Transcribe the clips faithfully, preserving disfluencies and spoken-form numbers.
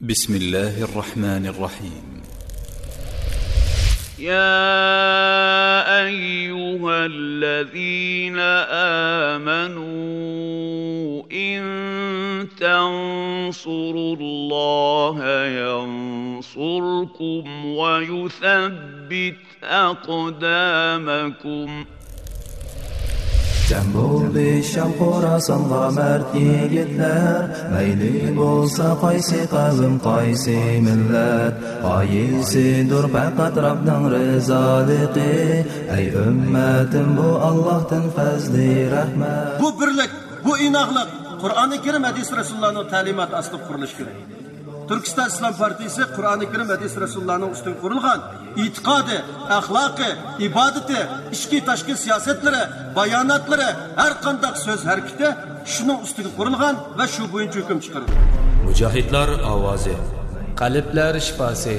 بسم الله الرحمن الرحيم. يا أيها الذين آمنوا إن تنصروا الله ينصركم ويثبت أقدامكم. جەم بولدى شام خوراسانغا مەرد يىگىتلەر، مەيلى بولسا قايسى قەۋم، قايسى مىللەت، غايىسىدۇر پەقەت رەبنىڭ رىزالىقى. ئەي ئۈممەتىم، بۇ ئاللاھتىن پەزلى رەھمەت. بۇ بىرلىك، بۇ ئىناقلىق قۇرئانى كەرىم، ھەدىس رەسۇلۇللانىڭ تەلىماتى ئاستىدا قۇرۇلۇشى كېرەك. تۈركىستان ئىسلام پارتىيىسى قۇرئانى كەرىم، ھەدىس رەسۇلۇللانىڭ ئۈستىگە قۇرۇلغان ئېتىقادى، ئەخلاقى، ئىبادىتى، ئىچكى تاشقى سىياسەتلىرى، باياناتلىرى، ھەر قانداق سۆز ھەرىكىتى شۇنىڭ ئۈستىگە قۇرۇلغان ۋە شۇ بويىچە ھۆكۈم چىقىرىدۇ. مۇجاھىدلار ئاۋازى. قەلبلەر شىپاسى.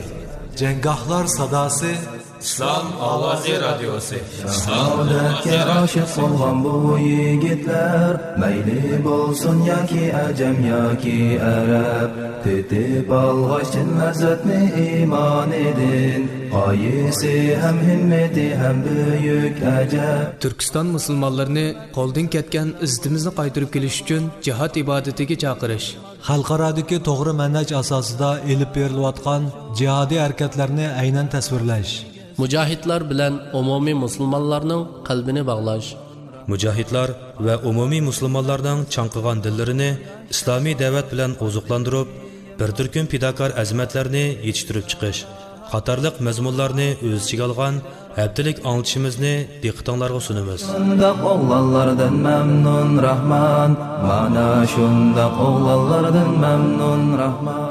جەڭگاھلار ساداسى. ئىسلام ئاۋازى رادىيوسى. شاھادەتكە ئاشىق بولغان بۇ يىگىتلەر، مەيلى بولسۇن ياكى ئەجەم ياكى ئەرەب، تېتىپ ئالغاچ چىن لەززەتنى ئىمانىدىن، غايىسى ھەم ھىممىتى ھەم بۈيۈك ئەجەب. تۈركىستان مۇسۇلمانلىرىنى قولدىن كەتكەن ئىززىتىمىزنى قايتۇرۇپ كېلىش ئۈچۈن جىھاد ئىبادىتىگە چاقىرىش. خەلقئارادىكى توغرا مەنھەج ئاساسىدا ئېلىپ بېرىلىۋاتقان جىھادىي ھەرىكەتلەرنى ئەينەن تەسۋىرلەش. مۇجاھىدلار بىلەن ئومۇمىي مۇسۇلمانلارنىڭ قەلبىنى باغلاش. مۇجاھىدلار ۋە ئومۇمىي مۇسۇلمانلارنىڭ چاڭقىغان دىللىرىنى ئىسلامىي دەۋەت بىلەن ئوزۇقلاندۇرۇپ، بىر تۈركۈم پىداكار ئەزىمەتلەرنى يېتىشتۈرۈپ چىقىش قاتارلىق مەزمۇنلارنى ئۆز ئىچىگە ئالغان ھەپتىلىك ئاڭلىتىشىمىزنى دىققىتىڭلارغا سۇنىمىز. شۇنداق ئوغلانلاردىن مەمنۇن راھمان، مانا شۇنداق ئوغلانلاردىن مەمنۇن راھمان.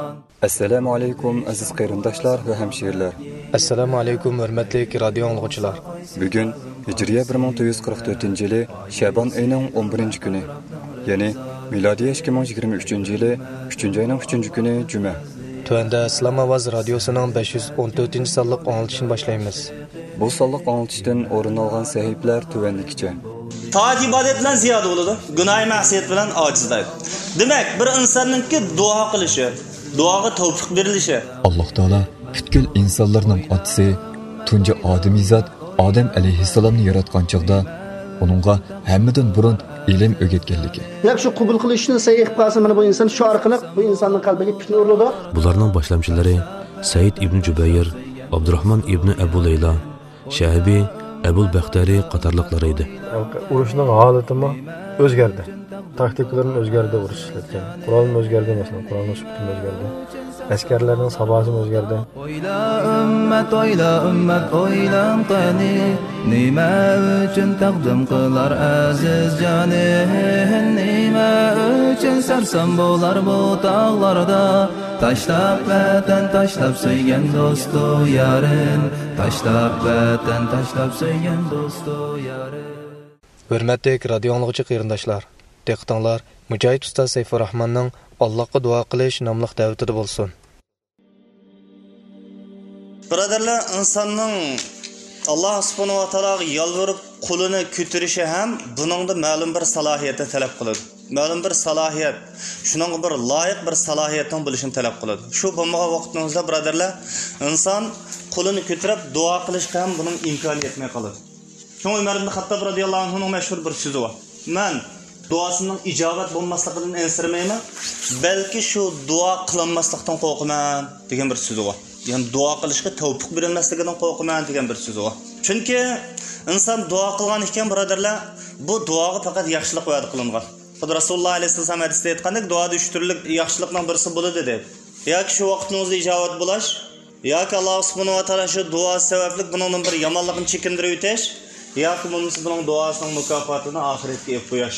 ئەسسالامۇ ئەلەيكۇم، ئەزىز قېرىنداشلار ۋە ھەمشىرىلەر. ئەسسالامۇ ئەلەيكۇم، ھۆرمەتلىك رادىيو ئاڭلىغۇچىلار. بۈگۈن ھىجرىيە بىر مىڭ تۆت يۈز قىرىق تۆتىنچى يىلى شەبان ئېيىنىڭ ئون بىرىنچى كۈنى، يەنى مىلادىيە ئىككى مىڭ يىگىرمە ئۈچىنچى يىلى ئۈچىنچى ئاينىڭ ئۈچىنچى كۈنى جۈمە. تۆۋەندە ئىسلام ئاۋازى رادىيوسىنىڭ بەش يۈز ئون تۆتىنچى سانلىق ئاڭلىتىشىنى باشلايمىز. بۇ سانلىق ئاڭلىتىشتىن ئورۇن ئالغان سەھىپىلەر تۆۋەندىكىچە. تائەت ئىبادەت بىلەن زىيادە بولىدۇ، گۇناھى مەسىيەت بىلەن ئاجىزلايدۇ. دېمەك، بىر ئىنساننىڭكى دۇئا قىلىشى، دۇئاغا تەۋپىق بېرىلىشى. ئاللاھ تائالا پۈتكۈل ئىنسانلارنىڭ ئاتىسى، تۇنجى ئادىمىزات ئادەم ئەلەيھىسسالامنى ياراتقان چاغدا، ئۇنىڭغا ھەممىدىن بۇرۇن ئىلىم ئۆگەتكەنلىكى. دەپ شۇ قوبۇل قىلىشنى سەي قىلىپ قالسا، مانا بۇ ئىنسان شۇ ئارقىلىق بۇ ئىنساننىڭ قەلبىگە پىتنە ئۇرۇلىدۇ. بۇلارنىڭ باشلامچىلىرى سەئىد ئىبنى جۇبەير، ئابدۇراھمان ئىبنى ئەبۇ لەيلا، شەئبى، ئەبۇل بەختەرى قاتارلىقلار ئىدى. ئۇرۇشنىڭ ھالىتىمۇ ئۆزگەردى. تاكتىكىلىرىمۇ ئۆزگەردى، ئۇرۇش ئىشلەتكەن. قورالمۇ ئۆزگەردى، مەسىلەن، قورالنىڭ سۈپىتىمۇ ئۆزگەردى. ئەسكەرلەرنىڭ ساپاسىمۇ ئۆزگەردى. ئويلا ئۈممەت، ئويلا ئۈممەت، ئويلاڭ قېنى، نېمە ئۈچۈن تەقدىم قىلار ئەزىز جانىن؟ نېمە ئۈچۈن سەرسان بولار بۇ تاغلاردا؟ تاشلاپ ۋەتەن، تاشلاپ سۆيگەن دوستۇ يارىن، تاشلاپ ۋەتەن، تاشلاپ سۆيگەن دوستۇ يارىن. ھۆرمەتلىك رادىيو ئاڭلىغۇچى قېرىنداشلار، دىققىتىڭلار مۇجاھىد ئۇستاز سەيپۇرراھماننىڭ «ئاللاھقا دۇئا قىلىش» ناملىق دەۋىتىدە بولسۇن. بۇرادەرلەر، ئىنساننىڭ ئاللاھ سۇبھانەھۇ ۋە تائالاغا يالۋۇرۇپ قولىنى كۆتۈرۈشى ھەم بۇنىڭدا مەلۇم بىر سالاھىيەتنى تەلەپ قىلىدۇ. مەلۇم بىر سالاھىيەت، شۇنىڭغا بىر لايىق بىر سالاھىيەتنىڭ بولۇشىنى تەلەپ قىلىدۇ. شۇ بولمىغان ۋاقتىمىزدا، بۇرادەرلەر، ئىنسان قولىنى كۆتۈرۈپ دۇئا قىلىشقا ھەم بۇنىڭ ئىمكانى يەتمەي قالىدۇ. شۇڭا ئۆمەر ئىبن خەتتاب رازىياللاھۇ ئەنھۇنىڭ مەشھۇر بىر سۆزى بار. مەن دۇئاسىنىڭ ئىجابەت بولماسلىقىدىن ئەنسىرىمەيمەن، بەلكى شۇ دۇئا قىلالماسلىقتىن قورقىمەن، دېگەن بىر سۆزى بار. يەنى دۇئا قىلىشقا تەۋپىق بېرىلمەسلىكىدىن قورقىمەن، دېگەن بىر سۆزى بار. چۈنكى ئىنسان دۇئا قىلغان ئىكەن، بۇرادەرلەر، بۇ دۇئاغا پەقەت ياخشىلىق ۋەدە قىلىنغان. خۇددى رەسۇلۇللاھ ئەلەيھىسسالام ھەدىستە ئېيتقاندەك، دۇئادا ئۈچ تۈرلۈك ياخشىلىقنىڭ بىرسى بولىدۇ، دەيدۇ. ياكى شۇ ۋاقتىڭىزدا ئىجابەت بولاش، ياكى ئاللاھ سۇبھانەھۇ ۋە تائالا شۇ دۇئا سەۋەبلىك بۇنىڭدىن بىر يامانلىقنى چېكىندۈرۈۋېتىش، ياكى بولمىسا بۇنىڭ دۇئاسىنىڭ مۇكاپاتىنى ئاخىرەتكە ئېلىپ قويۇش.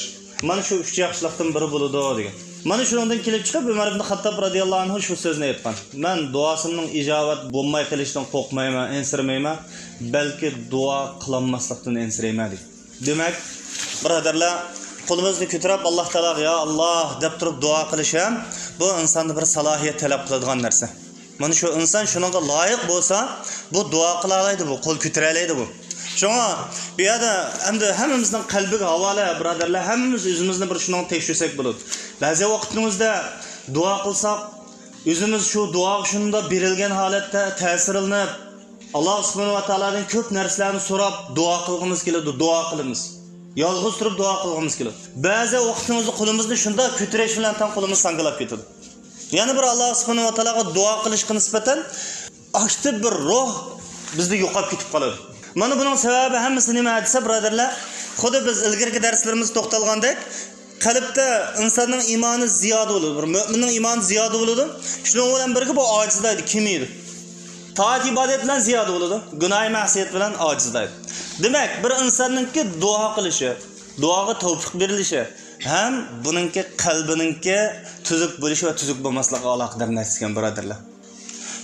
مانا شۇ ئۈچ ياخشىلىقتىن بىرى بولىدۇ، دېگەن. مانا شۇنىڭدىن كېلىپ چىقىپ، ئۆمەر ئىبن خەتتاب رازىياللاھۇ ئەنھۇ شۇ سۆزنى ئېيتقان: «مەن دۇئاسىمنىڭ ئىجابەت بولماي قېلىشىدىن قورقمايمەن، ئەنسىرىمەيمەن، بەلكى دۇئا قىلالماسلىقتىن ئەنسىرەيمەن» دېگەن. دېمەك، بۇرادەرلەر، قولىمىزنى كۆتۈرۈپ، «ئاللاھ تائالاغا يا ئاللاھ» دەپ تۇرۇپ دۇئا قىلىش ھەم بۇ ئىنساندا بىر سالاھىيەت تەلەپ قىلىدىغان نەرسە. مانا شۇ ئىنسان شۇنىڭغا لايىق بولسا، بۇ دۇئا قىلالايدۇ، بۇ قول كۆتۈرەلەيدۇ بۇ. شۇڭا بۇ يەردە ئەمدى ھەممىمىزنىڭ قەلبىگە ھاۋالە، بۇرادەرلەر، ھەممىمىز ئۆزىمىزنى بىر شۇنىڭغا تەكشۈرسەك بولىدۇ. بەزى ۋاقىتنىڭ ئۆزىدە دۇئا قىلساق، ئۆزىمىز شۇ دۇئاغا شۇنداق بېرىلگەن ھالەتتە تەسىرلىنىپ، ئاللا سۇبھانەھۇ ۋە تائالادىن كۆپ نەرسىلەرنى سوراپ دۇئا قىلغىمىز كېلىدۇ، دۇئا قىلىمىز. يالغۇز تۇرۇپ دۇئا قىلغىمىز كېلىدۇ. بەزى ۋاقتىمىزدا قولىمىزنى شۇنداق كۆتۈرۈش بىلەن تەڭ قولىمىز ساڭگىلاپ كېتىدۇ. يەنە بىر ئاللا سۇبھانەھۇ ۋە تائالاغا دۇئا قىلىشقا نىسبەتەن ئاكتىپ بىر روھ بىزدە يوقاپ كېتىپ قالىدۇ. مانا بۇنىڭ سەۋەبى ھەممىسى نېمە دېسە، بۇرادەرلەر، خۇددى بىز ئىلگىرىكى دەرسلىرىمىزدە توختالغاندەك، قەلبتە ئىنساننىڭ ئىمانى زىيادە بولىدۇ، بىر مۆمىننىڭ ئىمانى زىيادە بولىدۇ. شۇنىڭ بىلەن بىرگە بۇ ئاجىزلايدۇ، كېمىيىدۇ. تائەت ئىبادەت بىلەن زىيادە بولىدۇ، گۇناھى مەسىيەت بىلەن ئاجىزلايدۇ. دېمەك، بىر ئىنساننىڭكى دۇئا قىلىشى، دۇئاغا تەۋپىق بېرىلىشى ھەم بۇنىڭكى قەلبىنىڭكى تۈزۈك بولۇشى ۋە تۈزۈك بولماسلىقىغا ئالاقىدار نەرسە ئىكەن، بۇرادەرلەر.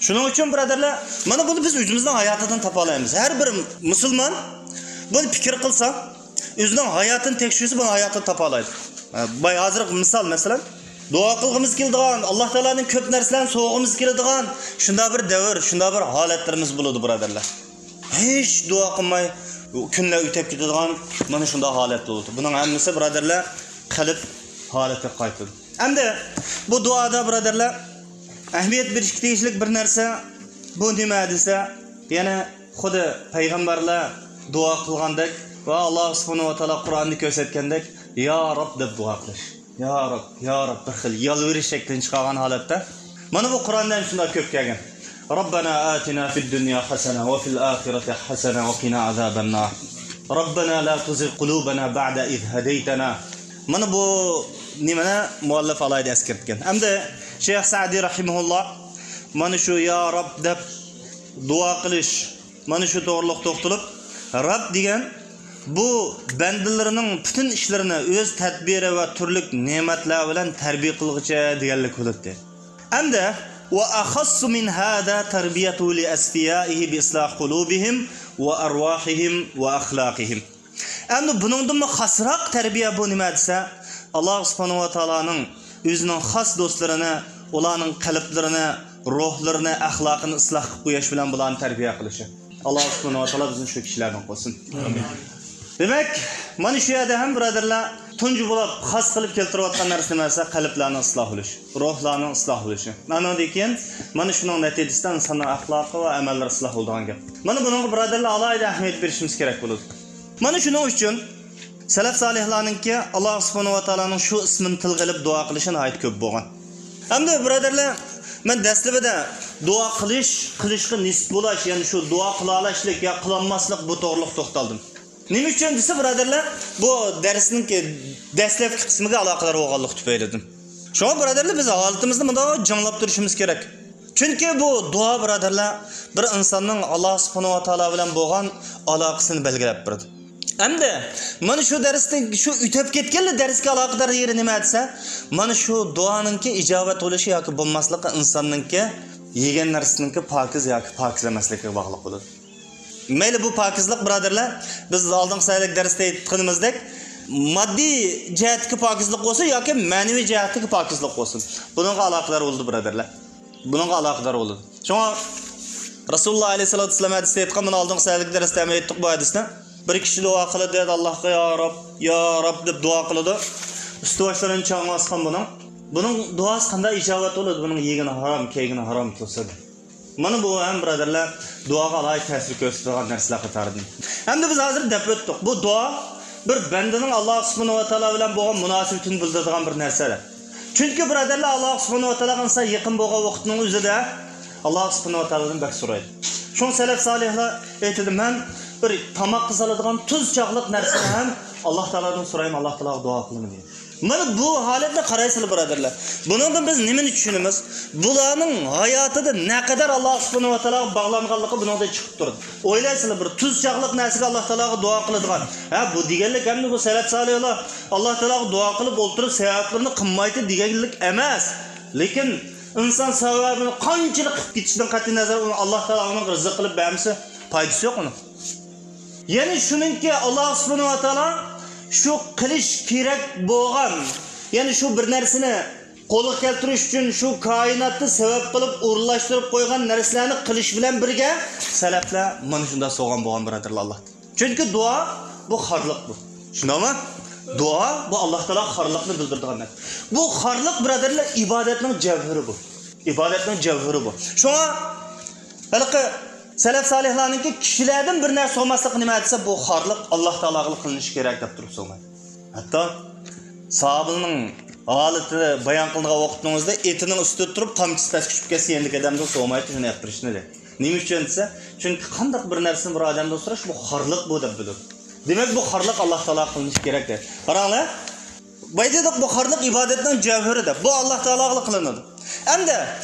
شۇنىڭ ئۈچۈن، بۇرادەرلەر، مانا بۇنى بىز ئۆزىمىزنىڭ ھاياتىدىن تاپالايمىز. ھەر بىر مۇسۇلمان بۇنى پىكىر قىلسا، ئۆزىنىڭ ھاياتىنى تەكشۈرسە، بۇنى ھاياتىدىن تاپالايدۇ. باي، ھازىرقى مىسال، مەسىلەن، دۇئا قىلغۇمىز كېلىدىغان، ئاللا تائالادىن كۆپ نەرسىلەرنى سورىغۇمىز كېلىدىغان شۇنداق بىر دەۋر، شۇنداق بىر ھالەتلىرىمىز بولىدۇ، بۇرادەرلەر. ھېچ دۇئا قىلماي كۈنلەر ئۆتۈپ كېتىدىغان مانا شۇنداق ھالەتلەر بولىدۇ. بۇنىڭ ھەممىسى، بۇرادەرلەر، قەلب ھالىتىگە قايتىدۇ. ئەمدى بۇ دۇئادا، بۇرادەرلەر، ئەھمىيەت بېرىشكە تېگىشلىك بىر نەرسە، بۇ نېمە دېسە، يەنە خۇددى پەيغەمبەرلەر دۇئا قىلغاندەك ۋە ئاللا سۇبھانەھۇ ۋە تائالا قۇرئاندا كۆرسەتكەندەك، يا رەب دەپ دۇئا قىلىش. يا رەب، يا رەب، بىر خىل يالۋۇرۇش شەكلىنى چىقارغان ھالەتتە. مانا بۇ قۇرئاندا ھەم شۇنداق كۆپ كەلگەن. ربنا آتنا في الدنيا حسنة وفي الآخرة حسنة وقنا عذاب النار. ربنا لا تزغ قلوبنا بعد إذ هديتنا. مانا بۇ نېمىنى مۇئەللىپ ئالاھىدە ئەسكەرتكەن. ئەمدى شەيخ سەئدى رەھىمەھۇللا مانا شۇ يا رەب دەپ دۇئا قىلىش، مانا شۇ توغرىلىق توختىلىپ، رەب دېگەن بۇ بەندىلىرىنىڭ پۈتۈن ئىشلىرىنى ئۆز تەدبىرى ۋە تۈرلۈك نېمەتلەر بىلەن تەربىيە قىلغۇچى دېگەنلىك بولىدۇ. ئەمدى وأخص من هذا تربيته لأصفيائه بإصلاح قلوبهم وأرواحهم وأخلاقهم. ئەمدى بۇنىڭدىنمۇ خاسراق تەربىيە بۇ نېمە دېسە، ئاللا سۇبھانەھۇ ۋە تائالانىڭ ئۆزىنىڭ خاس دوستلىرىنى، ئۇلارنىڭ قەلبلىرىنى، روھلىرىنى، ئەخلاقىنى ئىسلاھ قىلىپ قويۇش بىلەن بۇلارنى تەربىيە قىلىشى. ئاللا سۇبھانەھۇ ۋە تائالا بىزنى شۇ كىشىلەردىن قىلسۇن. ئامىن. دېمەك، مانا شۇ يەردە ھەم، بۇرادەرلەر، تۇنجى بولۇپ خاس قىلىپ كەلتۈرۈۋاتقان نەرسە نېمە دېسە، قەلبلەرنىڭ ئىسلاھ بولۇشى، روھلارنىڭ ئىسلاھ بولۇشى. ئانىڭدىن كېيىن مانا شۇنىڭ نەتىجىسىدە ئىنساننىڭ ئەخلاقى ۋە ئەمەللىرى ئىسلاھ بولىدىغان گەپ. مانا بۇنىڭغا، بۇرادەرلەر، ئالاھىدە ئەھمىيەت بېرىشىمىز كېرەك بولىدۇ. مانا شۇنىڭ ئۈچۈن سەلەف سالىھلارنىڭكى ئاللا سۇبھانەھۇ ۋە تائالانىڭ شۇ ئىسمىنى تىلغا ئېلىپ دۇئا قىلىشى ناھايىتى كۆپ بولغان. ئەمدى، بۇرادەرلەر، مەن دەسلىپىدە دۇئا قىلىش، قىلىشقا نېسىپ بولاش، يەنى شۇ دۇئا قىلالاشلىق يا قىلالماسلىق، بۇ توغرىلىق توختالدىم. نېمە ئۈچۈن دېسە، بۇرادەرلەر، بۇ دەرسنىڭكى دەسلەپكى قىسمىغا ئالاقىدار بولغانلىقى تۈپەيلىدىن. شۇڭا، بۇرادەرلەر، بىز ھالىتىمىزنى مۇنداق جىڭلاپ تۇرۇشىمىز كېرەك. چۈنكى بۇ دۇئا، بۇرادەرلەر، بىر ئىنساننىڭ ئاللا سۇبھانەھۇ ۋە تائالا بىلەن بولغان ئالاقىسىنى بەلگىلەپ بېرىدۇ. ئەمدى مانا شۇ دەرستىن، شۇ ئۆتۈپ كەتكەنلا دەرسكە ئالاقىدار يېرى نېمە دېسە، مانا شۇ دۇئانىڭكى ئىجابەت بولۇشى ياكى بولماسلىقى ئىنساننىڭكى يېگەن نەرسىنىڭكى پاكىز ياكى پاكىز ئەمەسلىكىگە باغلىق بولىدۇ. مەيلى، بۇ پاكىزلىق، بۇرادەرلەر، بىز ئالدىنقى سەھىپىدىكى دەرستە ئېيتقىنىمىزدەك، ماددىي جەھەتتىكى پاكىزلىق بولسۇن ياكى مەنىۋى جەھەتتىكى پاكىزلىق بولسۇن، بۇنىڭغا ئالاقىدار بولىدۇ، بۇرادەرلەر. بۇنىڭغا ئالاقىدار بولىدۇ. شۇڭا رەسۇلۇللا ئەلەيھىسسالاتۇ ۋەسسالام ھەدىستە ئېيتقان، مانا ئالدىنقى سەھىپىدىكى دەرستە ھەم ئېيتتۇق بۇ ھەدىسنى. بىر كىشى دۇئا قىلىدۇ، دەيدۇ، ئاللاھقا، يا رەب، يا رەب دەپ دۇئا قىلىدۇ. ئۈستى باشلىرىنى چاڭ باسقان بۇنىڭ. بۇنىڭ دۇئاسى قانداق ئىجابەت بولىدۇ؟ بۇنىڭ يېگىنى ھارام، كىيگىنى ھارام تۇرسا. مانا بۇ ھەم، بۇرادەرلەر، دۇئاغا ئالاھىدە تەسىر كۆرسىتىدىغان نەرسىلەر قاتارىدىن. ئەمدى بىز ھازىر دەپ ئۆتتۇق. بۇ دۇئا بىر بەندىنىڭ ئاللا سۇبھانەھۇ ۋە تائالا بىلەن بولغان مۇناسىۋىتىنى بىلدۈرىدىغان بىر نەرسە. چۈنكى، بۇرادەرلەر، ئاللا سۇبھانەھۇ ۋە تائالاغا ئىنسان يېقىن بولغان ۋاقىتنىڭ ئۆزىدە ئاللا سۇبھانەھۇ ۋە تائالادىن بەك سورايدۇ. شۇڭا سەلەف سالىھلار ئېيتىدۇ، مەن بىر تاماققا سالىدىغان تۇز چاغلىق نەرسىنى ھەم ئاللا تائالادىن سورايمەن، ئاللا تائالاغا دۇئا قىلىمەن دېگەن. مانا بۇ ھالەتنى قارايسىلەر، بۇرادەرلەر. بۇنىڭدىن بىز نېمىنى چۈشىنىمىز؟ بۇلارنىڭ ھاياتىدا نەقەدەر ئاللا سۇبھانەھۇ ۋە تائالاغا باغلانغانلىقى بۇنىڭدىن چىقىپ تۇرىدۇ. ئويلايسىلەر، بىر تۇز چاغلىق نەرسىگە ئاللا تائالاغا دۇئا قىلىدىغان. ھە، بۇ دېگەنلىك ئەمدى بۇ سەلەف سالىھلار ئاللا تائالاغا دۇئا قىلىپ ئولتۇرۇپ سەۋەبلىرىنى قىلمايتتى دېگەنلىك ئەمەس. لېكىن ئىنسان سەۋەبىنى قانچىلىك قىلىپ كېتىشىدىن قەتئىينەزەر، ئۇنى ئاللا تائالا ئۇنىڭغا رىزىق قىلىپ بەرمىسە، پايدىسى يوق ئۇنىڭ. يەنى شۇنىڭكى، ئاللا سۇبھانەھۇ ۋە تائالا شۇ قىلىش كېرەك بولغان، يەنى شۇ بىر نەرسىنى قولغا كەلتۈرۈش ئۈچۈن شۇ كائىناتتا سەۋەب قىلىپ ئورۇنلاشتۇرۇپ قويغان نەرسىلەرنى قىلىش بىلەن بىرگە سەلەفلەر مانا شۇنداق سوغان بولغان، بۇرادەرلەر، ئاللاھتىن. چۈنكى دۇئا بۇ خارلىق بۇ. شۇنداقمۇ؟ دۇئا بۇ ئاللا تائالا خارلىقنى بىلدۈرىدىغان نەرسە. بۇ خارلىق، بۇرادەرلەر، ئىبادەتنىڭ جەۋھىرى بۇ. ئىبادەتنىڭ جەۋھىرى بۇ. شۇڭا ھېلىقى سەلەف سالىھلارنىڭكى كىشىلەردىن بىر نەرسە سورىماسلىقى نېمە دېسە، بۇ خارلىق ئاللا تائالاغىلا قىلىنىشى كېرەك دەپ تۇرۇپ سورىمايدۇ. ھەتتا ساھابىنىڭ ھالىتىنى بايان قىلىدىغان ۋاقتىڭىزدا ئېتىنىڭ ئۈستىدە تۇرۇپ تامچىسى پەسكە چۈشۈپ كەتسە يەنىكىن ئادەمدىن سورىمايتتى شۇنى ئەپ بېرىشنى دەيدۇ. نېمە ئۈچۈن دېسە، چۈنكى قانداق بىر نەرسىنى بىر ئادەمدىن سوراش، بۇ خارلىق بۇ دەپ بىلىدۇ. دېمەك، بۇ خارلىق ئاللا تائالاغا قىلىنىشى كېرەك دەيدۇ. قاراڭلار، بايا دېدۇق، بۇ خارلىق ئىبادەتنىڭ جەۋھىرى دەپ. بۇ ئاللا تائالاغىلا قىلىنىدۇ. ئەمدى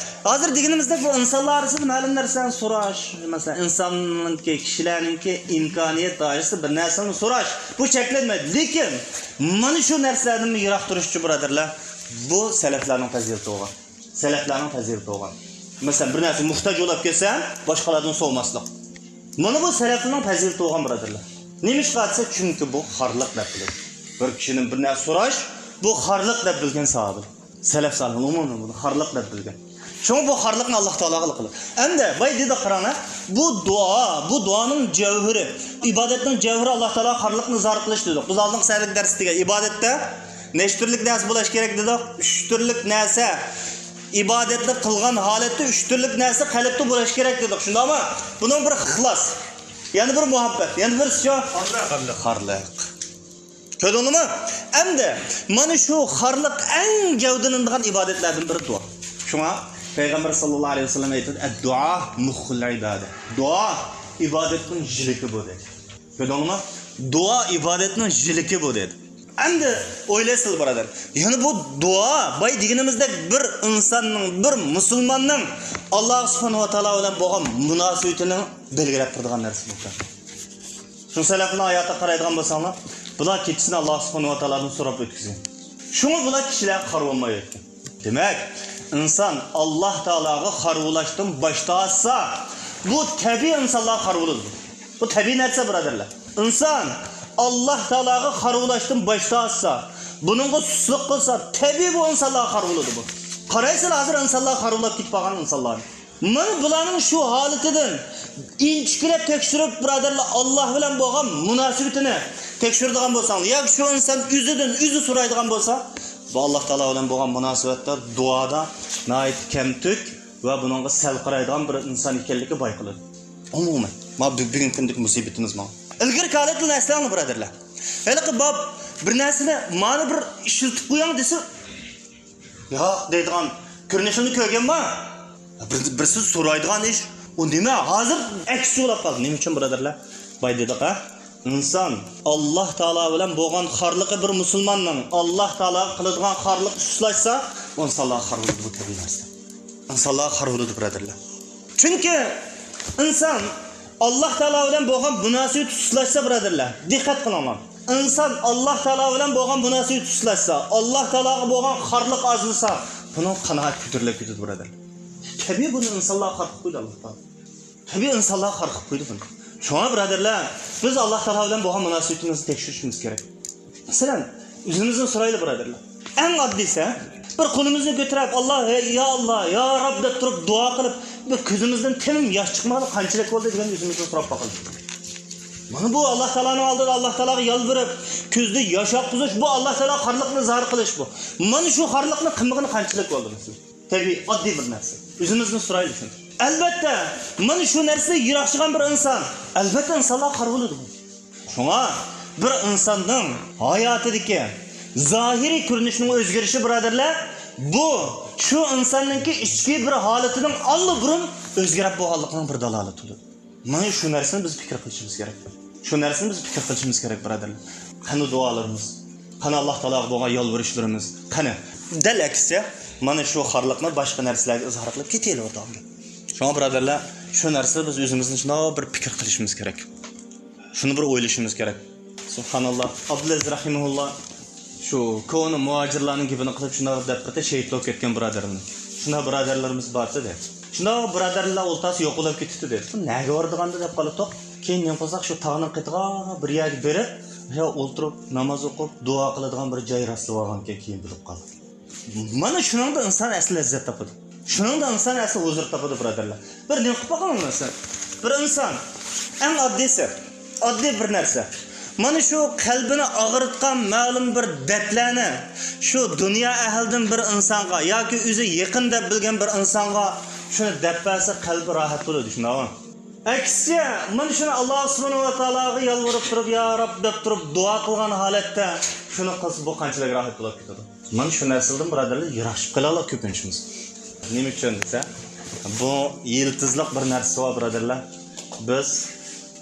ھازىر دېگىنىمىزدەك بۇ ئىنسانلار ئارىسىدا مەلۇم نەرسىلەرنى سوراش، مەسىلەن، ئىنساننىڭكى، كىشىلەرنىڭكى ئىمكانىيەت دائىرىسىدا بىر نەرسىنى سوراش، بۇ چەكلەنمەيدۇ. لېكىن مانا شۇ نەرسىلەردىن يىراق تۇرۇشچۇ، بۇرادەرلەر، بۇ سەلەفلەرنىڭ پەزىلىتى بولغان. سەلەفلەرنىڭ پەزىلىتى بولغان. مەسىلەن، بىر نەرسە موھتاج بولاپ كەلسە، باشقىلاردىن سورىماسلىق. مانا بۇ سەلەفنىڭ پەزىلىتى بولغان، بۇرادەرلەر. نېمىشقا دېسە، چۈنكى بۇ خارلىق دەپ بىلىدۇ. بىر كىشىدىن بىر نەرسە سوراش، بۇ خارلىق دەپ بىلگەن ساھابە. سەلەف سالىھ ئومۇمەن بۇنى خارلىق دەپ بىلگەن. شۇڭا بۇ خارلىقنى ئاللا تائالاغىلا قىلىدۇ. ئەمدى بايا دېدۇق، قاراڭلار، بۇ دۇئا، بۇ دۇئانىڭ جەۋھىرى، ئىبادەتنىڭ جەۋھىرى ئاللا تائالاغا خارلىقنى ئىزھار قىلىش دېدۇق. بىز ئالدىنقى سەھەردىكى دەرستە دېگەن ئىبادەتتە نەچچە تۈرلۈك نەرسە بولۇش كېرەك دېدۇق؟ ئۈچ تۈرلۈك نەرسە. ئىبادەتنى قىلغان ھالەتتە ئۈچ تۈرلۈك نەرسە قەلبتە بولۇش كېرەك دېدۇق. شۇنداقمۇ؟ بۇنىڭ بىرى ئىخلاس. يەنە بىرى مۇھەببەت. يەنە بىرسىچۇ؟ خارلىق. خارلىق. كۆردۈڭلارمۇ؟ ئەمدى مانا شۇ خارلىق ئەڭ گەۋدىلىنىدىغان ئىبادەتلەردىن بىرى دۇئا. شۇڭا پەيغەمبەر ساللاللاھۇ ئەلەيھى ۋەسەللەم ئېيتىدۇ، «ئەددۇئا مۇخخۇل ئىبادە.» دۇئا ئىبادەتنىڭ ژىلىكى بۇ دېدى. كۆردۈڭلارمۇ؟ دۇئا ئىبادەتنىڭ ژىلىكى بۇ دېدى. ئەمدى ئويلايسىلەر، بۇرادەر. يەنى بۇ دۇئا، بايا دېگىنىمىزدەك بىر ئىنساننىڭ، بىر مۇسۇلماننىڭ ئاللا سۇبھانەھۇ ۋە تائالا بىلەن بولغان مۇناسىۋىتىنى بەلگىلەپ تۇرىدىغان نەرسە بۇ. شۇ سەلەفنىڭ ھاياتىغا قارايدىغان بولساڭلار، بۇلار كېچىسىنى ئاللا سۇبھانەھۇ ۋە تائالادىن سوراپ ئۆتكۈزگەن. شۇڭا بۇلار كىشىلەرگە خار بولمايۋاتىدۇ. دېمەك، ئىنسان ئاللا تائالاغا خار بولۇشتىن باش تارتسا، بۇ تەبىئىي ئىنسانلارغا خار بولىدۇ. بۇ تەبىئىي نەرسە، بۇرادەرلەر. ئىنسان ئاللا تائالاغا خار بولۇشتىن باش تارتسا، بۇنىڭغا سۇسلۇق قىلسا، تەبىئىي بۇ ئىنسانلارغا خار بولىدۇ بۇ. قارايسىلەر، ھازىر ئىنسانلار خار بولاپ كېتىپ قالغان ئىنسانلارنى. مانا بۇلارنىڭ شۇ ھالىتىدىن ئىنچىكىلەپ تەكشۈرۈپ، بۇرادەرلەر، ئاللا بىلەن بولغان مۇناسىۋىتىنى تەكشۈرىدىغان بولساڭ، ياكى شۇ ئىنسان ئۆزىدىن ئۆزى سورايدىغان بولسا، بۇ ئاللا تائالا بىلەن بولغان مۇناسىۋەتتە دۇئادا ناھايىتى كەمتۈك ۋە بۇنىڭغا سەل قارايدىغان بىر ئىنسان ئىكەنلىكى بايقىلىدۇ. ئومۇمەن، مانا بۈ-، بۈگۈنكى كۈندىكى مۇسىبىتىمىز مانا. ئىلگىرىكى ھالەتلەرنى ئەسلەڭلار، بۇرادەرلەر. ھېلىقى باب بىر نەرسىنى مانا بىر ئىشلىتىپ قويۇڭ دېسە، ياق دەيدىغان كۆرۈنۈشۈمنى كۆرگەنما؟ بىر، بىرسى سورايدىغان ئىش. ئۇ نېمە؟ ھازىر ئەكسىچە بولاپ قالدى. نېمە ئۈچۈن، بۇرادەرلەر؟ بايا دېدۇق، ھە؟ ئىنسان ئاللا تائالا بىلەن بولغان خارلىقى، بىر مۇسۇلماننىڭ ئاللا تائالاغا قىلىدىغان خارلىقى سۇسلاشسا، ئۇ ئىنسانلارغا خار بولىدۇ، بۇ تەبىئىي نەرسە. ئىنسانلارغا خار بولىدۇ، بۇرادەرلەر. چۈنكى ئىنسان ئاللا تائالا بىلەن بولغان مۇناسىۋىتى سۇسلاشسا، بۇرادەرلەر، دىققەت قىلىڭلار. ئىنسان ئاللا تائالا بىلەن بولغان مۇناسىۋىتى سۇسلاشسا، ئاللا تائالاغا بولغان خارلىق ئازلىسا، بۇنىڭ قانائەت كۆتۈرۈلۈپ كېتىدۇ، بۇرادەرلەر. تەبىئىي بۇنى ئىنسانلارغا خار قىلىپ قويدى ئاللا تائالا. تەبىئىي ئىنسانلارغا خار قىلىپ قويدى بۇنى. شۇڭا، بۇرادەرلەر، بىز ئاللا تائالا بىلەن بولغان مۇناسىۋىتىمىزنى تەكشۈرۈشىمىز كېرەك. مەسىلەن، ئۆزىمىزدىن سورايلى، بۇرادەرلەر. ئەڭ ئاددىيسى، بىر قولىمىزنى كۆتۈرۈپ، «ئاللا، ھەي، يا ئاللا، يا رەب» دەپ تۇرۇپ دۇئا قىلىپ، بىر كۆزىمىزدىن تېمىم ياش چىقمىغىلى قانچىلىك بولدى دېگەن ئۆزىمىزدىن سوراپ باقىلى. مانا بۇ ئاللا تائالانىڭ ئالدىدا ئاللا تائالاغا يالۋۇرۇپ، كۆزدە ياش ئاققۇزۇش، بۇ ئاللا تائالاغا خارلىقنى ئىزھار قىلىش بۇ. مانا شۇ خارلىقنى قىلمىغىلى قانچىلىك بولدى، مەسىلەن. تەبىئىي، ئاددىي بىر نەرسە. ئۆزىمىزدىن سورايلى شۇنى. ئەلۋەتتە، مانا شۇ نەرسىدىن يىراقلاشقان بىر ئىنسان، ئەلۋەتتە، ئىنسانلارغا خار بولىدۇ. شۇڭا بىر ئىنساننىڭ ھاياتىدىكى زاھىرىي كۆرۈنۈشنىڭ ئۆزگىرىشى، بۇرادەرلەر، بۇ شۇ ئىنساننىڭكى ئىچكى بىر ھالىتىنىڭ ئاللىبۇرۇن ئۆزگىرىپ بولغانلىقىنىڭ بىر دالالىتىدۇر. مانا شۇ نەرسىنى بىز پىكىر قىلىشىمىز كېرەك. شۇ نەرسىنى بىز پىكىر قىلىشىمىز كېرەك، بۇرادەرلەر. قېنى دۇئالىرىمىز؟ قېنى ئاللا تائالاغا بولغان يالۋۇرۇشلىرىمىز؟ قېنى؟ دەل ئەكسىچە، مانا شۇ خارلىقنى باشقا نەرسىلەرگە ئىزھار قىلىپ كېتىۋېرىدىغان گەپ. شۇڭا، بۇرادەرلەر، شۇ نەرسىدە بىز ئۆزىمىزنى شۇنداق بىر پىكىر قىلىشىمىز كېرەك. شۇنى بىر ئويلىشىمىز كېرەك. سۇبھاناللا. ئابدۇلئەزىز رەھىمەھۇللا شۇ كونا مۇھاجىرلارنىڭ گېپىنى قىلىپ، شۇنداق دەپ بىردە شېھىت بولۇپ كەتكەن بۇرادەرلىرىمىز. شۇنداق بۇرادەرلىرىمىز بار ئىدى. شۇنداق بۇرادەرلەر ئولتۇرسا يوقىلاپ كېتىپتۇ دېدى. بۇ نەگە بارىدىغاندۇ دەپ قالاتتۇق. كېيىن نېمە قىلساق، شۇ تاغنىڭ قېتىغا بىر يەرگە بېرىپ، شۇ ئولتۇرۇپ ناماز ئوقۇپ، دۇئا قىلىدىغان بىر جاي راسلىۋالغانىكەن، كېيىن بىلىپ قالدۇق. مانا شۇنىڭدا ئىنسان ئەسلى لەززەت تاپىدۇ. شۇنىڭدا ئىنسان ئەسلى ھۇزۇر تاپىدۇ، بۇرادەرلەر. بىر نېمە قىلىپ باقىڭ مەسىلەن. بىر ئىنسان، ئەڭ ئاددىيسى، ئاددىي بىر نەرسە. مانا شۇ قەلبىنى ئاغرىتقان مەلۇم بىر دەردلەرنى شۇ دۇنيا ئەھلىدىن بىر ئىنسانغا ياكى ئۆزى يېقىن دەپ بىلگەن بىر ئىنسانغا شۇنى دەپ بەرسە، قەلبى راھەت بولىدۇ، شۇنداقمۇ؟ ئەكسىچە، مانا شۇنى ئاللا سۇبھانەھۇ ۋە تائالاغا يالۋۇرۇپ تۇرۇپ، يا رەب دەپ تۇرۇپ دۇئا قىلغان ھالەتتە شۇنى قىلسا، بۇ قانچىلىك راھەت بولۇپ كېتىدۇ. مانا شۇ نەرسىلەردىن، بۇرادەرلەر، يىراقلىشىپ قېلىڭلار كۆپىنچىمىز. نېمە ئۈچۈن دېسە، بۇ يىلتىزلىق بىر نەرسە بار، بۇرادەرلەر. بىز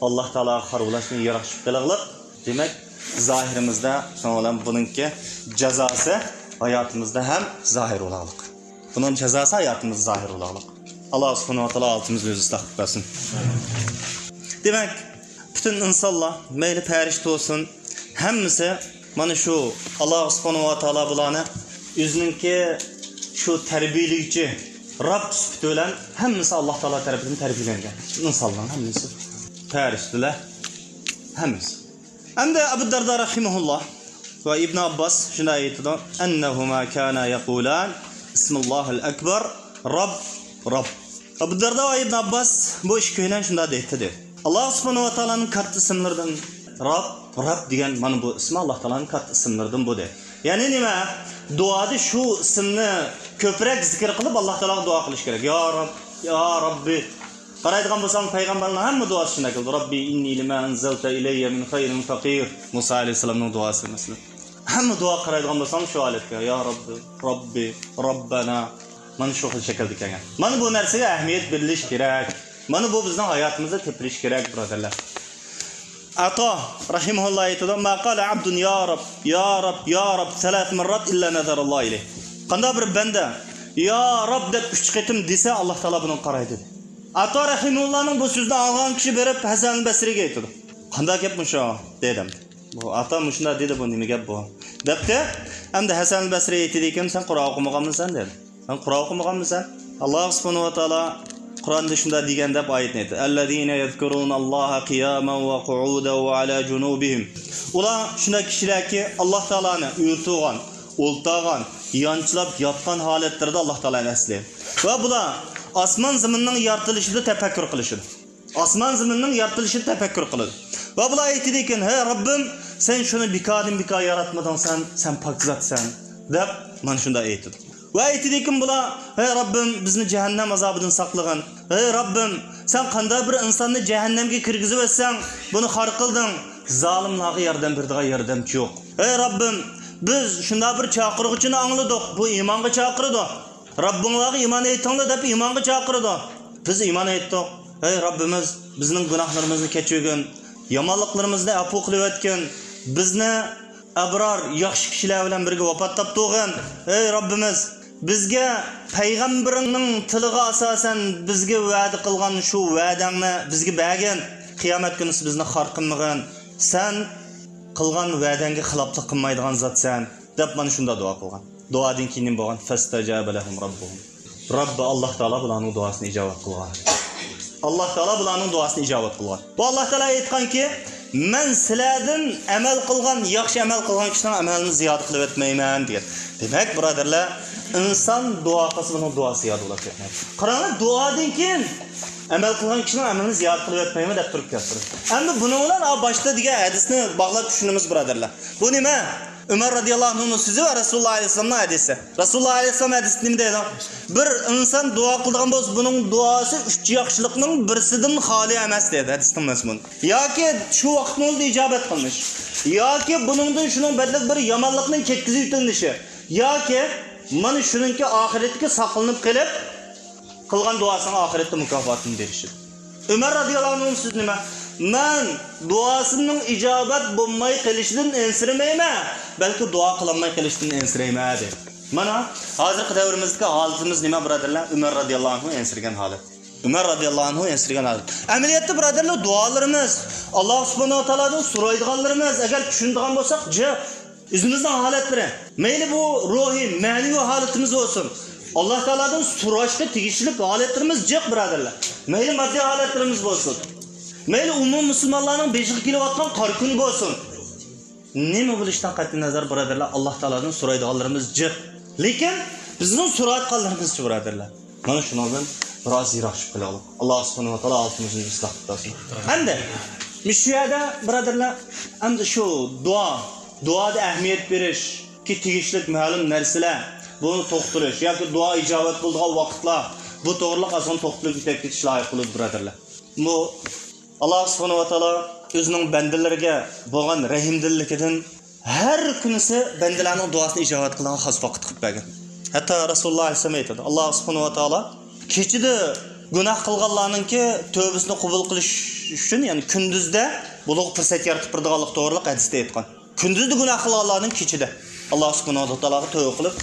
ئاللا تائالاغا قارىۋالاشنى يىراقلىشىپ قېلىڭلار. دېمەك، زاھىرىمىزدا، شۇنىڭ بىلەن بۇنىڭكى جازاسى ھاياتىمىزدا ھەم زاھىر بولاغلىق. بۇنىڭ جازاسى ھاياتىمىزدا زاھىر بولاغلىق. ئاللا سۇبھانەھۇ ۋە تائالا ھالىتىمىزنى ئۆزى ئىسلاھ قىلىپ بەرسۇن. دېمەك، پۈتۈن ئىنسانلار، مەيلى پەرىشتە بولسۇن، ھەممىسى مانا شۇ ئاللا سۇبھانەھۇ ۋە تائالا بۇلارنى ئۆزىنىڭكى شۇ تەربىيەلىگۈچى رەب سۈپىتى بىلەن ھەممىسى ئاللا تائالا تەرىپىدىن تەربىيەلەنگەن. ئىنسانلارنىڭ ھەممىسى، پەرىشتىلەر، ھەممىسى. ئەمدى ئەبۇ دەردا رەھىمەھۇللا ۋە ئىبن ئابباس شۇنداق ئېيتىدۇ، ئەننەھۇما كانا يەقۇلان، بىسمىللاھىل ئەكبەر، رەب، رەب. ئەبۇ دەردا ۋە ئىبن ئابباس بۇ ئىككىيلەن شۇنداق دەيتتى، دەيدۇ. ئاللا سۇبھانەھۇ ۋە تائالانىڭ كاتتا ئىسىملىرىدىن رەب، رەب دېگەن مانا بۇ ئىسمى ئاللا تائالانىڭ كاتتا ئىسىملىرىدىن بۇ، دەيدۇ. يەنى نېمە؟ دۇئادا شۇ ئىسىمنى كۆپرەك زىكىر قىلىپ ئاللا تائالاغا دۇئا قىلىش كېرەك. يا رەب، يا رەببى. قارايدىغان بولساڭ، پەيغەمبەرنىڭ ھەممە دۇئاسى شۇنداق كېلىدۇ. رەببى ئىننى لىما ئەنزەلتە ئىلەييە مىن خەيرىن فەقىر. مۇسا ئەلەيھىسسالامنىڭ دۇئاسى مەسىلەن. ھەممە دۇئا قارايدىغان بولساڭ شۇ ھالەتكە، يا رەببى، رەببى، رەببەنا. مانا شۇ خىل شەكىلدە كەلگەن. مانا بۇ نەرسىگە ئەھمىيەت بېرىلىش كېرەك. مانا بۇ بىزنىڭ ھاياتىمىزدا كۆپىرىش كېرەك، بۇرادەرلەر. ئاتا رەھىمەھۇللا ئېيتىدۇ، ما قالە ئەبدۇن يا رەب، يا رەب، يا رەب سەلەسە مەررات ئىللا نەزەرەللاھۇ ئىلەيھ. قانداق بىر بەندە يا رەب دەپ ئۈچ قېتىم دېسە، ئاللا تائالا بۇنىڭغا قارايدۇ، دېدى. ئاتا رەھىمەھۇللانىڭ بۇ سۆزىنى ئاڭلىغان كىشى بېرىپ ھەسەن بەسرىگە ئېيتىدۇ، قانداق گەپ مۇشۇ؟ دېدىم. بۇ ئاتا مۇشۇنداق دېدى، بۇ نېمە گەپ بۇ؟ دەپتۇ. ئەمدى ھەسەن بەسرى ئېيتىدىكەن، سەن قۇرئان ئوقۇمىغانمىسەن؟ دېدى. سەن قۇرئان ئوقۇمىغانمىسەن؟ ئاللا سۇبھانەھۇ ۋە تائالا قۇرئاندا شۇنداق دېگەن دەپ ئايەتنى ئېيتتى. ئەللەزىنە يەزكۇرۇنەللاھە قىيامەن ۋە قۇئۇدەن ۋە ئەلا جۇنۇبىھىم. ئۇلار شۇنداق كىشىلەركى، ئاللا تائالانى ئۆرە تۇرغان، ئولتۇرغان، يانچىلاپ ياتقان ھالەتلىرىدە ئاللا تائالانى ئەسلەيدۇ. ۋە بۇلار ئاسمان زېمىننىڭ يارىتىلىشىدا تەپەككۇر قىلىشىدۇ. ئاسمان زېمىننىڭ يارىتىلىشىنى تەپەككۇر قىلىدۇ. ۋە بۇلار ئېيتىدىكەن، ھەي رەببىم، سەن شۇنى بىكاردىن بىكار ياراتمىدىڭ، سەن، سەن پاك زاتسەن، دەپ مانا شۇنداق ئېيتىدۇ. ۋە ئېيتىدىكەن بۇلار، ھەي رەببىم، بىزنى جەھەننەم ئازابىدىن ساقلىغىن. ھەي رەببىم، سەن قانداق بىر ئىنساننى جەھەننەمگە كىرگۈزۈۋەتسەڭ، بۇنى خار قىلدىڭ. زالىملارغا ياردەم بېرىدىغان ياردەمچى يوق. ھەي رەببىم، بىز شۇنداق بىر چاقىرغۇچىنى ئاڭلىدۇق، بۇ ئىمانغا چاقىرىدۇ. رەببىڭلارغا ئىمان ئېيتىڭلار دەپ ئىمانغا چاقىرىدۇ. بىز ئىمان ئېيتتۇق. ئەي رەببىمىز، بىزنىڭ گۇناھلىرىمىزنى كەچۈرگىن، يامانلىقلىرىمىزنى ئەپۇ قىلىۋەتكىن، بىزنى ئەبرار، ياخشى كىشىلەر بىلەن بىرگە ۋاپات تاپتۇرغىن. ئەي رەببىمىز، بىزگە پەيغەمبىرىڭنىڭ تىلىغا ئاساسەن بىزگە ۋەدە قىلغان شۇ ۋەدەڭنى بىزگە بەرگىن. قىيامەت كۈنىسى بىزنى خار قىلمىغىن. سەن قىلغان ۋەدەڭگە خىلاپلىق قىلمايدىغان زاتسەن، دەپ مانا شۇنداق دۇئا قىلغان. دۇئادىن كېيىن نېمە بولغان؟ فەستەجابە لەھۇم رەببۇھۇم. رەببى، ئاللا تائالا بۇلارنىڭ دۇئاسىنى ئىجابەت قىلغان. ئاللا تائالا بۇلارنىڭ دۇئاسىنى ئىجابەت قىلغان. بۇ ئاللا تائالا ئېيتقانكى، مەن سىلەردىن ئەمەل قىلغان، ياخشى ئەمەل قىلغان كىشىنىڭ ئەمەلىنى زىيادە قىلىۋەتمەيمەن، دېگەن. دېمەك، بۇرادەرلەر، ئىنسان دۇئا قىلسا، بۇنىڭ دۇئاسى زىيادە بولۇپ كەتمەيدۇ. قاراڭلار، دۇئادىن كېيىن ئەمەل قىلغان كىشىنىڭ ئەمىلىنى زىيادە قىلىۋەتمەيمەن دەپ تۇرۇپ كەپتۇ. ئەمدى بۇنىڭ بىلەن ئا باشتا دېگەن ھەدىسنى باغلاپ چۈشىنىمىز، بۇرادەرلەر. بۇ نېمە؟ ئۆمەر رەزىياللاھۇ ئەنھۇنىڭ سۆزى ۋە رەسۇلۇللاھ ئەلەيھىسسالامنىڭ ھەدىسى. رەسۇلۇللاھ ئەلەيھىسسالام ھەدىستە نېمە دەيدۇ؟ بىر ئىنسان دۇئا قىلىدىغان بولسا، بۇنىڭ دۇئاسى ئۈچ ياخشىلىقنىڭ بىرسىدىن خالىي ئەمەس، دەيدۇ ھەدىسنىڭ مەزمۇنى. ياكى شۇ ۋاقىتنىڭ ئۆزىدە ئىجابەت قىلىنىش، ياكى بۇنىڭدىن شۇنىڭ بەدىلىگە بىر يامانلىقنىڭ كەتكۈزۈپ ئۆتۈلۈشى، ياكى مانا شۇنىڭكى ئاخىرەتتىكى ساقلىنىپ قېلىپ، قىلغان دۇئاسىنىڭ ئاخىرەتتە مۇكاپاتىنى بېرىشىدۇ. ئۆمەر رەزىياللاھۇ ئەنھۇنىڭ سۆزى نېمە؟ مەن دۇئاسىنىڭ ئىجابەت بولماي قېلىشىدىن ئەنسىرىمەيمەن، بەلكى دۇئا قىلالماي قېلىشتىن ئەنسىرەيمەن، دېدى. مانا، ھازىرقى دەۋرىمىزدىكى ھالىتىمىز نېمە، بۇرادەرلەر؟ ئۆمەر رەزىياللاھۇ ئەنھۇ ئەنسىرىگەن ھالەت. ئۆمەر رەزىياللاھۇ ئەنھۇ ئەنسىرىگەن ھالەت. ئەمەلىيەتتە، بۇرادەرلەر، دۇئالىرىمىز، ئاللا سۇبھانەھۇ ۋە تائالادىن سورايدىغانلىرىمىز، ئەگەر چۈشىنىدىغان بولساق، جىق. ئۆزىمىزنىڭ ھالەتلىرى، مەيلى بۇ روھىي، مەنىۋى ھالىتىمىز بولسۇن، ئاللا تائالادىن سوراشقا تېگىشلىك ھالەتلىرىمىز جىق، بۇرادەرلەر. مەيلى ماددىي ھالەتلىرىمىز بولسۇن، مەيلى ئومۇمىي مۇسۇلمانلارنىڭ بېشىغا كېلىۋاتقان قارا كۈن بولسۇن، نېمە بولۇشىدىن قەتئىينەزەر، بۇرادەرلەر، ئاللا تائالادىن سورايدىغانلىرىمىز جىق. لېكىن بىزنىڭ سورايدىغانلىرىمىزچە، بۇرادەرلەر؟ مانا شۇنىڭدىن بىر ئاز يىراقلىشىپ قېلىڭلار. ئاللا سۇبھانەھۇ ۋە تائالا ھالىتىمىزنى ئىسلاھ قىلىپ بەرسۇن. ئەمدى مۇشۇ يەردە، بۇرادەرلەر، ئەمدى شۇ دۇئا، دۇئادا ئەھمىيەت بېرىشكە تېگىشلىك مەلۇم نەرسىلەر، بۇنى توختىلىش ياكى دۇئا ئىجابەت بولىدىغان ۋاقىتلار، بۇ توغرىلىق ئازغىنە توختىلىپ ئۆتۈپ كېتىش لايىق بولىدۇ، بۇرادەرلەر. بۇ، ئاللا سۇبھانەھۇ ۋە تائالا ئۆزىنىڭ بەندىلىرىگە بولغان رەھىمدىللىكىدىن، ھەر كۈنىسى بەندىلەرنىڭ دۇئاسىنى ئىجابەت قىلىدىغان خاس ۋاقىت قىلىپ بەرگەن. ھەتتا رەسۇلۇللا ئەلەيھىسسالام ئېيتىدۇ، ئاللا سۇبھانەھۇ ۋە تائالا كېچىدە گۇناھ قىلغانلارنىڭكى تۆبىسىنى قوبۇل قىلىش ئۈچۈن، يەنى كۈندۈزدە بۇلارغا پۇرسەت يارىتىپ بېرىدىغانلىق توغرىلىق ھەدىستە ئېيتقان. كۈندۈزدە گۇناھ قىلغانلارنىڭ كېچىدە ئاللا سۇبھانەھۇ ۋە تائالاغا تۆبە قىلىپ،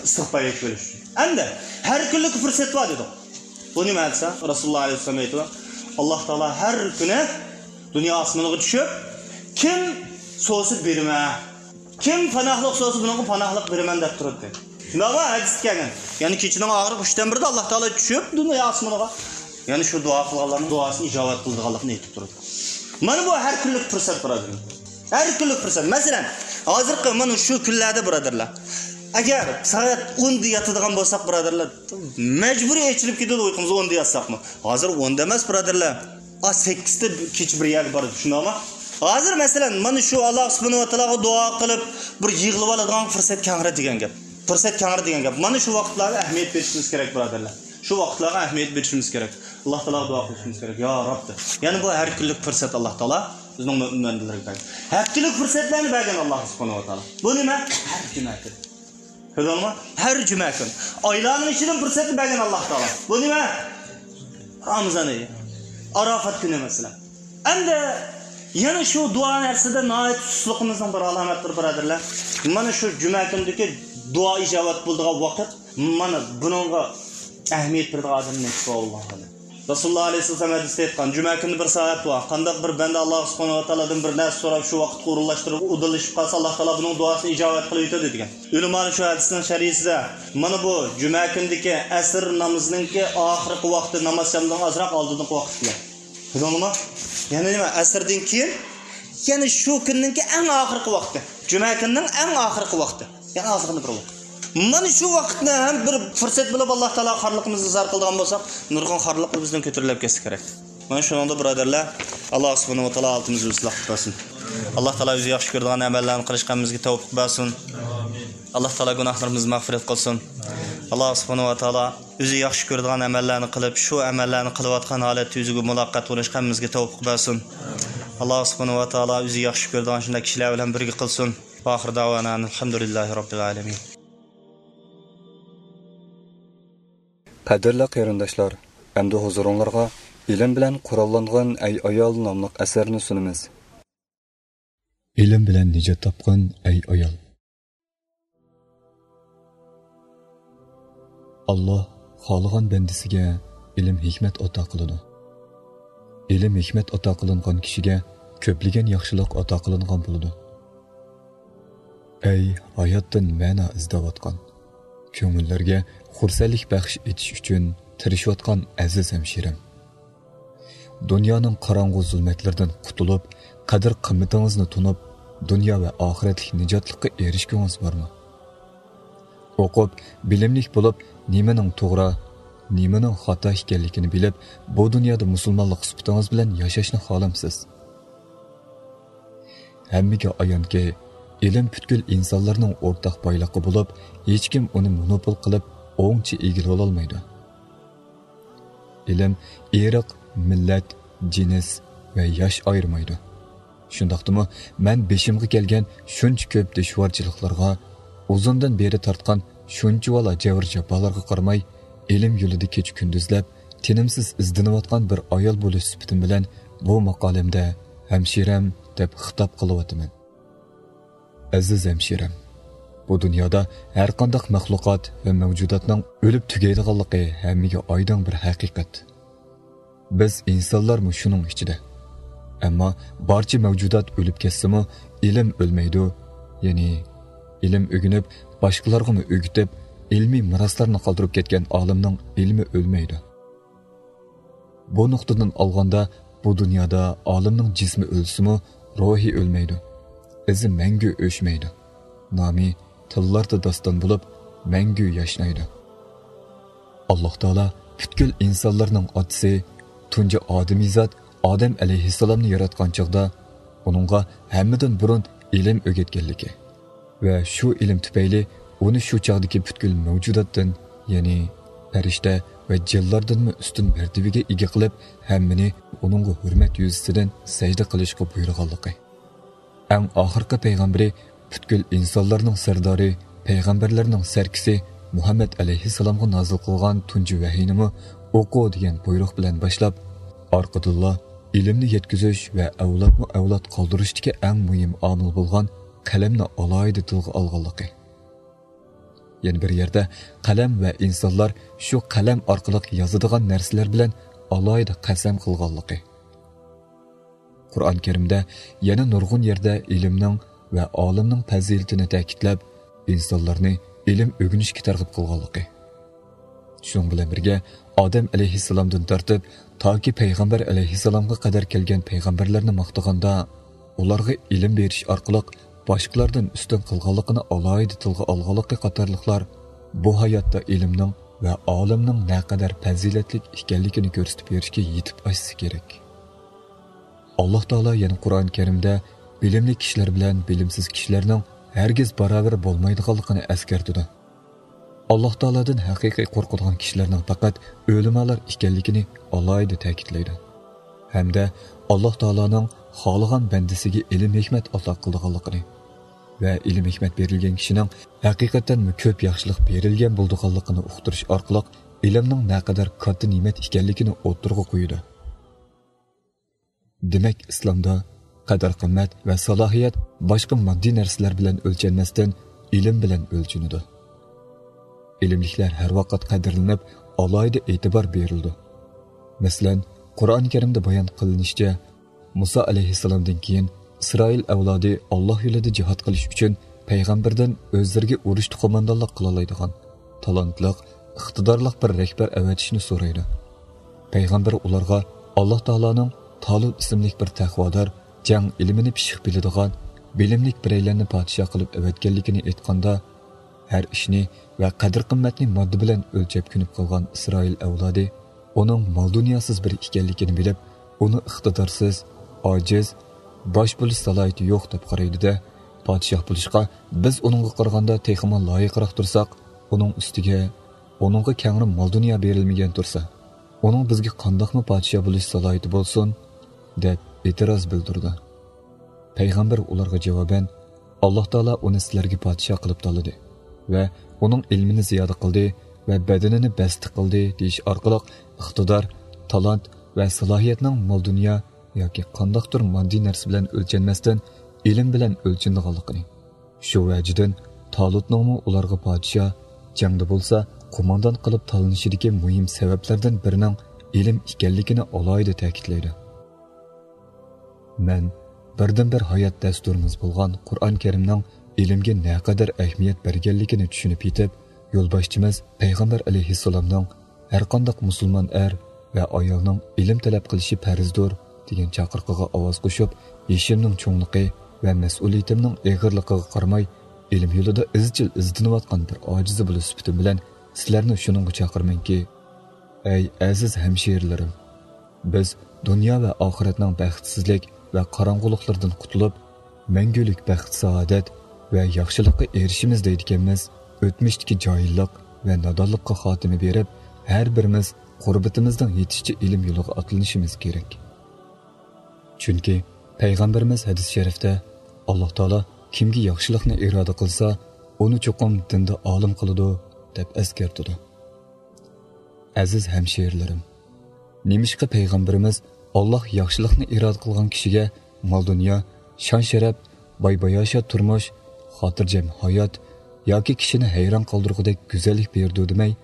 ئىستىغپار ئېيتىپ بېرىش ئۈچۈن. ئەمدى ھەر كۈنلۈك پۇرسەت بار دېدۇق. بۇ نېمە دېسە، رەسۇلۇللا ئەلەيھىسسالام ئېيتىدۇ، ئاللا تائالا ھەر كۈنى دۇنيا ئاسمىنىغا چۈشۈپ، كىم سورىسا بېرىمەن، كىم پاناھلىق سورىسا بۇنىڭغا پاناھلىق بېرىمەن دەپ تۇرىدۇ. شۇنداقمۇ؟ ھەدىستە كەلگەن. يەنى كېچىنىڭ ئاخىرقى ئۈچتىن بىرىدە ئاللا تائالا چۈشۈپ دۇنيا ئاسمىنىغا، يەنى شۇ دۇئا قىلغانلارنىڭ دۇئاسىنى ئىجابەت قىلىدىغانلىقىنى ئېيتىپ تۇرىدۇ. مانا بۇ ھەر كۈنلۈك پۇرسەت، بۇرادەرلەر. ھەر كۈنلۈك پۇرسەت. مەسىلەن، ھازىرقى مانا شۇ كۈنلەردە، بۇرادەرلەر، ئەگەر سائەت ئوندا ياتىدىغان بولساق، بۇرادەرلەر، مەجبۇرىي ئېچىلىپ كېتىدۇ ئۇيقۇمىز، ئوندا ياتساقمۇ. ھازىر ئوندا ئەمەس، بۇرادەرلەر. ئا، سەككىزدە كېچە بىر يەرگە بارىدۇ، شۇنداقمۇ؟ ھازىر، مەسىلەن، مانا شۇ ئاللا سۇبھانەھۇ ۋە تائالاغا دۇئا قىلىپ، بىر يىغلىۋالىدىغان پۇرسەت كەڭرى دېگەن گەپ. پۇرسەت كەڭرى دېگەن گەپ. مانا شۇ ۋاقىتلارغا ئەھمىيەت بېرىشىمىز كېرەك، بۇرادەرلەر. شۇ ۋاقىتلارغا ئەھمىيەت بېرىشىمىز كېرەك. ئاللا تائالاغا دۇئا قىلىشىمىز كېرەك. يا رەب دەپ. يەنى بۇ ھەر كۈنلۈك پۇرسەت ئاللا تائالا بىزنىڭ مۆمىن بەندىلىرىگە بەرگەن. ھەپتىلىك پۇرسەتلەرنى بەرگەن ئاللا سۇبھانەھۇ ۋە تائالا. بۇ نېمە؟ ھەر جۈمە كۈنى. كۆردۈڭمۇ؟ ھەر جۈمە كۈنى. ئايلارنىڭ ئىچىدىن پۇرسەتنى بەرگەن ئاللا تائالا. بۇ نېمە؟ رامىزان ئېيى. ئاراپات كۈنى مەسىلەن. ئەمدى يەنە شۇ دۇئا نەرسىدە ناھايىتى سۇسلۇقىمىزنىڭ بىر ئالامەتلىرى، بۇرادەرلەر. مانا شۇ جۈمە كۈنىدىكى دۇئا ئىجابەت بولىدىغان ۋاقىت، مانا بۇنىڭغا ئەھمىيەت بېرىدىغان ئادەم نېسىپ بولغان. رەسۇلۇللا ئەلەيھىسسالام ھەدىستە ئېيتقان، جۈمە كۈنى بىر سائەت بار. قانداق بىر بەندە ئاللا سۇبھانەھۇ ۋە تائالادىن بىر نەرسە سوراپ، شۇ ۋاقىتقا ئورۇنلاشتۇرۇپ، ئۇدۇللىشىپ قالسا، ئاللا تائالا بۇنىڭ دۇئاسىنى ئىجابەت قىلىۋېتىدۇ دېگەن. ئۆلىمالار شۇ ھەدىسنىڭ شەرھىسىدە، مانا بۇ جۈمە كۈنىدىكى ئەسىر نامىزىنىڭكى ئاخىرقى ۋاقتى، ناماز شامدىن ئازراق ئالدىنقى ۋاقىت دېگەن. بىلدىڭلىما؟ يەنى نېمە؟ ئەسىردىن كېيىن، يەنى شۇ كۈننىڭكى ئەڭ ئاخىرقى ۋاقتى. جۈمە كۈنىنىڭ ئەڭ ئاخىرقى ۋاقتى. يەنى ئازغىنە بىر ۋاقىت. مانا شۇ ۋاقىتنى ھەم بىر پۇرسەت بىلىپ، ئاللا تائالا خارلىقىمىزنى ئىزھار قىلىدىغان بولساق، نۇرغۇن خارلىقلار بىزدىن كۆتۈرۈلۈپ كەتسە كېرەك. مانا شۇنىڭدا، بۇرادەرلەر، ئاللا سۇبھانەھۇ ۋە تائالا ھالىتىمىزنى ئىسلاھ قىلىپ بەرسۇن. ئاللا تائالا ئۆزى ياخشى كۆرىدىغان ئەمەللەرنى قىلىشقا ھەممىمىزگە تەۋپىق بەرسۇن. ئاللا تائالا گۇناھلىرىمىزنى مەغپىرەت قىلسۇن. ئاللا سۇبھانەھۇ ۋە تائالا ئۆزى ياخشى كۆرىدىغان ئەمەللەرنى قىلىپ، شۇ ئەمەللەرنى قىلىۋاتقان ھالەتتە ئۆزىگە مۇلاقات بولۇشقا ھەممىمىزگە تەۋپىق بەرسۇن. ئاللا سۇبھانەھۇ ۋە تائالا ئۆزى ياخشى كۆرىدىغان شۇنداق كىشىلەر بىلەن بىرگە قىلسۇن. ۋە ئاخىر دەۋانا ئەنىل ھەمدۇلىللاھى رەببىل ئالەمىن. قەدىرلىك قېرىنداشلار، ئەمدى ھۇزۇرۇڭلارغا ئىلىم بىلەن قوراللانغىن ئەي ئايال ناملىق ئەسەرنى سۇنىمىز. ئىلىم بىلەن نىجات تاپقىن ئەي ئايال. ئاللا خالىغان بەندىسىگە ئىلىم ھېكمەت ئاتا قىلىدۇ. ئىلىم ھېكمەت ئاتا قىلىنغان كىشىگە كۆپلىگەن ياخشىلىق ئاتا قىلىنغان بولىدۇ. ئەي ھاياتتىن مەنا ئىزدەۋاتقان، كۆڭۈللەرگە خۇرسەنلىك بەخش ئېتىش ئۈچۈن تىرىشىۋاتقان ئەزىز ھەمشىرەم! دۇنيانىڭ قاراڭغۇ زۇلمەتلىرىدىن قۇتۇلۇپ، قەدىر-قىممىتىڭىزنى تونۇپ، دۇنيا ۋە ئاخىرەتلىك نىجاتلىققا ئېرىشكۈڭىز بارمۇ؟ ئوقۇپ، بىلىملىك بولۇپ، نېمىنىڭ توغرا، نېمىنىڭ خاتا ئىكەنلىكىنى بىلىپ، بۇ دۇنيادا مۇسۇلمانلىق سۈپىتىڭىز بىلەن ياشاشنى خالامسىز؟ ھەممىگە ئايانكى، ئىلىم پۈتكۈل ئىنسانلارنىڭ ئورتاق بايلىقى بولۇپ، ھېچكىم ئۇنى مونوپول قىلىپ، ئوڭچە ئىگىلىۋالالمايدۇ. ئىلىم ئىرق، مىللەت، جىنس ۋە ياش ئايرىمايدۇ. شۇنداقتىمۇ مەن بېشىمغا كەلگەن شۇنچە كۆپ دۈشۋارچىلىقلارغا، ئۇزۇندىن بېرى تارتقان شۇنچىۋالا جەۋر-جاپالارغا قارىماي، ئىلىم يولىدا كېچە-كۈندۈزلەپ، تىنىمسىز ئىزدىنىۋاتقان بىر ئايال بولۇش سۈپىتىم بىلەن بۇ ماقالەمدە ھەمشىرەم دەپ خىتاب قىلىۋاتىمەن. ئەزىز ھەمشىرەم، بۇ دۇنيادا ھەرقانداق مەخلۇقات ۋە مەۋجۇداتنىڭ ئۆلۈپ تۈگەيدىغانلىقى ھەممىگە ئايدىڭ بىر ھەقىقەت. بىز ئىنسانلارمۇ شۇنىڭ ئىچىدە. ئەمما بارچە مەۋجۇدات ئۆلۈپ كەتسىمۇ، ئىلىم ئۆلمەيدۇ. يەنى ئىلىم ئۆگىنىپ، باشقىلارغىمۇ ئۆگىتىپ، ئىلمىي مىراسلارنى قالدۇرۇپ كەتكەن ئالىمنىڭ ئىلمى ئۆلمەيدۇ. بۇ نۇقتىدىن ئالغاندا، بۇ دۇنيادا ئالىمنىڭ جىسمى ئۆلسىمۇ، روھى ئۆلمەيدۇ. ئىزى مەڭگۈ ئۆچمەيدۇ. نامى تىللاردا داستان بولۇپ، مەڭگۈ ياشنايدۇ. ئاللاھ تائالا پۈتكۈل ئىنسانلارنىڭ ئاتىسى، تۇنجى ئادىمىزات ئادەم ئەلەيھىسسالامنى ياراتقان چاغدا ئۇنىڭغا ھەممىدىن بۇرۇن ئىلىم ئۆگەتكەنلىكى ۋە شۇ ئىلىم تۈپەيلى ئۇنى شۇ چاغدىكى پۈتكۈل مەۋجۇداتتىن، يەنى پەرىشتە ۋە جىنلاردىنمۇ ئۈستۈن مەرتىۋىگە ئىگە قىلىپ، ھەممىنى ئۇنىڭغا ھۆرمەت يۈزىسىدىن سەجدە قىلىشقا بۇيرۇغانلىقى. ئەڭ ئاخىرقى پەيغەمبىرى، پۈتكۈل ئىنسانلارنىڭ سەردارى، پەيغەمبەرلەرنىڭ سەركىسى مۇھەممەد ئەلەيھىسسالامغا نازىل قىلغان تۇنجى ۋەھىينىمۇ ئوقۇ دېگەن بۇيرۇق بىلەن باشلاپ، ئارقىدىنلا ئىلىمنى يەتكۈزۈش ۋە ئەۋلادمۇ ئەۋلاد قالدۇرۇشتىكى ئەڭ مۇھىم ئامىل بولغان قەلەمنى ئالاھىدە تىلغا ئالغانلىقى. يەنە بىر يەردە قەلەم ۋە ئىنسانلار شۇ قەلەم ئارقىلىق يازىدىغان نەرسىلەر بىلەن ئالاھىدە قەسەم قىلغانلىقى. قۇرئان كەرىمدە يەنە نۇرغۇن يەردە ئىلىمنىڭ ۋە ئالىمنىڭ پەزىلىتىنى تەكىتلەپ، ئىنسانلارنى ئىلىم ئۆگىنىشكە تەرغىب قىلغانلىقى. شۇنىڭ بىلەن بىرگە، ئادەم ئەلەيھىسسالامدىن تارتىپ تاكى پەيغەمبەر ئەلەيھىسسالامغا قەدەر كەلگەن پەيغەمبەرلەرنى ماختىغاندا، ئۇلارغا ئىلىم بېرىش ئارقىلىق باشقىلاردىن ئۈستۈن قىلغانلىقىنى ئالاھىدە تىلغا ئالغانلىقى قاتارلىقلار بۇ ھاياتتا ئىلىمنىڭ ۋە ئالىمنىڭ نەقەدەر پەزىلەتلىك ئىكەنلىكىنى كۆرسىتىپ بېرىشكە يېتىپ ئاشسا كېرەك. ئاللاھ تائالا يەنە قۇرئان كەرىمدە بىلىملىك كىشىلەر بىلەن بىلىمسىز كىشىلەرنىڭ ھەرگىز باراۋەر بولمايدىغانلىقىنى ئەسكەرتىدۇ. ئاللاھ تائالادىن ھەقىقىي قورقىدىغان كىشىلەرنىڭ پەقەت ئۆلىمالار ئىكەنلىكىنى ئالاھىدە تەكىتلەيدۇ. ھەمدە ئاللاھ تائالانىڭ خالىغان بەندىسىگە ئىلىم ھېكمەت ئاتا قىلىدىغانلىقىنى ۋە ئىلىم ھېكمەت بېرىلگەن كىشىنىڭ ھەقىقەتەنمۇ كۆپ ياخشىلىق بېرىلگەن بولىدىغانلىقىنى ئۇقتۇرۇش ئارقىلىق ئىلىمنىڭ نەقەدەر كاتتا نېمەت ئىكەنلىكىنى ئوتتۇرىغا قويىدۇ. دېمەك، ئىسلامدا قەدىر-قىممەت ۋە سالاھىيەت باشقا ماددىي نەرسىلەر بىلەن ئۆلچەنمەستىن، ئىلىم بىلەن ئۆلچىنىدۇ. ئىلىملىكلەر ھەر ۋاقىت قەدىرلىنىپ، ئالاھىدە ئېتىبار بېرىلىدۇ. مەسىلەن، قۇرئان كەرىمدە بايان قىلىنىشىچە، مۇسا ئەلەيھىسسالامدىن كېيىن ئىسرائىل ئەۋلادى ئاللاھ يولىدا جىھاد قىلىش ئۈچۈن پەيغەمبەردىن ئۆزلىرىگە ئۇرۇشتا قوماندانلىق قىلالايدىغان، تالانتلىق، ئىقتىدارلىق بىر رەھبەر ئەۋەتىشنى سورايدۇ. پەيغەمبەر ئۇلارغا ئاللاھ تائالانىڭ تالۇت ئىسىملىك بىر تەقۋادار، جەڭ ئىلمىنى پىششىق بىلىدىغان، بىلىملىك بىرەيلەننى پادىشاھ قىلىپ ئەۋەتكەنلىكىنى ئېيتقاندا، ھەر ئىشنى ۋە قەدىر-قىممەتنى ماددا بىلەن ئۆلچەپ كۆنۈپ قالغان ئىسرائىل ئەۋلادى ئۇنىڭ مال-دۇنياسىز بىرى ئىكەنلىكىنى بىلىپ، ئۇنى ئىقتىدارسىز، ئاجىز، باش بولۇش سالاھىيىتى يوق دەپ قارايدۇ-دە، پادىشاھ بولۇشقا بىز ئۇنىڭغا قارىغاندا تېخىمۇ لايىقراق تۇرساق، ئۇنىڭ ئۈستىگە، ئۇنىڭغا كەڭرى مال-دۇنيا بېرىلمىگەن تۇرسا، ئۇنىڭ بىزگە قانداقمۇ پادىشاھ بولۇش سالاھىيىتى بولسۇن؟ دەپ ئېتىراز بىلدۈردى. پەيغەمبەر ئۇلارغا جاۋابەن، ئاللاھ تائالا ئۇنى سىلەرگە پادىشاھ قىلىپ تاللىدى ۋە ئۇنىڭ ئىلمىنى زىيادە قىلدى ۋە بەدىنىنى بەستە قىلدى دېيىش ئارقىلىق ئىقتىدار، تالانت ۋە سالاھىيەتنىڭ مال-دۇنيا ياكى قانداقتۇر ماددىي نەرسە بىلەن ئۆلچەنمەستىن، ئىلىم بىلەن ئۆلچىنىدىغانلىقىنى، شۇ ۋەجىدىن تالۇتنىڭمۇ ئۇلارغا پادىشاھ، جەڭدە بولسا قوماندان قىلىپ تاللىنىشىدىكى مۇھىم سەۋەبلەردىن بىرىنىڭ ئىلىم ئىكەنلىكىنى ئالاھىدە تەكىتلەيدۇ. مەن بىردىنبىر ھايات دەستۇرىمىز بولغان قۇرئان كەرىمنىڭ ئىلىمگە نەقەدەر ئەھمىيەت بەرگەنلىكىنى چۈشىنىپ يېتىپ، يولباشچىمىز پەيغەمبەر ئەلەيھىسسالامنىڭ ھەرقانداق مۇسۇلمان ئەر ۋە ئايالنىڭ ئىلىم تەلەپ قىلىشى پەرزدۇر دېگەن چاقىرىقىغا ئاۋاز قوشۇپ، يېشىمنىڭ چوڭلۇقى ۋە مەسئۇلىيىتىمنىڭ ئېغىرلىقىغا قارىماي، ئىلىم يولىدا ئىزچىل ئىزدىنىۋاتقان بىر ئاجىزى بولۇش سۈپىتىم بىلەن سىلەرنى شۇنىڭغا چاقىرىمەنكى، ئەي ئەزىز ھەمشىرىلىرىم! بىز دۇنيا ۋە ئاخىرەتنىڭ بەختسىزلىك ۋە قاراڭغۇلۇقلىرىدىن قۇتۇلۇپ، مەڭگۈلۈك بەخت-سائادەت ۋە ياخشىلىققا ئېرىشىمىز دەيدىكەنمىز، ئۆتمۈشتىكى جاھىللىق ۋە نادانلىققا خاتىمە بېرىپ، ھەر بىرىمىز قۇربىتىمىزنىڭ يېتىشىچە ئىلىم يولىغا ئاتلىنىشىمىز كېرەك. چۈنكى پەيغەمبىرىمىز ھەدىس شەرىفتە، ئاللاھ تائالا كىمگە ياخشىلىقنى ئىرادە قىلسا، ئۇنى چوقۇم دىندا ئالىم قىلىدۇ، دەپ ئەسكەرتىدۇ. ئەزىز ھەمشىرىلىرىم! نېمىشقا پەيغەمبىرىمىز، ئاللاھ ياخشىلىقنى ئىرادە قىلغان كىشىگە مال-دۇنيا، شان-شەرەپ، باي-باياشات تۇرمۇش، خاتىرجەم ھايات ياكى كىشىنى ھەيران قالدۇرغۇدەك گۈزەللىك بېرىدۇ دېمەي،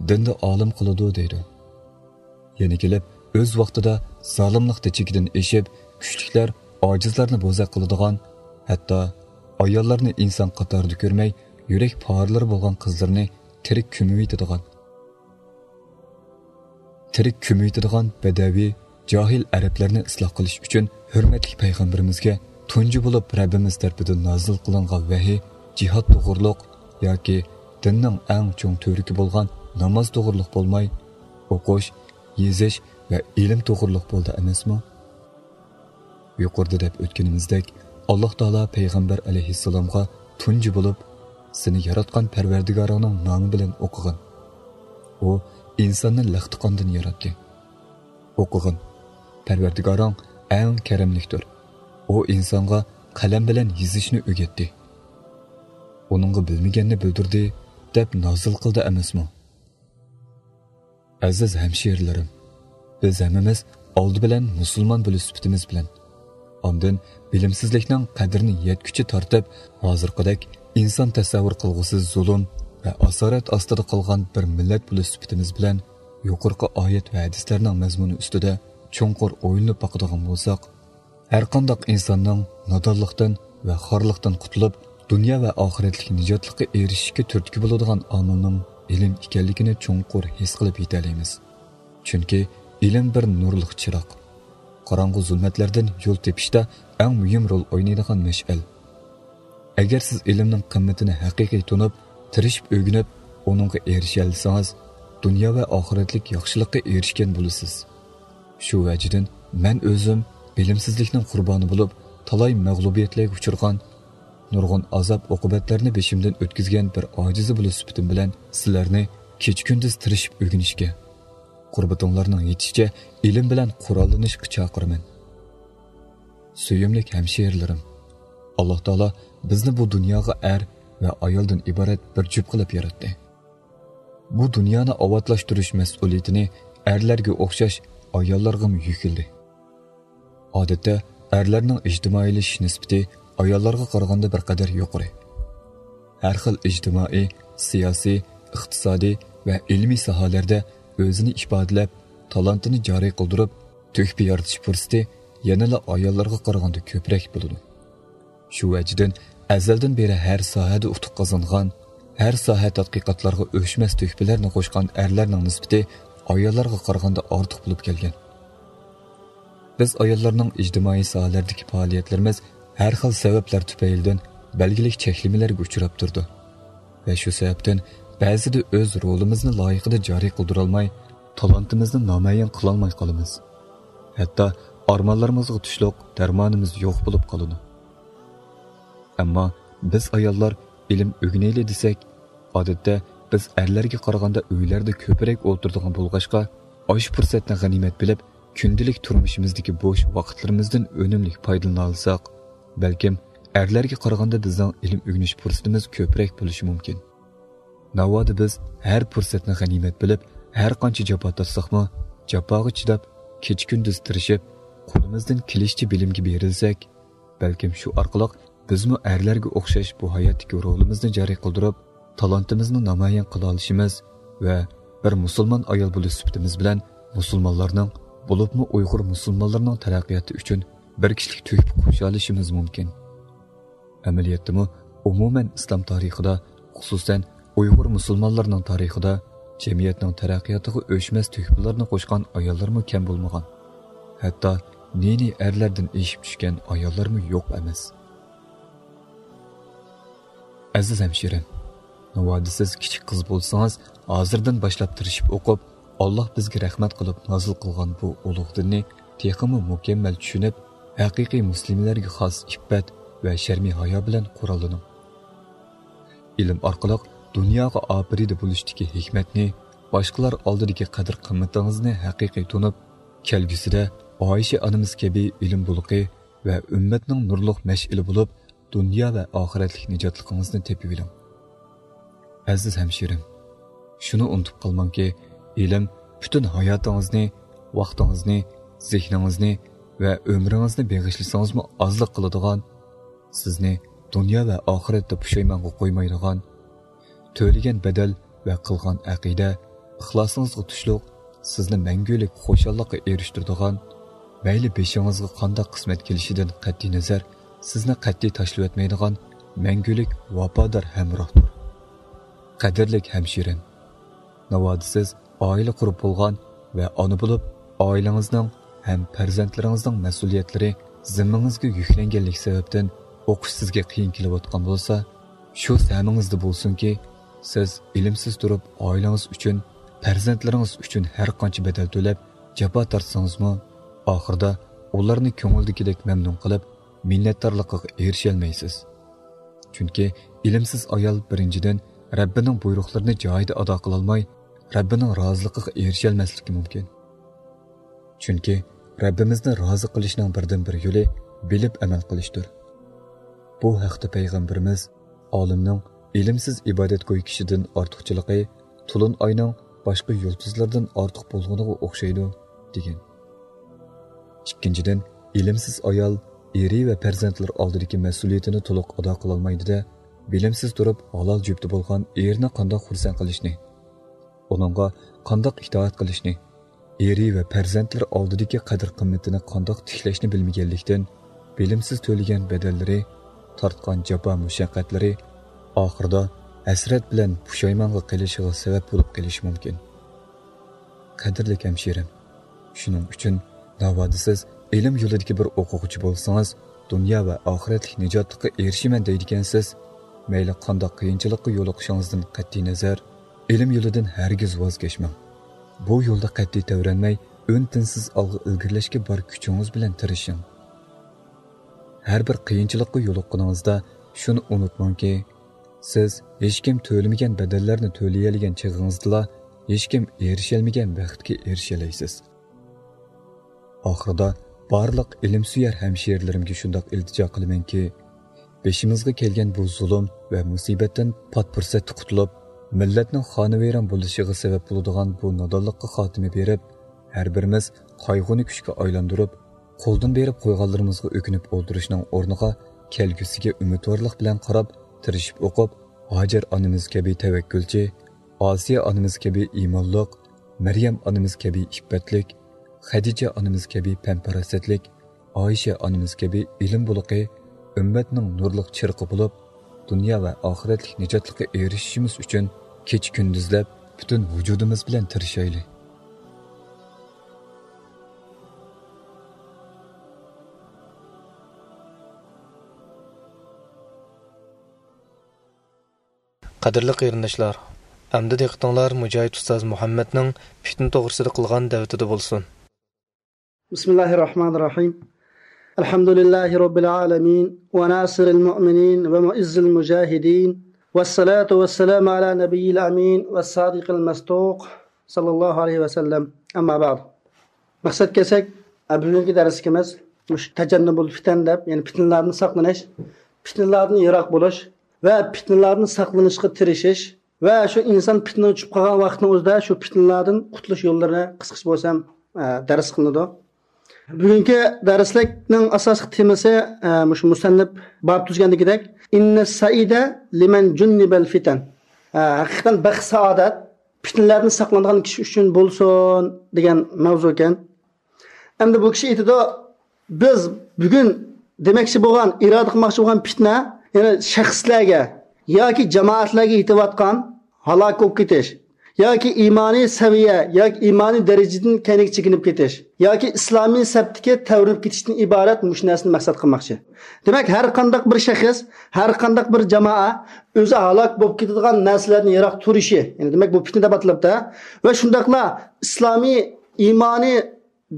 دىندا ئالىم قىلىدۇ دەيدۇ. يەنە كېلىپ، ئۆز ۋاقتىدا زالىملىقتا چېكىدىن ئېشىپ، كۈچلۈكلەر ئاجىزلارنى بوزەك قىلىدىغان، ھەتتا ئاياللارنى ئىنسان قاتارىدا كۆرمەي، يۈرەك پارىلىرى بولغان قىزلىرىنى تىرىك كۆمۈۋېتىدىغان، تىرىك كۆمۈۋېتىدىغان بەدەۋىي، جاھىل ئەرەبلەرنى ئىسلاھ قىلىش ئۈچۈن ھۆرمەتلىك پەيغەمبىرىمىزگە تۇنجى بولۇپ رەببىمىز تەرىپىدىن نازىل قىلىنغان ۋەھىي جىھاد توغرۇلۇق ياكى دىننىڭ ئەڭ چوڭ تۈۋرۈكى بولغان ناماز توغرۇلۇق بولماي، ئوقۇش، يېزىش ۋە ئىلىم توغرۇلۇق بولدى ئەمەسمۇ؟ يۇقىرىدا دەپ ئۆتكىنىمىزدەك، ئاللاھ تائالا پەيغەمبەر ئەلەيھىسسالامغا تۇنجى بولۇپ، «سېنى ياراتقان پەرۋەردىگارىڭنىڭ نامى بىلەن ئوقۇغىن.» ئۇ ئىنساننى لەختە قاندىن ياراتتى. «ئوقۇغىن. پەرۋەردىگارىڭ ئەڭ كەرەملىكتۇر. ئۇ ئىنسانغا قەلەم بىلەن يېزىشنى ئۆگەتتى.» «ئۇنىڭغا بىلمىگەننى بىلدۈردى» دەپ نازىل قىلدى ئەمەسمۇ؟ ئەزىز ھەمشىرىلىرىم، بىز ھەممىمىز ئالدى بىلەن مۇسۇلمان بولۇش سۈپىتىمىز بىلەن، ئاندىن بىلىمسىزلىكنىڭ قەدرىنى يەتكۈچە تارتىپ، ھازىرقىدەك ئىنسان تەسەۋۋۇر قىلغۇسىز زۇلۇم ۋە ئاسارەت ئاستىدا قالغان بىر مىللەت بولۇش سۈپىتىمىز بىلەن، يۇقىرىقى ئايەت ۋە ھەدىسلەرنىڭ مەزمۇنى ئۈستىدە چوڭقۇر ئويلىنىپ باقىدىغان بولساق، ھەرقانداق ئىنساننىڭ نادانلىقتىن ۋە خارلىقتىن قۇتۇلۇپ، دۇنيا ۋە ئاخىرەتلىك نىجاتلىققا ئېرىشىشكە تۈرتكە بولىدىغان ئامىلنىڭ ئىلىم ئىكەنلىكىنى چوڭقۇر ھېس قىلىپ يېتەلەيمىز. چۈنكى ئىلىم بىر نۇرلۇق چىراغ. قاراڭغۇ زۇلمەتلەردىن يول تېپىشتا ئەڭ مۇھىم رول ئوينايدىغان مەشئەل. ئەگەر سىز ئىلىمنىڭ قىممىتىنى ھەقىقىي تونۇپ، تىرىشىپ ئۆگىنىپ، ئۇنىڭغا ئېرىشەلىسىڭىز، دۇنيا ۋە ئاخىرەتلىك ياخشىلىققا ئېرىشكەن بولىسىز. شۇ ۋەجىدىن مەن ئۆزۈم بىلىمسىزلىكنىڭ قۇربانى بولۇپ، تالاي مەغلۇبىيەتلەرگە ئۇچرىغان، نۇرغۇن ئازاب-ئوقۇبەتلەرنى بېشىمدىن ئۆتكۈزگەن بىر ئاجىزى بولۇش سۈپىتىم بىلەن سىلەرنى كېچە-كۈندۈز تىرىشىپ ئۆگىنىشكە، قۇربىتىڭلارنىڭ يېتىشىچە ئىلىم بىلەن قوراللىنىشقا چاقىرىمەن. سۆيۈملۈك ھەمشىرىلىرىم، ئاللاھ تائالا بىزنى بۇ دۇنياغا ئەر ۋە ئايالدىن ئىبارەت بىر جۈپ قىلىپ ياراتتى. بۇ دۇنيانى ئاۋاتلاشتۇرۇش مەسئۇلىيىتىنى ئەرلەرگە ئوخشاش ئاياللارغىمۇ يۈكلىدى. ئادەتتە ئەرلەرنىڭ ئىجتىمائىيلىشىش نىسبىتى ئاياللارغا قارىغاندا بىر قەدەر يۇقىرى. ھەر خىل ئىجتىمائىي، سىياسىي، ئىقتىسادىي ۋە ئىلمىي ساھەلەردە ئۆزىنى ئىپادىلەپ، تالانتىنى جارى قىلدۇرۇپ، تۆھپە يارىتىش پۇرسىتى يەنىلا ئاياللارغا قارىغاندا كۆپرەك بولىدۇ. شۇ ۋەجىدىن ئەزەلدىن بېرى ھەر ساھەدە ئۇتۇق قازانغان، ھەر ساھە تەتقىقاتلارغا ئۆچمەس تۆھپىلەرنى قوشقان ئەرلەرنىڭ نىسبىتى ئاياللارغا قارىغاندا ئارتۇق بولۇپ كەلگەن. بىز ئاياللارنىڭ ئىجتىمائىي ساھەلەردىكى پائالىيەتلىرىمىز ھەر خىل سەۋەبلەر تۈپەيلىدىن بەلگىلىك چەكلىمىلەرگە ئۇچراپ تۇرىدۇ ۋە شۇ سەۋەبتىن بەزىدە ئۆز رولىمىزنى لايىقىدا جارى قىلدۇرالماي، تالانتىمىزنى نامايان قىلالماي قالىمىز. ھەتتا ئارمانلىرىمىزغا تۇشلۇق دەرمانىمىز يوق بولۇپ قالىدۇ. ئەمما بىز ئاياللار ئىلىم ئۆگىنەيلى دېسەك، ئادەتتە بىز ئەرلەرگە قارىغاندا ئۆيلەردە كۆپرەك ئولتۇرىدىغان بولغاچقا، ئاشۇ پۇرسەتنى غەنىيمەت بىلىپ، كۈندىلىك تۇرمۇشىمىزدىكى بوش ۋاقىتلىرىمىزدىن ئۈنۈملۈك پايدىلىنالىساق، بەلكىم ئەرلەرگە قارىغاندا بىزنىڭ ئىلىم ئۆگىنىش پۇرسىتىمىز كۆپرەك بولۇشى مۇمكىن. ناۋادا بىز ھەر پۇرسەتنى غەنىيمەت بىلىپ، ھەر قانچە جاپا تارتساقمۇ، جاپاغا چىداپ، كېچە-كۈندۈز تىرىشىپ، قولىمىزدىن كېلىشىچە بىلىمگە بېرىلسەك، بەلكىم شۇ ئارقىلىق بىزمۇ ئەرلەرگە ئوخشاش بۇ ھاياتتىكى رولىمىزنى جارى قىلدۇرۇپ، تالانتىمىزنى نامايان قىلالىشىمىز ۋە بىر مۇسۇلمان ئايال بولۇش سۈپىتىمىز بىلەن مۇسۇلمانلارنىڭ، بولۇپمۇ ئۇيغۇر مۇسۇلمانلىرىنىڭ تەرەققىياتى ئۈچۈن بىر كىشىلىك تۆھپە قوشالىشىمىز مۇمكىن. ئەمەلىيەتتىمۇ، ئومۇمەن ئىسلام تارىخىدا، خۇسۇسەن ئۇيغۇر مۇسۇلمانلىرىنىڭ تارىخىدا جەمئىيەتنىڭ تەرەققىياتىغا ئۆچمەس تۆھپىلەرنى قوشقان ئاياللارمۇ كەم بولمىغان. ھەتتا نى-نى ئەرلەردىن ئېشىپ چۈشكەن ئاياللارمۇ يوق ئەمەس. ئەزىز ھەمشىرىم، ناۋادا سىز كىچىك قىز بولسىڭىز، ھازىردىن باشلاپ تىرىشىپ ئوقۇپ، ئاللاھ بىزگە رەھمەت قىلىپ نازىل قىلغان بۇ ئۇلۇغ دىننى تېخىمۇ مۇكەممەل چۈشىنىپ، ھەقىقىي مۇسلىملەرگە خاس ئىپپەت ۋە شەرمى ھايا بىلەن قوراللىنىڭ. ئىلىم ئارقىلىق دۇنياغا ئاپىرىدە بولۇشتىكى ھېكمەتنى، باشقىلار ئالدىدىكى قەدىر-قىممىتىڭىزنى ھەقىقىي تونۇپ، كەلگۈسىدە ئائىشە ئانىمىز كەبى ئىلىم بۇلىقى ۋە ئۈممەتنىڭ نۇرلۇق مەشئىلى بولۇپ، دۇنيا ۋە ئاخىرەتلىك نىجاتلىقىڭىزنى تېپىۋېلىڭ. ئەزىز ھەمشىرىم، شۇنى ئۇنتۇپ قالماڭكى، ئىلىم پۈتۈن ھاياتىڭىزنى، ۋاقتىڭىزنى، زېھنىڭىزنى ۋە ئۆمرىڭىزنى بېغىشلىسىڭىزمۇ ئازلىق قىلىدىغان، سىزنى دۇنيا ۋە ئاخىرەتتە پۇشايمانغا قويمايدىغان، تۆلىگەن بەدەل ۋە قىلغان ئەقىدە، ئىخلاسىڭىزغا تۇشلۇق، سىزنى مەڭگۈلۈك خۇشاللىققا ئېرىشتۈرىدىغان، مەيلى بېشىڭىزغا قانداق قىسمەت كېلىشىدىن قەتئىينەزەر، سىزنى قەتئىي تاشلىۋەتمەيدىغان مەڭگۈلۈك ۋاپادار ھەمراھتۇر. قەدىرلىك ھەمشىرىم، ناۋادا سىز ئائىلە قۇرۇپ بولغان ۋە ئانا بولۇپ، ئائىلىڭىزنىڭ ھەم پەرزەنتلىرىڭىزنىڭ مەسئۇلىيەتلىرى زىممىڭىزگە يۈكلەنگەنلىكى سەۋەبتىن ئوقۇش سىزگە قىيىن كېلىۋاتقان بولسا، شۇ سەمىڭىزدە بولسۇنكى، سىز ئىلىمسىز تۇرۇپ ئائىلىڭىز ئۈچۈن، پەرزەنتلىرىڭىز ئۈچۈن ھەر قانچە بەدەل تۆلەپ، جاپا تارتسىڭىزمۇ، ئاخىرىدا ئۇلارنى كۆڭۈلدىكىدەك مەمنۇن قىلىپ، مىننەتدارلىقىغا ئېرىشەلمەيسىز. چۈنكى ئىلىمسىز ئايال، بىرىنچىدىن، رەببىنىڭ بۇيرۇقلىرىنى جايىدا ئادا قىلالماي، رەببىنىڭ رازىلىقىغا ئېرىشەلمەسلىكى مۇمكىن. چۈنكى رەببىمىزنى رازى قىلىشنىڭ بىردىنبىر يولى بىلىپ ئەمەل قىلىشتۇر. بۇ ھەقتە پەيغەمبىرىمىز، «ئالىمنىڭ ئىلىمسىز ئىبادەتگوي كىشىدىن ئارتۇقچىلىقى تولۇن ئاينىڭ باشقا يۇلتۇزلاردىن ئارتۇق بولغىنىغا ئوخشايدۇ» دېگەن. ئىككىنچىدىن، ئىلىمسىز ئايال ئېرى ۋە پەرزەنتلىرى ئالدىدىكى مەسئۇلىيىتىنى تولۇق ئادا قىلالمايدۇ-دە، بىلىمسىز تۇرۇپ ھالال جۈپتى بولغان ئېرىنى قانداق خۇرسەن قىلىشنى، ئۇنىڭغا قانداق ئىتائەت قىلىشنى، ئېرى ۋە پەرزەنتلىرى ئالدىدىكى قەدىر-قىممىتىنى قانداق تىكلەشنى بىلمىگەنلىكتىن، بىلىمسىز تۆلىگەن بەدەللىرى، تارتقان جاپا-مۇشەققەتلىرى ئاخىرىدا ھەسرەت بىلەن پۇشايمانغا قېلىشىغا سەۋەب بولۇپ قېلىشى مۇمكىن. قەدىرلىك ھەمشىرىم، شۇنىڭ ئۈچۈن ناۋادا سىز ئىلىم يولىدىكى بىر ئوقۇغۇچى بولسىڭىز، دۇنيا ۋە ئاخىرەتلىك نىجاتلىققا ئېرىشىمەن دەيدىكەنسىز، مەيلى قانداق قىيىنچىلىققا يولۇقۇشىڭىزدىن قەتئىينەزەر، ئىلىم يولىدىن ھەرگىز ۋاز كەچمەڭ. بۇ يولدا قەتئىي تەۋرەنمەي، ئۈن-تىنسىز ئالغا ئىلگىرىلەشكە بار كۈچىڭىز بىلەن تىرىشىڭ. ھەر بىر قىيىنچىلىققا يولۇققىنىڭىزدا شۇنى ئۇنتۇماڭكى، سىز ھېچكىم تۆلىمىگەن بەدەللەرنى تۆلىيەلىگەن چېغىڭىزدىلا ھېچكىم ئېرىشەلمىگەن بەختكە ئېرىشەلەيسىز. ئاخىرىدا بارلىق ئىلىمسۆيەر ھەمشىرىلىرىمگە شۇنداق ئىلتىجا قىلىمەنكى، بېشىمىزغا كەلگەن بۇ زۇلۇم ۋە مۇسىبەتتىن پات پۇرسەتتە قۇتۇلۇپ، مىللەتنىڭ خانىۋەيران بولۇشىغا سەۋەب بولىدىغان بۇ نادانلىققا خاتىمە بېرىپ، ھەر بىرىمىز قايغۇنى كۈچكە ئايلاندۇرۇپ، قولدىن بېرىپ قويغانلىرىمىزغا ئۆكۈنۈپ ئولتۇرۇشنىڭ ئورنىغا، كەلگۈسىگە ئۈمىدۋارلىق بىلەن قاراپ، تىرىشىپ ئوقۇپ، ھاجەر ئانىمىز كەبى تەۋەككۈلچى، ئاسىيە ئانىمىز كەبى ئىمانلىق، مەريەم ئانىمىز كەبى ئىپپەتلىك، خەدىچە ئانىمىز كەبى پەن-پاراسەتلىك، ئائىشە ئانىمىز كەبى ئىلىم بۇلىقى، ئۈممەتنىڭ نۇرلۇق چىرىقى بولۇپ، دۇنيا ۋە ئاخىرەتلىك نىجاتلىققا ئېرىشىشىمىز ئۈچۈن كېچە-كۈندۈزلەپ پۈتۈن ۋۇجۇدىمىز بىلەن تىرىشايلى. قەدىرلىك قېرىنداشلار، ئەمدى دىققىتىڭلار مۇجاھىد ئۇستاز مۇھەممەدنىڭ پىتنە توغرىسىدا قىلغان دەۋىتىدە بولسۇن. بسم الله الرحمن الرحيم. الحمد لله رب العالمين، وناصر المؤمنين، ومعز المجاهدين، والصلاة والسلام على نبي الأمين والصادق المصدوق، صلى الله عليه وسلم. أما بعد. مەقسەتكە كەلسەك، بۈگۈنكى دەرسلىكىمىز مۇشۇ تەجەننۇبۇل پىتەن دەپ، يەنى پىتنىلەردىن ساقلىنىش، پىتنىلەردىن يىراق بولۇش ۋە پىتنىلەردىن ساقلىنىشقا تىرىشىش ۋە شۇ ئىنسان پىتنىگە چۈشۈپ قالغان ۋاقىتنىڭ ئۆزىدە شۇ پىتنىلەردىن قۇتۇلۇش يوللىرىنى قىسقىچە بولسا ھەم، ئە، دەرس قىلىنىدۇ. بۈگۈنكى دەرسلىكنىڭ ئاساسلىق تېمىسى، ئە، مۇشۇ مۇسەننىپ باب تۈزگەندىكىدەك، «إن السعيد لمن جنب الفتن». ئە، ھەقىقەتەن بەخت-سائادەت پىتنىلەردىن ساقلانغان كىشى ئۈچۈن بولسۇن دېگەن ماۋزۇ ئىكەن. ئەمدى بۇ كىشى ئېيتىدۇ، بىز بۈگۈن دېمەكچى بولغان، ئىرادە قىلماقچى بولغان پىتنە، يەنى شەخسلەرگە ياكى جامائەتلەرگە يېتىۋاتقان ھالاك بولۇپ كېتىش ياكى ئىمانىي سەۋىيە ياكى ئىمانىي دەرىجىدىن كەينىگە چېكىنىپ كېتىش ياكى ئىسلامىي سەپتىكى تەۋرىنىپ كېتىشتىن ئىبارەت مۇشۇ نەرسىنى مەقسەت قىلماقچى. دېمەك، ھەر قانداق بىر شەخس، ھەر قانداق بىر جامائە ئۆزى ھالاك بولۇپ كېتىدىغان نەرسىلەردىن يىراق تۇرۇشى، يەنى دېمەك، بۇ پىتنە دەپ ئاتىلىپتۇ. ۋە شۇنداقلا ئىسلامىي، ئىمانىي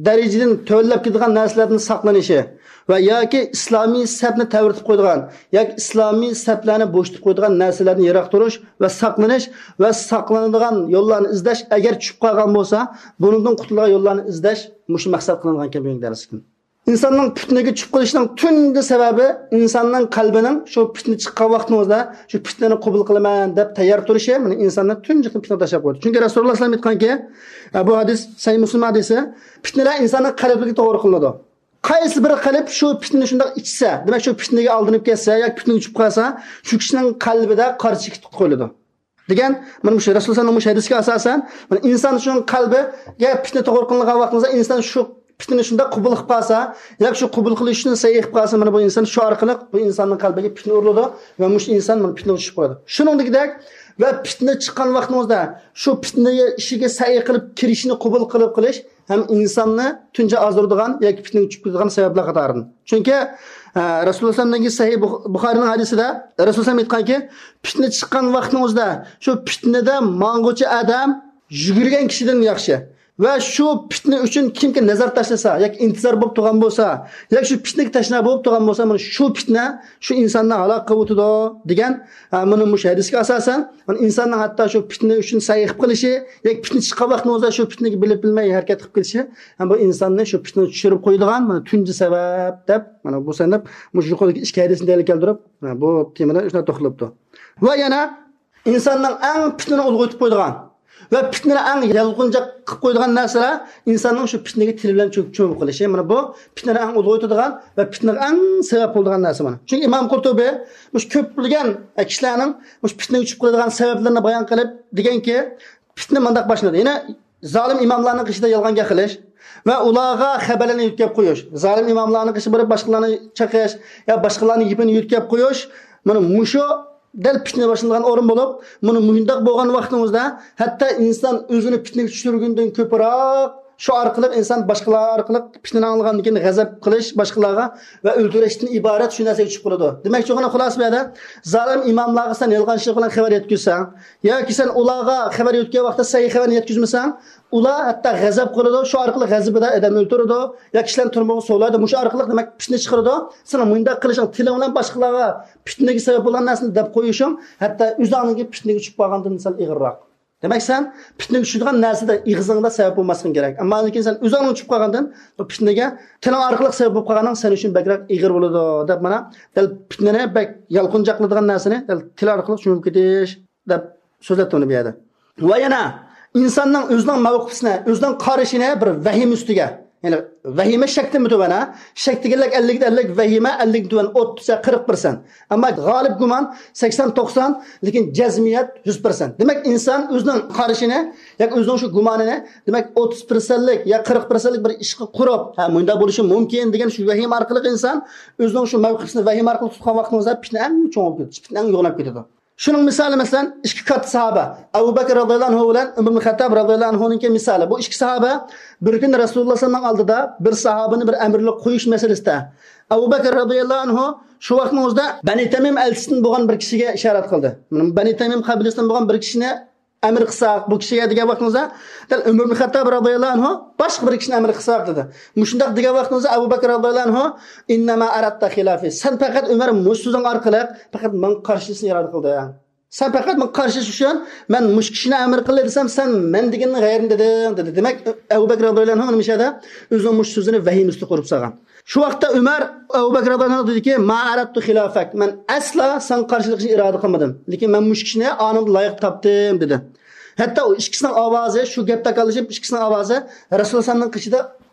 دەرىجىدىن تۆۋەنلەپ كېتىدىغان نەرسىلەردىن ساقلىنىشى ۋە ياكى ئىسلامىي سەپنى تەۋرىتىپ قويىدىغان ياكى ئىسلامىي سەپلەرنى بوشىتىپ قويىدىغان نەرسىلەردىن يىراق تۇرۇش ۋە ساقلىنىش ۋە ساقلىنىدىغان يوللارنى ئىزدەش، ئەگەر چۈشۈپ قالغان بولسا، بۇنىڭدىن قۇتۇلىدىغان يوللارنى ئىزدەش مۇشۇ مەقسەت قىلىنغانىكەن بۈگۈنكى دەرسلىكتىن. ئىنساننىڭ پىتنىگە چۈشۈپ قېلىشىنىڭ تۇنجى سەۋەبى ئىنساننىڭ قەلبىنىڭ شۇ پىتنە چىققان ۋاقتىڭىزدا شۇ پىتنىنى قوبۇل قىلىمەن دەپ تەييار تۇرۇشى، مانا، ئىنساننى تۇنجى قېتىم پىتنىگە تاشلاپ قويىدۇ. چۈنكى رەسۇلۇللاھ ئەلەيھىسسالام ئېيتقانكى، بۇ ھەدىس سەھىھ مۇسلىم ھەدىسى، پىتنىلەر ئىنساننىڭ قەلبىگە توغرا قىلىنىدۇ. قايسى بىر قەلب شۇ پىتنىنى شۇنداق ئىچسە، دېمەك، شۇ پىتنىگە ئالدىنىپ كەتسە ياكى پىتنىگە چۈشۈپ قالسا، شۇ كىشىنىڭ قەلبىدە قارا چېكىت قويۇلىدۇ. دېگەن، مانا مۇشۇ رەسۇلۇللاھنىڭ مۇشۇ ھەدىسىگە ئاساسەن، مانا ئىنسان شۇنىڭ قەلبىگە پىتنە توغرا قىلىنغان ۋاقتىمىزدا، ئىنسان شۇ پىتنىنى شۇنداق قوبۇل قىلىپ قالسا، ياكى شۇ قوبۇل قىلىش ئۈچۈن سەي قىلىپ قالسا، مانا بۇ ئىنسان شۇ ئارقىلىق بۇ ئىنساننىڭ قەلبىگە پىتنە ئۇرۇلىدۇ ۋە مۇشۇ ئىنسان مانا پىتنىگە چۈشۈپ قالىدۇ. شۇنىڭدىكىدەك، ۋە پىتنە چىققان ۋاقتىڭىزدا شۇ پىتنە ئىشىگە سەي قىلىپ كىرىشنى قوبۇل قىلىپ قىلىش ھەم ئىنساننى تۇنجى ئازدۇرىدىغان ياكى پىتنىگە چۈشۈپ كېتىدىغان سەۋەبلەر قاتارىدىن. چۈنكى، ئە، رەسۇلۇللاھ ئەلەيھىسسالامنىڭ سەھىھ بۇخ-، بۇخارىنىڭ ھەدىسىدە رەسۇلۇللاھ ئېيتقانكى، پىتنە چىققان ۋاقتىڭىزدا شۇ پىتنىدە ماڭغۇچى ئادەم يۈگۈرگەن كىشىدىن ياخشى. ۋە شۇ پىتنە ئۈچۈن كىمكى نەزەر تاشلىسا ياكى ئىنتىزار بولۇپ تۇرغان بولسا، ياكى شۇ پىتنىگە تەشنا بولۇپ تۇرغان بولسا، مانا شۇ پىتنە شۇ ئىنساننى ھالاك قىلىۋېتىدۇ دېگەن، ھە، مانا مۇشۇ ھەدىسكە ئاساسەن، مانا ئىنساننىڭ ھەتتا شۇ پىتنە ئۈچۈن سەي قىلىپ قېلىشى ياكى پىتنە چىققان ۋاقتىڭىزدا شۇ پىتنىگە بىلىپ بىلمەي ھەرىكەت قىلىپ كېتىشى، ھە، بۇ ئىنساننى شۇ پىتنىگە چۈشۈرۈپ قويىدىغان مانا تۇنجى سەۋەب دەپ، مانا بۇ سەۋەب مۇشۇ يۇقىرىدىكى ئىككى ھەدىسنى دەلىل كەلتۈرۈپ، مانا بۇ تېمىدا شۇنداق توختىلىپتۇ. ۋە يەنە ئىنساننىڭ ئەڭ پىتنىنى ئۇلغىيتىپ قويىدىغان ۋە پىتنىنى ئەڭ يالقۇنجاق قىلىپ قويىدىغان نەرسىلەر ئىنساننىڭ شۇ پىتنىگە تىلى بىلەن چۆ-، چۆمۈپ قېلىشى. مانا بۇ پىتنىنى ئەڭ ئۇلغىيتىدىغان ۋە پىتنىگە ئەڭ سەۋەب بولىدىغان نەرسە مانا. چۈنكى ئىمام قۇرتۇبى مۇشۇ كۆپلىگەن كىشىلەرنىڭ مۇشۇ پىتنىگە چۈشۈپ قېلىدىغان سەۋەبلىرىنى بايان قىلىپ دېگەنكى، پىتنە مۇنداق باشلىنىدۇ. يەنە زالىم ئىماملارنىڭ قېشىدا يالغان گەپ قىلىش ۋە ئۇلارغا خەۋەرلەرنى يۆتكەپ قويۇش. زالىم ئىماملارنىڭ قېشىغا بېرىپ باشقىلارنى چېقىش يا باشقىلارنىڭ گېپىنى يۆتكەپ قويۇش. مانا مۇشۇ دەل پىتنە باشلىنىدىغان ئورۇن بولۇپ، مانا مۇنداق بولغان ۋاقتىڭىزدا ھەتتا ئىنسان ئۆزىنى پىتنىگە چۈشۈرگىنىدىن كۆپرەك شۇ ئارقىلىق ئىنسان باشقىلار ئارقىلىق پىتنىنى ئاڭلىغاندىن كېيىن غەزەپ قىلىش باشقىلارغا ۋە ئۆلتۈرۈشتىن ئىبارەت شۇ نەرسىگە چۈشۈپ قالىدۇ. دېمەكچى بولغىنى خۇلاسە بۇ يەردە زالىم ئىماملارغا سەن يالغانچىلىق بىلەن خەۋەر يەتكۈزسەڭ ياكى سەن ئۇلارغا خەۋەر يۆتكەن ۋاقىتتا سەي خەۋەرنى يەتكۈزمىسەڭ، ئۇلار ھەتتا غەزەپ قىلىدۇ، شۇ ئارقىلىق غەزىپىدە ئادەمنى ئۆلتۈرىدۇ يا كىشىلەرنى تۈرمىگە سولايدۇ. مۇشۇ ئارقىلىق دېمەك پىتنە چىقىرىدۇ. سېنىڭ مۇنداق قىلىشىڭ، تىلىڭ بىلەن باشقىلارغا پىتنىگە سەۋەب بولغان نەرسىنى دەپ قويۇشۇڭ ھەتتا ئۆزۈڭنىڭكى پىتنىگە چۈشۈپ قالغاندىن سەل ئېغىرراق. دېمەك سەن پىتنىگە چۈشىدىغان نەرسىدە ئېغىزىڭدا سەۋەب بولماسلىقىڭ كېرەك. ئەمما لېكىن سەن ئۆزۈڭنىڭ چۈشۈپ قالغاندىن بۇ پىتنىگە تىلىڭ ئارقىلىق سەۋەب بولۇپ قالغانىڭ سەن ئۈچۈن بەكرەك ئېغىر بولىدۇ دەپ مانا دەل پىتنىنى بەك يالقۇنجاقلىتىدىغان نەرسىنى دەل تىل ئارقىلىق چۈمۈپ كېتىش دەپ سۆزلەپتۇ ئۇنى بۇ يەردە. ۋە يەنە ئىنساننىڭ ئۆزىنىڭ مەۋقىپىسىنى، ئۆزىنىڭ قارىشىنى بىر ۋەھىمە ئۈستىگە، يەنى ۋەھىمە شەكتىنمۇ تۆۋەن، ھە؟ شەك دېگەنلىك ئەللىك ئەللىك، ۋەھىمە ئەللىكتىن تۆۋەن، ئوتتۇز يا قىرىق پىرسەنت. ئەمما غالىب گۇمان سەكسەن توقسان، لېكىن جەزمىيەت يۈز پىرسەنت. دېمەك ئىنسان ئۆزىنىڭ قارىشىنى ياكى ئۆزىنىڭ شۇ گۇمانىنى دېمەك ئوتتۇز پىرسەنتلىك يا قىرىق پىرسەنتلىك بىر ئىشقا قۇرۇپ، ھە، مۇنداق بولۇشى مۇمكىن دېگەن شۇ ۋەھىمە ئارقىلىق ئىنسان ئۆزىنىڭ شۇ مەۋقىپىسىنى ۋەھىمە ئارقىلىق تۇتقان ۋاقتىڭىزدا پىتنە ئەڭ چوڭ بولۇپ كېتىدۇ، پىتنە ئەڭ يوغىناپ كېتىدۇ. شۇنىڭ مىسالى، مەسىلەن، ئىككى كاتتا ساھابە، ئەبۇ بەكىر رازىياللاھۇ ئەنھۇ بىلەن ئۆمەر ئىبن خەتتاب رازىياللاھۇ ئەنھۇنىڭكى مىسالى. بۇ ئىككى ساھابە بىر كۈنى رەسۇلۇللاھ سەللەللاھۇ ئەلەيھى ۋەسەللەمنىڭ ئالدىدا بىر ساھابىنى بىر ئەمىرلىك قويۇش مەسىلىسىدە ئەبۇ بەكىر رازىياللاھۇ ئەنھۇ شۇ ۋاقىتنىڭ ئۆزىدە بەنى تەمىم ئەلچىسىدىن بولغان بىر كىشىگە ئىشارەت قىلدى. مانا بەنى تەمىم قەبىلىسىدىن بولغان بىر كىشىنى ئەمىر قىلساق، بۇ كىشىگە دېگەن ۋاقتىڭىزدا، دەل ئۆمەر ئىبن خەتتاب رازىياللاھۇ ئەنھۇ باشقا بىر كىشىنى ئەمىر قىلساق دېدى. مۇشۇنداق دېگەن ۋاقتىڭىزدا ئەبۇ بەكىر رازىياللاھۇ ئەنھۇ، ئىننەما ئارادتا خىلافى، سەن پەقەت ئۆمەر مۇشۇ سۆزۈڭ ئارقىلىق پەقەت ماڭا قارشىسىنى ئىرادە قىلدىڭ. سەن پەقەت ماڭا قارشى ئۈچۈن مەن مۇشۇ كىشىنى ئەمىر قىلدى دېسەم، سەن مەن دېگەننى غەيرىنى دېدىڭ دېدى. دېمەك ئەبۇ بەكىر رازىياللاھۇ ئەنھۇ مۇشۇ يەردە ئۆزىنىڭ مۇشۇ سۆزىنى ۋەھىمە ئۈستىگە قۇرۇپ سالغان. شۇ ۋاقىتتا ئۆمەر ئەبۇ بەكىر رازىياللاھۇ ئەنھۇغا دېدىكى، ما ئارادتۇ خىلافەك، مەن ئەسلا ساڭا قارشىلىق ئىشنى ئىرادە قىلمىدىم، لېكىن مەن مۇشۇ كىشىنى ئانىڭدا لايىق تاپتىم دېدى. ھەتتا ئۇ ئىككىسىنىڭ ئاۋازى، شۇ گەپ تاكاللىشىپ ئىككىسىنىڭ ئاۋازى رەسۇلۇللاھ ئەلەيھىسسالامنىڭ قېشىدا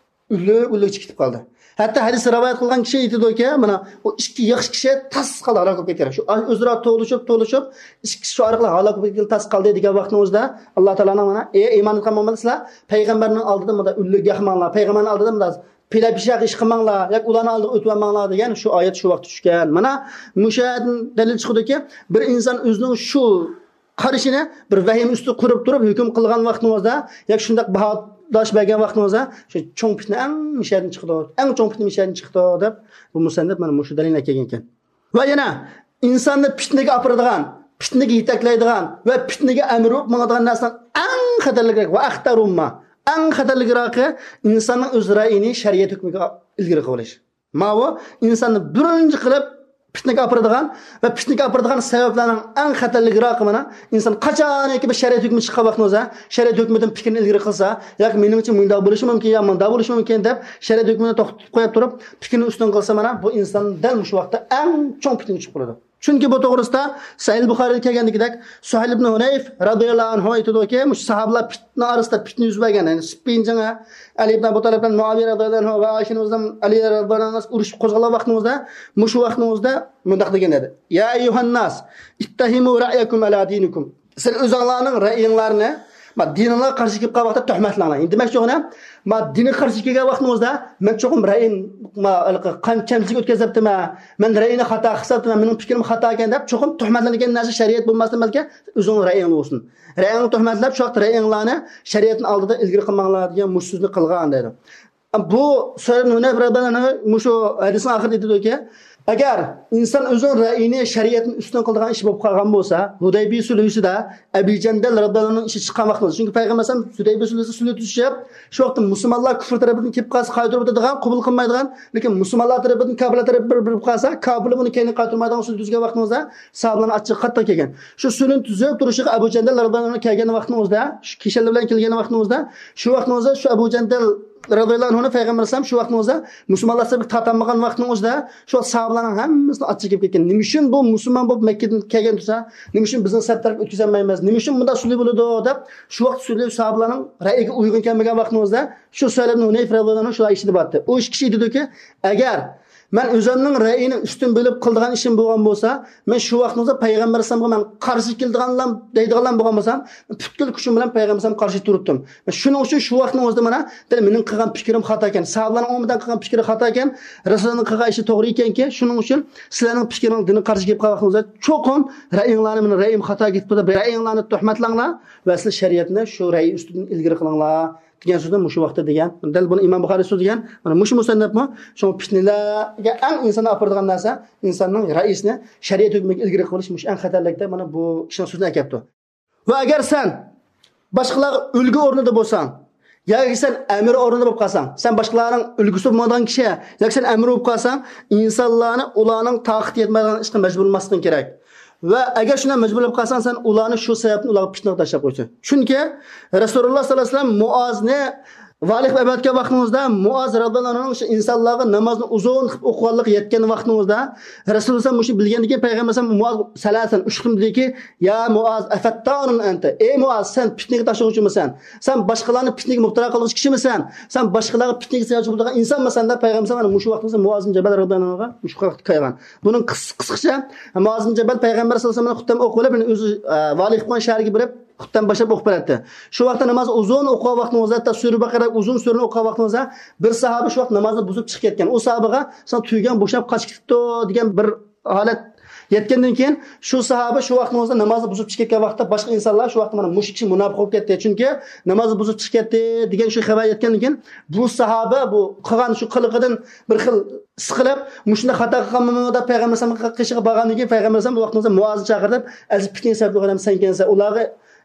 ئۈنلۈك ئۈنلۈك چىقىپ قالدى. ھەتتا ھەدىسنى رىۋايەت قىلغان كىشى ئېيتىدۇكى، مانا ئۇ ئىككى ياخشى كىشى تاس قالدى، ھالاك بولۇپ كەتتى. شۇ ئۆزئارا توۋلىشىپ توۋلىشىپ ئىككىسى شۇ ئارقىلىق ھالاك بولۇپ كەتكىلى تاس قالدى دېگەن ۋاقتىڭىزدا، ئاللاھ تائالانىڭ مانا، ئەي ئىمان ئېيتقان مۆمىنلەر، سىلەر پەيغەمبەرنىڭ ئالدىدا مۇنداق ئۈنلۈك ياخماڭلار، پەيغەمبەرنىڭ ئالدىدا مۇنداق پىلە پىشاق ئىش قىلماڭلار ياكى ئۇلارنىڭ ئالدىغا ئۆتۈۋالماڭلار دېگەن شۇ ئايەت شۇ ۋاقىتتا چۈشكەن. مانا مۇشۇ ئايەتتىن دەلىل چىقىدۇكى، بىر ئىنسان ئۆزىنىڭ شۇ قارىشىنى بىر ۋەھىمە ئۈستىدە قۇرۇپ تۇرۇپ ھۆكۈم قىلغان ۋاقتىڭىزدا ياكى شۇنداق باھاداش بەرگەن ۋاقتىڭىزدا شۇ چوڭ پىتنە ئەڭ مىشەدىن چىقىدۇ، ئەڭ چوڭ پىتنە مىشەدىن چىقىدۇ دەپ بۇ مۇسەننىپ مانا مۇشۇ دەلىلنى ئەكەلگەنىكەن. ۋە يەنە ئىنساننى پىتنىگە ئاپىرىدىغان، پىتنىگە يېتەكلەيدىغان ۋە پىتنىگە ئەمىر بولۇپ ماڭىدىغان نەرسىنىڭ ئەڭ خەتەرلىكرەك ۋە ئەختەرۇمما، ئەڭ خەتەرلىكراقى ئىنساننىڭ ئۆز رەئىيىنى شەرىئەت ھۆكمىگە ئىلگىرى قىلىۋېلىش. ماۋۇ ئىنساننى بىرىنچى قىلىپ پىتنىگە ئاپىرىدىغان ۋە پىتنىگە ئاپىرىدىغان سەۋەبلەرنىڭ ئەڭ خەتەرلىكراقى مانا ئىنسان قاچانكى بىر شەرىئەت ھۆكمى چىققان ۋاقتىڭىزدا شەرىئەت ھۆكمىدىن پىكرىنى ئىلگىرى قىلسا ياكى مېنىڭچە مۇنداق بولۇشى مۇمكىن يا مۇنداق بولۇشى مۇمكىن دەپ شەرىئەت ھۆكمىنى توختىتىپ قويۇپ تۇرۇپ پىكرىنى ئۈستۈن قىلسا مانا بۇ ئىنسان دەل مۇشۇ ۋاقىتتا ئەڭ چوڭ پىتنىگە چۈشۈپ قالىدۇ. چۈنكى بۇ توغرىسىدا سەھىھ بۇخارىدا كەلگەندىكىدەك سۇھەيل ئىبن ھۇنەيف رازىياللاھۇ ئەنھۇ ئېيتىدۇكى، مۇشۇ ساھابىلار پىتنە ئارىسىدا پىتنە يۈز بەرگەن، يەنى سىپپىن جېڭى، ئەلى ئىبن ئەبۇ تالىپ بىلەن مۇئاۋىيە رازىياللاھۇ ئەنھۇ ۋە ئائىشە ئانىمىز بىلەن ئەلى رازىياللاھۇ ئەنھۇ ئۇرۇش قوزغالغان ۋاقتىمىزدا، مۇشۇ ۋاقتىمىزدا مۇنداق دېگەن ئىدى، يا ئەييۇھەنناس، ئىتتەھىمۇ رەئيەكۇم ئەلا دىنىكۇم. سىلەر ئۆزۈڭلارنىڭ رەئىيىڭلارنى ما دىنىڭلارغا قارشى كېلىپ قالغان ۋاقىتتا تۆھمەتلەڭلار. دېمەكچى بولغىنىم، ما دىنغا قارشى كەلگەن ۋاقتىڭىزدا مەن چوقۇم رەئىيىم، ما، ھېلىقى قان چەمچىلىك ئۆتكۈزۈپتىمەن، مەن رەئىينى خاتا قىلساپتىمەن، مېنىڭ پىكرىم خاتاكەن دەپ چوقۇم تۆھمەتلەنگەن نەرسە شەرىئەت بولماستىن بەلكى ئۆزۈڭنىڭ رەئىيىڭ بولسۇن. رەئىيىڭنى تۆھمەتلەپ، شۇ ۋاقىت رەئىيىڭلارنى شەرىئەتنىڭ ئالدىدا ئىلگىرى قىلماڭلار دېگەن مۇشۇ سۆزنى قىلغان دەيدۇ. بۇ سۇھەيل ئىبن ھۇنەيف رەزىياللاھۇ ئەنھۇ مۇشۇ ھەدىسنىڭ ئاخىرىدا ئېيتىدۇكى، ئەگەر ئىنسان ئۆزىنىڭ رەئىيىنى شەرىئەتنى ئۈستۈن قىلىدىغان ئىش بولۇپ قالغان بولسا، ھۇدەيبىيە سۈلھىسىدە ئەبۇ جەندەل رەزىياللاھۇ ئەنھۇنىڭ ئىشى چىققان ۋاقتىدا، چۈنكى پەيغەمبەر ئەلەيھىسسالام ھۇدەيبىيە سۈلھىسىدە سۈلھە تۈزۈشۈپ، شۇ ۋاقىتتا مۇسۇلمانلار كۇفر تەرىپىدىن كېلىپ قالسا قايتۇرۇپ ئۆتىدىغان، قوبۇل قىلمايدىغان، لېكىن مۇسۇلمانلار تەرىپىدىن كاپىرلار تەرىپى بىر بېرىپ قالسا، كاپىرلار بۇنى كەينىگە قايتۇرمايدىغان سۈلھە تۈزگەن ۋاقتىمىزدا ساھابىلارنىڭ ئاچچىقى قاتتىق كەلگەن. شۇ سۈلھىنى تۈزۈپ تۇرۇشىغا ئەبۇ جەندەل رەزىياللاھۇ ئەنھۇ كەلگەن ۋاقتىنىڭ ئۆزىدە، شۇ كىشەنلەر بىلەن كەلگەن ۋاقتىنىڭ ئۆزىدە، شۇ ۋاقتىنىڭ ئۆزىدە شۇ ئەبۇ جەندەل رەزىياللاھۇ ئەنھۇنى پەيغەمبەر ئەلەيھىسسالام شۇ ۋاقىتنىڭ ئۆزىدە مۇسۇلمانلار سەپكە تارتالمىغان ۋاقىتنىڭ ئۆزىدە شۇ ساھابىلارنىڭ ھەممىسىنى ئاچچىقى كېلىپ كەتكەن. نېمە ئۈچۈن بۇ مۇسۇلمان بولۇپ مەككىدىن كەلگەن تۇرسا، نېمە ئۈچۈن بىزنىڭ سەپ تەرەپكە ئۆتكۈزەلمەيمىز؟ نېمە ئۈچۈن بۇنداق سۈلھە بولىدۇ؟ دەپ شۇ ۋاقىت سۈلھە ساھابىلارنىڭ رەئىگە ئۇيغۇن كەلمىگەن ۋاقىتنىڭ ئۆزىدە شۇ سەھلىبنى ھۇنەيف رەزىياللاھۇ ئەنھۇ شۇ ئىشىنى دەپتۇ. ئۇ ئىككى كىشى ئېيتىدۇكى، ئەگەر مەن ئۆزۈمنىڭ رەئىيىنى ئۈستۈن بىلىپ قىلىدىغان ئىشىم بولغان بولسا، مەن شۇ ۋاقىتنىڭ ئۆزىدە پەيغەمبەر ئەلەيھىسسالامغا مەن قارشى كېلىدىغانلام دەيدىغانلام بولغان بولسام، پۈتكۈل كۈچۈم بىلەن پەيغەمبەر ئەلەيھىسسالامغا قارشى تۇرۇپتۇم. شۇنىڭ ئۈچۈن شۇ ۋاقىتنىڭ ئۆزىدە مانا دەل مېنىڭ قىلغان پىكرىم خاتا ئىكەن، ساھابىلارنىڭ ئومۇمەن قىلغان پىكرى خاتا ئىكەن، رەسۇلۇللانىڭ قىلغان ئىشى توغرا ئىكەنكى، شۇنىڭ ئۈچۈن سىلەرنىڭ پىكرىڭىز دىنغا قارشى كېلىپ قالغان ۋاقتىڭىزدا چوقۇم رەئىيىڭلارنى، مېنىڭ رەئىيىم خاتا كېتىپتۇ دەپ رەئىيىڭلارنى تۆھمەتلەڭلار ۋە سىلەر شەرىئەتنى شۇ رەئىي ئۈستىدىن ئىلگىرى قىلىڭلار دېگەن سۆزنى مۇشۇ ۋاقىتتا دېگەن. دەل بۇنى ئىمام بۇخارىي سۆزلىگەن. مانا مۇشۇ مۇسەننەپمۇ شۇڭا پىتنىلەرگە ئەڭ ئىنساننى ئاپىرىدىغان نەرسە ئىنساننىڭ رەئىسىنى شەرىئەت ھۆكمىگە ئىلگىرى قىلىش، مۇشۇ ئەڭ خەتەرلىك دەپ مانا بۇ ئىشنىڭ سۆزىنى ئەكەپتۇ. ۋە ئەگەر سەن باشقىلارغا ئۈلگە ئورنىدا بولساڭ، ياكى سەن ئەمىر ئورنىدا بولۇپ قالساڭ، سەن باشقىلارنىڭ ئۈلگىسى بولمايدىغان كىشى، ياكى سەن ئەمىر بولۇپ قالساڭ، ئىنسانلارنى ئۇلارنىڭ تاقىتى يەتمەيدىغان ئىشقا مەجبۇر بولماسلىقىڭ كېرەك. ۋە ئەگەر شۇنداق مەجبۇر بولۇپ قالساڭ، سەن ئۇلارنى شۇ سەۋەبتىن ئۇلارغا پىتنىگە تاشلاپ قويىسەن. چۈنكى رەسۇلۇللا ساللاللاھۇ ئەلەيھى ۋەسەللەم مۇئازنى ۋالىي قىلىپ ئەۋەتكەن ۋاقتىڭىزدا، مۇئاز رەزىياللاھۇ ئەنھۇنىڭ شۇ ئىنسانلارغا نامازنى ئۇزۇن قىلىپ ئوقۇغانلىقى يەتكەن ۋاقتىڭىزدا، رەسۇلۇللا مۇشۇنى بىلگەندىن كېيىن پەيغەمبەر ئەلەيھىسسالام مۇئاز سەلەسەن، ئۈچ قېتىم دېدىكى، يا مۇئاز، ئەفەتتانۇن ئەنتە؟ ئەي مۇئاز، سەن پىتنىگە تاشلىغۇچىمىسەن؟ سەن باشقىلارنى پىتنىگە مۇپتىلا قىلغۇچى كىشىمىسەن؟ سەن باشقىلارغا پىتنىگە سەۋەبچى بولىدىغان ئىنسانمىسەن؟ دەپ پەيغەمبەر ئەلەيھىسسالام مۇشۇ ۋاقتىڭىزدا مۇئاز بىن جەبەل رەزىياللاھۇ ئەنھۇغا مۇشۇ ۋاقىتتا كەلگەن. بۇنىڭ قىس-، قىسقىچە، مۇئاز بىن جەبەل پەيغەمبەر ساللاللاھۇ ئەلەيھى ۋەسەللەم خۇتبە ئوقۇۋېلىپ، يەنى ئۆزى، ئە، ۋالىي قىلىپ قويغان شەھەرگە بېرىپ، خۇتبە باشلاپ ئوقۇپ بېرەتتى. شۇ ۋاقىتتا ناماز ئۇزۇن ئوقۇغان ۋاقتىڭىزدا، ھەتتا سۈرە بەقەرە ئۇزۇن سۈرىنى ئوقۇغان ۋاقتىڭىزدا، بىر ساھابە شۇ ۋاقىت نامازنى بۇزۇپ چىقىپ كەتكەن. ئۇ ساھابىغا، ساڭا تۈگەڭ بوشاپ قاچىپ كېتىپتۇ دېگەن بىر ھالەت يەتكەندىن كېيىن، شۇ ساھابە شۇ ۋاقتىڭىزدا نامازنى بۇزۇپ چىقىپ كەتكەن ۋاقىتتا، باشقا ئىنسانلار شۇ ۋاقىتتا مانا مۇشۇ كىشى مۇناپىق بولۇپ كەتتى، چۈنكى نامازنى بۇزۇپ چىقىپ كەتتى دېگەن شۇ خەۋەر يەتكەندىن كېيىن، بۇ ساھابە بۇ قىلغان شۇ قىلىقىدىن بىر خىل سىقىلىپ، مۇشۇنداق خاتا قىلغانمەنمۇ دەپ پەيغەمبەر ئەلەيھىسسالامنىڭ قېشىغا بارغاندىن كېيىن، پەيغەمبەر ئەلەيھىسسالام بۇ ۋاقتىڭىزدا مۇئازنى چاقىردىپ، ئەزىز، پىتنىگە سەۋەب بولغان ئادەم سەنكەنسەن. ئۇلارغا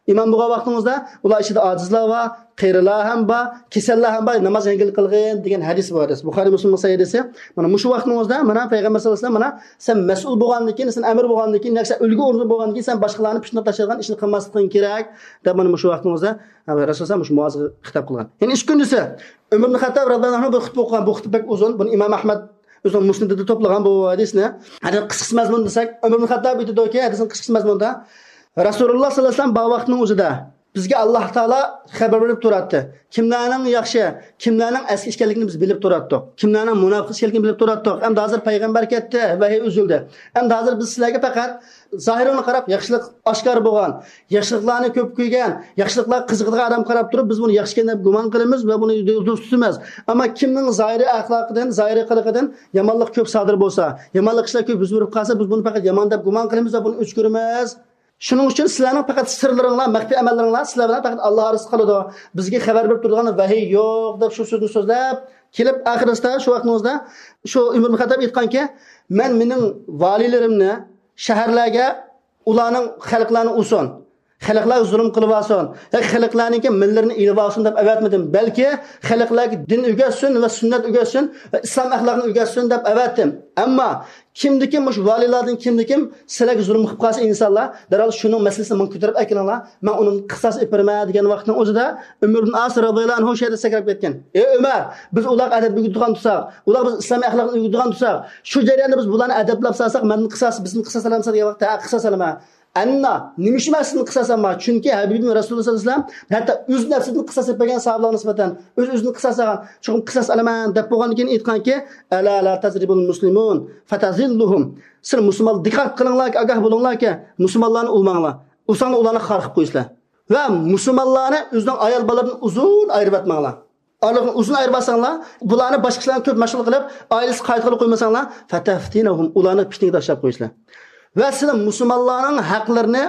ئىمام بولغان ۋاقتىڭىزدا، ئۇلار ئىچىدە ئاجىزلار بار، قېرىلار ھەم بار، كېسەللەر ھەم بار، ناماز يەڭگىل قىلغىن دېگەن ھەدىس بار، ھەدىس. بۇخارىي مۇسلىمنىڭ سەھىھ ھەدىسى. مانا مۇشۇ ۋاقتىڭىزدا، مانا پەيغەمبەر ساللاللاھۇ ئەلەيھى ۋەسەللەم، مانا سەن مەسئۇل بولغاندىن كېيىن، سەن ئەمىر بولغاندىن كېيىن، ياكى سەن ئۈلگە ئورنىدا بولغاندىن كېيىن، سەن باشقىلارنى پىتنىگە تاشلايدىغان ئىشنى قىلماسلىقىڭ كېرەك، دەپ مانا مۇشۇ ۋاقتىڭىزدا، ھە، رەسۇلۇللاھ مۇشۇ مۇئازغا خىتاب قىلغان. يەنە ئىككى كۈندىسى ئۆمەر ئىبن خەتتاب رەزىياللاھۇ ئەنھۇ بىر خۇتبە ئوقۇغان. بۇ خۇتبە بەك ئۇزۇن. بۇنى ئىمام ئەھمەد ئۆزىنىڭ مۇسنىدىدا توپلىغان بۇ ھەدىسنى. ھەدىس قىسقىسى مەزمۇن دېسەك، ئۆمەر ئىبن خەتتاب ئېيتىدۇكى، ھەدىسنىڭ قىسقىسى مەزمۇندا، رەسۇلۇللاھ ساللاللاھۇ ئەلەيھى ۋەسەللەم بار ۋاقتىنىڭ ئۆزىدە بىزگە ئاللاھ تائالا خەۋەر بېرىپ تۇراتتى. كىملەرنىڭ ياخشى، كىملەرنىڭ ئەسكى ئىكەنلىكىنى بىز بىلىپ تۇراتتۇق. كىملەرنىڭ مۇناپىق ئىكەنلىكىنى بىلىپ تۇراتتۇق. ئەمدى ھازىر پەيغەمبەر كەتتى، ۋەھىي ئۈزۈلدى. ئەمدى ھازىر بىز سىلەرگە پەقەت زاھىرىڭلارغا قاراپ، ياخشىلىق ئاشكارا بولغان، ياخشىلىقلارنى كۆپ كۆرگەن، ياخشىلىقلارغا قىزىقىدىغان ئادەمگە قاراپ تۇرۇپ، بىز بۇنى ياخشى ئىكەن دەپ گۇمان قىلىمىز ۋە بۇنى دوست تۇتىمىز. ئەمما كىمنىڭ زاھىرىي ئەخلاقىدىن، زاھىرىي قىلىقىدىن يامانلىق كۆپ سادىر بولسا، يامانلىق ئىشلار كۆپ يۈز بېرىپ قالسا، بىز بۇنى پەقەت يامان دەپ گۇمان قىلىمىز ۋە بۇنى ئۆچ كۆرىمىز. شۇنىڭ ئۈچۈن سىلەرنىڭ پەقەت سىرلىرىڭلار، مەخپىي ئەمەللىرىڭلار سىلەر بىلەن پەقەت ئاللاھ ئارىسىدا قالىدۇ. بىزگە خەۋەر بېرىپ تۇرىدىغان ۋەھىي يوق، دەپ شۇ سۆزنى سۆزلەپ كېلىپ، ئاخىرىسىدا شۇ ۋاقتىڭىزدا شۇ ئۆمەر ئىبن خەتتاب ئېيتقانكى، مەن مېنىڭ ۋالىيلىرىمنى شەھەرلەرگە ئۇلارنىڭ خەلقلەرنى ئۇرسۇن، خەلقلەرگە زۇلۇم قىلىۋالسۇن، ياكى خەلقلەرنىڭكى ماللىرىنى ئېلىۋالسۇن دەپ ئەۋەتمىدىم، بەلكى خەلقلەرگە دىن ئۆگەتسۇن ۋە سۈننەت ئۆگەتسۇن ۋە ئىسلام ئەخلاقىنى ئۆگەتسۇن دەپ ئەۋەتتىم. ئەمما كىمدىكىم مۇشۇ ۋالىيلاردىن كىمدىكىم سىلەرگە زۇلۇم قىلىپ قالسا ئىنسانلار، دەرھال شۇنىڭ مەسىلىسىنى ماڭا كۆتۈرۈپ ئەكېلىڭلار، مەن ئۇنىڭ قىساس ئېلىپ بېرىمەن دېگەن ۋاقىتنىڭ ئۆزىدە ئۆمەر ئىبن ئاس رەزىياللاھۇ ئەنھۇ شۇ يەردە سەكرەپ كەتكەن. ئەي ئۆمەر، بىز ئۇلارغا ئەدەپ ئۆگىتىدىغان تۇرساق، ئۇلارغا بىز ئىسلام ئەخلاقىنى ئۆگىتىدىغان تۇرساق، شۇ جەرياندا بىز بۇلارنى ئەدەپلەپ سالساق، مەندىن قىساس، بىزدىن قىساس ئالامسەن دېگەن ۋاقىتتا، ھە، قىساس ئالىمەن. ئەننا، نېمە ئۈچۈن مەن سىزدىن قىساس ئالىمەن؟ چۈنكى ھەبىبىم رەسۇلۇللاھ سەللەللاھۇ ئەلەيھى ۋەسەللەم ھەتتا ئۆز نەپسىدىن قىساس ئېلىپ بەرگەن ساھابىلارغا نىسبەتەن، ئۆز ئۆزىدىن قىساس ئالغان، چوقۇم قىساس ئالىمەن دەپ بولغاندىن كېيىن ئېيتقانكى، ئەلا لا تەزرىبۇل مۇسلىمۇن فەتەزىللۇھۇم. سىلەر مۇسۇلمان دىققەت قىلىڭلاركى، ئاگاھ بولۇڭلاركى، مۇسۇلمانلارنى ئۇرماڭلار. ئۇرساڭلار ئۇلارنى خار قىلىپ قويىسىلەر. ۋە مۇسۇلمانلارنى ئۆزىنىڭ ئايال بالىلىرىدىن ئۇزۇن ئايرىۋەتمەڭلار. ئارىلىقنى ئۇزۇن ئايرىۋالساڭلار، بۇلارنى باشقا ئىشلارغا كۆپ مەشغۇل قىلىپ، ئائىلىسىگە قايىل قىلىپ قويمىساڭلار، فەتەفتىنەھۇم، ئۇلارنى پىتنىگە تاشلاپ قويىسىلەر. ۋە سىلەر مۇسۇلمانلارنىڭ ھەقلىرىنى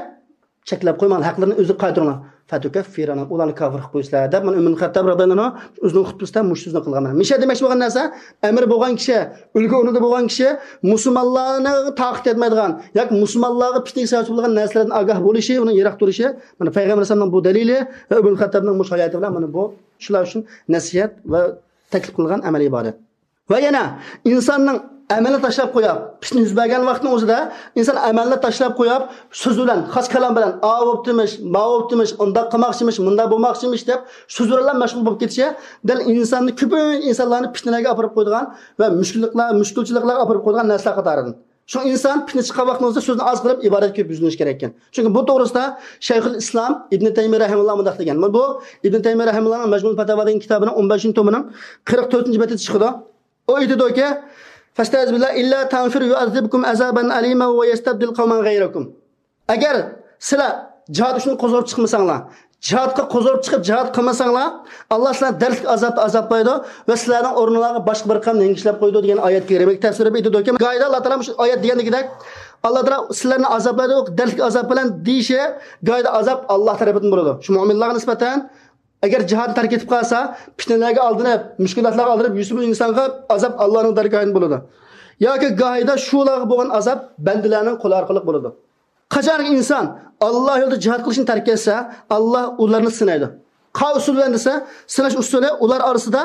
چەكلەپ قويماڭ، ھەقلىرىنى ئۆزى قايتۇرۇڭلار. فەتۇكەففىرانە، ئۇلارنى كاپىر قىلىپ قويىسىلەر دەپ، مانا ئۆمەر خەتتاب رەزىياللاھۇ ئەنھۇ ئۆزىنىڭ خۇتبىسىدە مۇشۇ سۆزنى قىلغان. مىشە دېمەكچى بولغان نەرسە، ئەمىر بولغان كىشى، ئۈلگە ئورنىدا بولغان كىشى مۇسۇلمانلارنىڭ تاقىتى يەتمەيدىغان ياكى مۇسۇلمانلارغا پىتنىگە سەۋەبچى بولغان نەرسىلەردىن ئاگاھ بولۇشى، ئۇنىڭ يىراق تۇرۇشى، مانا پەيغەمبەر ئەلەيھىسسالامنىڭ بۇ دەلىلى ۋە ئۆمەر خەتتابنىڭ مۇشۇ ھاياتى بىلەن مانا بۇ شۇلار ئۈچۈن نەسىھەت ۋە تەكلىپ قىلغان ئەمەلىي ئىبادەت. ۋە يەنە ئىنساننىڭ ئەمەلنى تاشلاپ قويۇپ، پىتنە يۈز بەرگەن ۋاقىتنىڭ ئۆزىدە ئىنسان ئەمەلنى تاشلاپ قويۇپ، سۆز بىلەن، خاس كالام بىلەن، ئاۋۇ بوپتىمىش، ماۋۇ بوپتىمىش، ئۇنداق قىلماقچىمىش، مۇنداق بولماقچىمىش دەپ سۆز بىلەن مەشغۇل بولۇپ كېتىشى دەل ئىنساننى، كۆپىنچە ئىنسانلارنى پىتنىلەرگە ئاپىرىپ قويىدىغان ۋە مۈشكۈللۈكلەر، مۈشكۈلچىلىكلەرگە ئاپىرىپ قويىدىغان نەرسىلەر قاتارىدىن. شۇ ئىنسان پىتنە چىققان ۋاقتىڭىزدا سۆزنى ئاز قىلىپ، ئىبادەتكە كۆپ يۈزلىنىش كېرەككەن. چۈنكى بۇ توغرىسىدا شەيخۇل ئىسلام ئىبنى تەيمىيە رەھىمۇللا مۇنداق دېگەن. بۇ ئىبنى تەيمىيە رەھىمۇللانىڭ مەجمۇئۇل پەتاۋا دېگەن كىتابىنىڭ ئون بەشىنچى تومىنىڭ قىرىق تۆتىنچى بەتىدە چىقىدۇ. ئۇ ئېيتىدۇكى، فەستەئىز بىللا ئىللا تەنفىرۇ يۇئەززىبكۇم ئەزابەن ئەلىما ۋە يەستەبدىل قەۋمەن غەيرەكۇم. ئەگەر سىلەر جىھاد ئۈچۈن قوزغىلىپ چىقمىساڭلار، جىھادقا قوزغىلىپ چىقىپ جىھاد قىلمىساڭلار، ئاللا سىلەرنى دەردلىك ئازابتا ئازابلايدۇ ۋە سىلەرنىڭ ئورنىڭلارغا باشقا بىر قەۋم يەڭگۈشلەپ قويىدۇ دېگەن ئايەت كەرىمىگە تەپسىر بېرىپ ئېيتىدۇكى، گاھىدا ئاللا تائالا مۇشۇ ئايەت دېگەندىكىدەك، ئاللا تائالا سىلەرنى ئازابلايدۇ، دەردلىك ئازاب بىلەن دېيىشى، گاھىدا ئازاب ئاللا تەرىپىدىن بولىدۇ. شۇ مۆمىنلارغا نىسبەتەن ئەگەر جىھادنى تەرك ئېتىپ قالسا، پىتنىلەرگە ئالدىنىپ، مۈشكۈلاتلارغا ئالدىنىپ يۈرسىمۇ ئىنسانغا ئازاب ئاللانىڭ دەرگاھىدىن بولىدۇ. ياكى گاھىدا شۇلارغا بولغان ئازاب بەندىلەرنىڭ قولى ئارقىلىق بولىدۇ. قاچانكى ئىنسان ئاللا يولىدا جىھاد قىلىشنى تەرك ئەتسە، ئاللا ئۇلارنى سىنايدۇ. قانداق ئۇسۇل بىلەن دېسە، سىناش ئۇسۇلى ئۇلار ئارىسىدا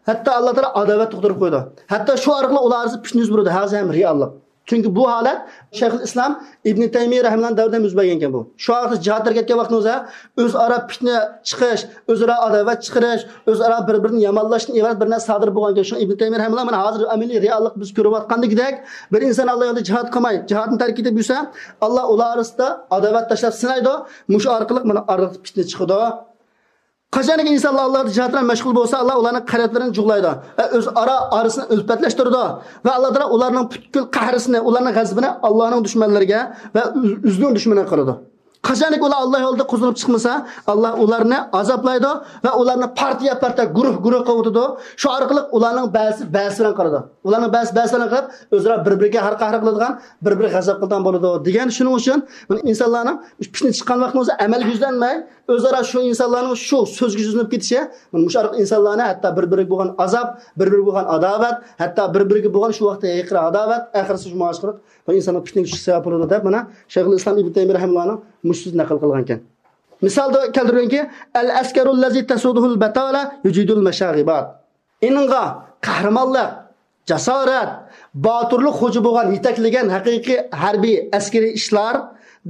ھەتتا ئاللا تائالا ئاداۋەت تۇغدۇرۇپ قويىدۇ. ھەتتا شۇ ئارقىلىق ئۇلار ئارىسىدا پىتنە يۈز بېرىدۇ. ھازىر ھەم رېئاللىق. چۈنكى بۇ ھالەت شەيخۇل ئىسلام ئىبنى تەيمىيە رەھىمۇللانىڭ دەۋرىدە ھەم يۈز بەرگەنكەن بۇ. شۇ ۋاقىتتا جىھاد تەرك ئەتكەن ۋاقتىڭىزدا ئۆزئارا پىتنە چىقىش، ئۆزئارا ئاداۋەت چىقىرىش، ئۆزئارا بىر-بىرىنى يامانلاشتىن ئىبارەت بىر نەرسە سادىر بولغانكەن. شۇڭا ئىبنى تەيمىيە رەھىمۇللا مانا ھازىر ئەمەلىي رېئاللىق بىز كۆرۈۋاتقاندىكىدەك، بىر ئىنسان ئاللا يولىدا جىھاد قىلماي، جىھادنى تەرك ئېتىپ يۈرسە، ئاللا ئۇلار ئارىسىدا ئاداۋەت تاشلاپ سىنايدۇ. مۇشۇ ئارقىلىق مانا ئارىلىقتا پىتنە چىقىدۇ. قاچانكى ئىنسانلار ئاللا جىھاد بىلەن مەشغۇل بولسا، ئاللا ئۇلارنىڭ قەلبلىرىنى جۇغلايدۇ ۋە ئۆزئارا ئارىسىنى ئۈلپەتلەشتۈرىدۇ ۋە ئاللا تائالا ئۇلارنىڭ پۈتكۈل قەھرىسىنى، ئۇلارنىڭ غەزىپىنى ئاللانىڭ دۈشمەنلىرىگە ۋە ئۆز-، ئۆزىنىڭ دۈشمىنىگە قىلىدۇ. قاچانكى ئۇلار ئاللا يولىدا قوزغىلىپ چىقمىسا، ئاللا ئۇلارنى ئازابلايدۇ ۋە ئۇلارنى پارتىيە پارتىيە، گۇرۇھ گۇرۇھ قىلىۋېتىدۇ. شۇ ئارقىلىق ئۇلارنىڭ بەزىسى بەزىسى بىلەن قىلىدۇ. ئۇلارنىڭ بەزىسى بەزىسى بىلەن قىلىپ، ئۆزئارا بىر بىرىگە ھەر قەھر قىلىدىغان، بىر بىرىگە غەزەپ قىلىدىغان بولىدۇ دېگەن. شۇنىڭ ئۈچۈن ئىنسانلارنىڭ پىتنە چىققان ۋاقتىنىڭ ئۆزىدە ئەمەلگە يۈزلەنمەي، ئۆزئارا شۇ ئىنسانلارنىڭ شۇ سۆزگە يۈزلىنىپ كېتىشى، مۇشۇ ئارقىلىق ئىنسانلارنى ھەتتا بىر-بىرىگە بولغان ئازاب، بىر-بىرىگە بولغان ئاداۋەت، ھەتتا بىر-بىرىگە بولغان شۇ ۋاقىتتا ھېقىر ئاداۋەت، ئاخىرسى شۇ مۇشۇ ئارقىلىق بۇ ئىنساننىڭ پىتنىگە چۈشۈشى سەۋەب بولىدۇ دەپ، مانا شەيخۇل ئىسلام ئىبنى تەيمىيە رەھىمۇللانىڭ مۇشۇ سۆزىنى نەقىل قىلغانكەن. مىسالدا كەلتۈرگەنكى، ئەل ئەسكەرۇللەزى تەسۇدۇھۇل بەتالە يۇجىدۇل مەشاغىبات. ئېنىڭغا قەھرىمانلىق، جاسارەت، باتۇرلۇق خوجا بولغان، يېتەكلىگەن ھەقىقىي ھەربىي، ئەسكىرىي ئىشلار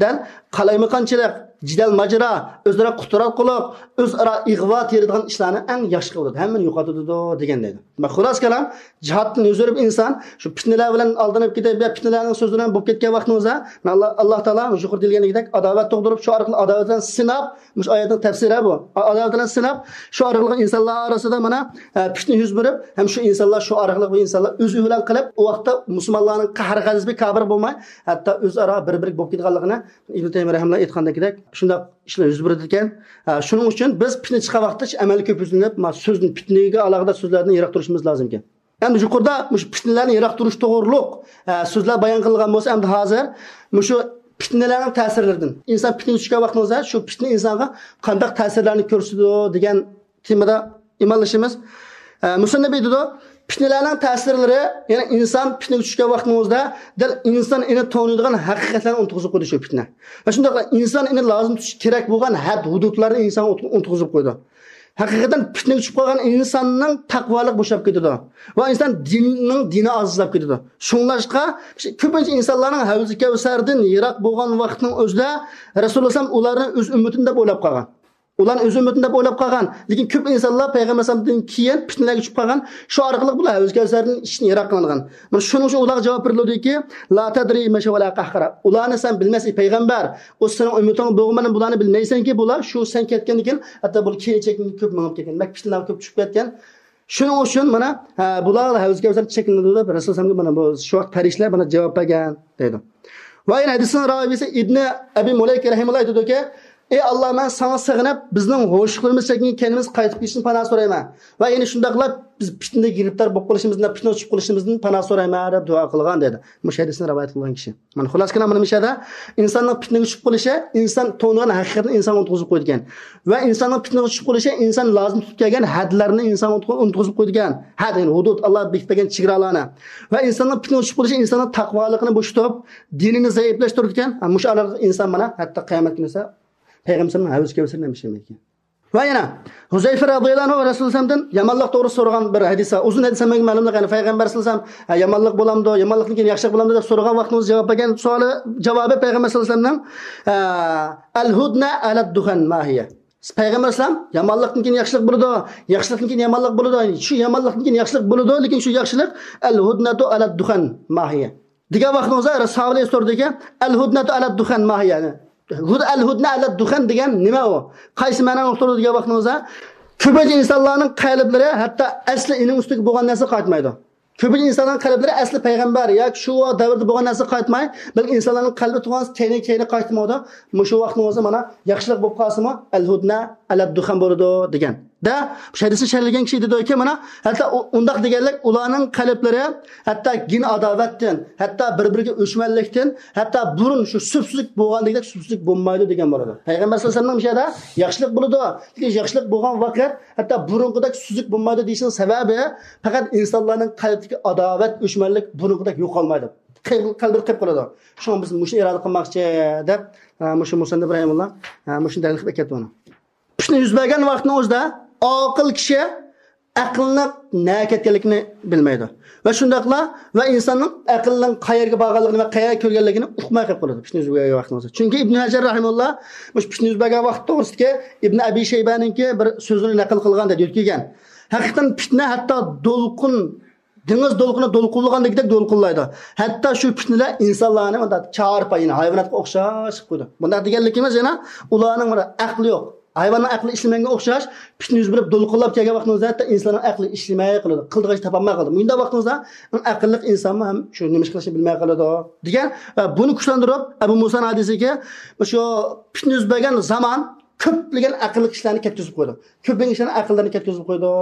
دەل قالايمىقانچىلىق، جېدەل ماجىرا، ئۆزئارا قۇتراتقۇلۇق، ئۆزئارا ئىغۋا تېرىدىغان ئىشلارنى ئەڭ ياخشى قىلىدۇ، ھەممىنى يوقىتىدۇ دېگەن دەيدۇ. خۇلاسە كالام، جىھادتىن يۈز ئۆرۈپ ئىنسان شۇ پىتنىلەر بىلەن ئالدىنىپ كېتىپ، يا پىتنىلەرنىڭ سۆزلىرى بىلەن بولۇپ كەتكەن ۋاقتىڭىزدا، ئاللا، ئاللا تائالا يۇقىرىدا دېگەندەك ئاداۋەت تۇغدۇرۇپ، شۇ ئارقىلىق ئاداۋەت بىلەن سىناپ، مۇشۇ ئايەتنىڭ تەپسىرى بۇ. ئاداۋەت بىلەن سىناپ، شۇ ئارقىلىق ئىنسانلار ئارىسىدا مانا، ئە، پىتنە يۈز بېرىپ، ھەم شۇ ئىنسانلار شۇ ئارقىلىق بۇ ئىنسانلار ئۆزى بىلەن قىلىپ، ئۇ ۋاقىتتا مۇسۇلمانلارنىڭ قەھرى غەزىپى كاپىر بولماي، ھەتتا ئۆزئارا بىر-بىرىگە بولۇپ كېتىدىغانلىقىنى ئىبنى تەيمىيە رەھىمۇللا ئېيتقاندەكدەك شۇنداق ئىشلار يۈز بېرىدىكەن. ھە، شۇنىڭ ئۈچۈن بىز پىتنە چىققان ۋاقىتتا ئەمەلگە كۆپ يۈزلىنىپ، ما، سۆزنى، پىتنىگە ئالاقىدار سۆزلەردىن يىراق تۇرۇشىمىز لازىمكەن. ئەمدى يۇقىرىدا مۇشۇ پىتنىلەرنى يىراق تۇرۇش توغرۇلۇق، ئە، سۆزلەر بايان قىلىنغان بولسا، ئەمدى ھازىر مۇشۇ پىتنىلەرنىڭ تەسىرلىرىدىن، ئىنسان پىتنىگە چۈشكەن ۋاقتىڭىزدا شۇ پىتنە ئىنسانغا قانداق تەسىرلەرنى كۆرسىتىدۇ دېگەن تېمىدا ئىماللىشىمىز. ئە، مۇسەننىپ ئېيتىدۇ، پىتنىلەرنىڭ تەسىرلىرى، يەنى ئىنسان پىتنىگە چۈشكەن ۋاقتىڭىزدا دەل ئىنسان ئېنى تونۇيدىغان ھەقىقەتلەرنى ئۇنتۇغۇزۇپ قويىدۇ شۇ پىتنە. ۋە شۇنداقلا ئىنسان ئېنى لازىم تۇتۇش كېرەك بولغان ھەد ھۇدۇدلارنى ئىنسانغا ئۇنتۇ-، ئۇنتۇغۇزۇپ قويىدۇ. ھەقىقەتەن پىتنىگە چۈشۈپ قالغان ئىنساننىڭ تەقۋالىقى بوشاپ كېتىدۇ. ۋە ئىنسان دىننىڭ دىنى ئازىزلاپ كېتىدۇ. شۇڭلاشقا كۆپىنچە ئىنسانلارنىڭ ھەۋزى كەۋسەردىن يىراق بولغان ۋاقىتنىڭ ئۆزىدە رەسۇلۇللا ئەلەيھىسسالام ئۇلارنى ئۆز ئۈممىتىم دەپ ئويلاپ قالغان. ئۇلارنى ئۆز ئۈممىتىم دەپ ئويلاپ قالغان. لېكىن كۆپ ئىنسانلار پەيغەمبەر ئەلەيھىسسالامدىن كېيىن پىتنىلەرگە چۈشۈپ قالغان. شۇ ئارقىلىق بۇلار ھەۋزى كەۋسەردىن ئىچىدىن يىراق قىلىنغان. مانا شۇنىڭ ئۈچۈن ئۇلارغا جاۋاب بېرىلىدۇكى، لا تەدرى مەشە ۋەلا قەھقەرە. ئۇلارنى سەن بىلمەيسەن، ئەي پەيغەمبەر. ئۇ سېنىڭ ئۈممىتىڭ بولغان بىلەن بۇلارنى بىلمەيسەنكى، بۇلار شۇ سەن كەتكەندىن كېيىن، ھەتتا بۇلار كېيىن چېكىنىپ كۆپ مېڭىپ كەتكەن. مەككە پىتنىلەرگە كۆپ چۈشۈپ كەتكەن. شۇنىڭ ئۈچۈن مانا، ھە، بۇلار ھەۋزى كەۋسەر چېكىنىدۇ دەپ رەسۇلۇللا ئەلەيھىسسالامغا مانا بۇ شۇ ۋاقىت پەرىشتىلەر مانا جاۋاب بەرگەن دەيدۇ. ۋە يەنە ھەدىسنىڭ راۋىسى ئىبنى ئەبى مۇلەيكە رەھىمەھۇللا ئېيتىدۇكى، ئەي ئاللا، مەن ساڭا سېغىنىپ، بىزنىڭ ھوشلۇقلىرىمىز چەككەن كەينىمىز قايتىپ كېلىشىنى پاناھ سورايمەن. ۋە يەنە شۇنداقلا بىز پىتنىگە گىرىپتار بولۇپ قېلىشىمىزدىن، پىتنىگە چۈشۈپ قېلىشىمىزدىن پاناھ سورايمەن دەپ دۇئا قىلغان دەيدۇ. مۇشۇ ھەدىسنى رىۋايەت قىلغان كىشى. مانا خۇلاسە كېلام مۇنۇ مۇشۇ يەردە ئىنساننىڭ پىتنىگە چۈشۈپ قېلىشى، ئىنسان تونۇغان ھەقىقەتنى ئىنسانغا ئۇنتقۇزۇپ قويىدىكەن. ۋە ئىنساننىڭ پىتنىگە چۈشۈپ قېلىشى، ئىنسان لازىم تۇتۇپ كەلگەن ھەدلەرنى ئىنسانغا ئۇنتقۇ-، ئۇنتقۇزۇپ قويىدىكەن. ھەد، يەنى ھۇدۇد، ئاللا بېكىتىپ بەرگەن چېگرالارنى. ۋە ئىنساننىڭ پىتنىگە چۈشۈپ قېلىشى ئىنساننىڭ تەقۋالىقىنى بوشىتىپ، دىنىنى زەئىپلەشتۈرىدىكەن. ھە، مۇشۇ ئارىلىق ئىنسان مانا ھەتتا قىيامەت كۈنى پەيغەمبەرنىڭ ھەۋىسى كەۋسىرىنى ھەم ئىچەلمەيدىكەن. ۋە يەنە ھۇزەيفە رەزىياللاھۇ ئەنھۇ رەسۇلۇللاھتىن يامانلىق توغرىسىدا سورىغان بىر ھەدىس بار. ئۇزۇن ھەدىس ئەمەسكەن، مەلۇملۇق، يەنى پەيغەمبەر سەللەللاھۇ ئەلەيھى ۋەسەللەم، ھە، يامانلىق بولامدۇ، يامانلىقتىن كېيىن ياخشىلىق بولامدۇ دەپ سورىغان ۋاقتىمىزدا جاۋاب بەرگەن سوئالى، جاۋابى پەيغەمبەر سەللەللاھۇ ئەلەيھى ۋەسەللەمنىڭ، ھە، ئەل ھۇدنە ئەلەد دۇخەن ما ھىيە. پەيغەمبەر ئەلەيھىسسالام يامانلىقتىن كېيىن ياخشىلىق بولىدۇ، ياخشىلىقتىن كېيىن يامانلىق بولىدۇ. شۇ يامانلىقتىن كېيىن ياخشىلىق بولىدۇ، لېكىن شۇ ياخشىلىق ئەل ھۇدنەتۇ ئەلەد دۇخەن ما ھىيە. دېگەن ۋاقتىڭىزدا ساھابىلەر سورىدىكەن، ئەل ھۇدنەتۇ ئەلەد دۇخەن ما ھىيە. ھۇد-، ئەل ھۇدنە ئەلەد دۇخەن دېگەن نېمە ئۇ؟ قايسى مەنانى ئۇقتۇرىدۇ دېگەن ۋاقتىڭىزدا، كۆپىنچە ئىنسانلارنىڭ قەلبلىرى ھەتتا ئەسلى ئېنىڭ ئۈستىگە بولغان نەرسە قايتمايدۇ. كۆپىنچە ئىنسانلارنىڭ قەلبلىرى ئەسلى پەيغەمبەر ياكى شۇ دەۋردە بولغان نەرسە قايتماي، بەلكى ئىنسانلارنىڭ قەلبى تۇغان تەينى كەينى قايتمايدۇ. مۇشۇ ۋاقتىڭىزدا مانا ياخشىلىق بولۇپ قالسىمۇ، ئەل ھۇدنە ئەلەد دۇخەن بولىدۇ دېگەن. دە، شۇ ھەدىسنى شەرھلىگەن كىشى دېدىكى، مانا، ھەتتا ئۇ-، ئۇنداق دېگەنلىك، ئۇلارنىڭ قەلبلىرى ھەتتا گىن ئاداۋەتتىن، ھەتتا بىر-بىرىگە ئۆچمەنلىكتىن، ھەتتا بۇرۇن شۇ سۈپسۈزۈك بولغاندىكىدەك سۈپسۈزۈك بولمايدۇ دېگەن بولىدۇ. پەيغەمبەر سەللەللاھۇ ئەلەيھى ۋەسەللەمنىڭ مۇشۇ يەردە ياخشىلىق بولىدۇ، لېكىن ياخشىلىق بولغان ۋاقىت ھەتتا بۇرۇنقىدەك سۈپسۈزۈك بولمايدۇ دېيىشنىڭ سەۋەبى، پەقەت ئىنسانلارنىڭ قەلبىدىكى ئاداۋەت، ئۆچمەنلىك بۇرۇنقىدەك يوقالمايدۇ. قەلبىدە قېلىپ قالىدۇ. شۇڭا بىز مۇشۇنى ئىرادە قىلماقچى دەپ، ھە، مۇشۇ مۇسەننىپ رەھىمۇللا، ھە، مۇشۇنى دەلىل قىلىپ ئەكەپتۇ ئۇنى. پىتنە يۈز بەرگەن ۋاقىتنىڭ ئۆزىدە ئاقىل كىشى ئەقلىنىڭ نەگە كەتكەنلىكىنى بىلمەيدۇ. ۋە شۇنداقلا ۋە ئىنساننىڭ ئەقلىنىڭ قەيەرگە بارغانلىقىنى ۋە قەيەرگە كۆرگەنلىكىنى ئۇقماي قېلىپ قالىدۇ پىتنە يۈز بەرگەن ۋاقىتنىڭ ئۆزىدە. چۈنكى ئىبن ھەجەر رەھىمۇللا مۇشۇ پىتنە يۈز بەرگەن ۋاقىت توغرىسىدىكى ئىبن ئەبى شەيبەنىڭكى بىر سۆزىنى نەقىل قىلغان دەيدۇ، يۆتكىگەن. ھەقىقەتەن پىتنە ھەتتا دولقۇن، دېڭىز دولقۇنى دولقۇنلىغاندەك دولقۇنلايدۇ. ھەتتا شۇ پىتنىلەر ئىنسانلارنى مۇنداق چارپاي، يەنى ھايۋاناتقا ئوخشاش قىلىپ قويىدۇ. بۇنداق دېگەنلىكىمىز يەنە ئۇلارنىڭ بىر ئەقلى يوق. ھايۋاننىڭ ئەقلى ئىشلىمىگەنگە ئوخشاش، پىتنە يۈز بېرىپ دولقۇنلاپ كەلگەن ۋاقتىمىزدا ھەتتا ئىنساننىڭ ئەقلى ئىشلىمەي قالىدۇ. قىلىدىغان ئىش تاپالماي قالىدۇ. مۇنداق ۋاقتىمىزدا ئەڭ ئەقىللىق ئىنسانمۇ ھەم شۇ نېمە ئىش قىلىشنى بىلمەي قالىدۇ دېگەن. ۋە بۇنى كۈچلەندۈرۈپ، ئەبۇ مۇسانىڭ ھەدىسىگە، شۇ پىتنە يۈز بەرگەن زامان كۆپلىگەن ئەقىللىق كىشىلەرنى كەتكۈزۈپ قويىدۇ. كۆپلىگەن كىشىلەرنىڭ ئەقىللىرىنى كەتكۈزۈپ قويىدۇ.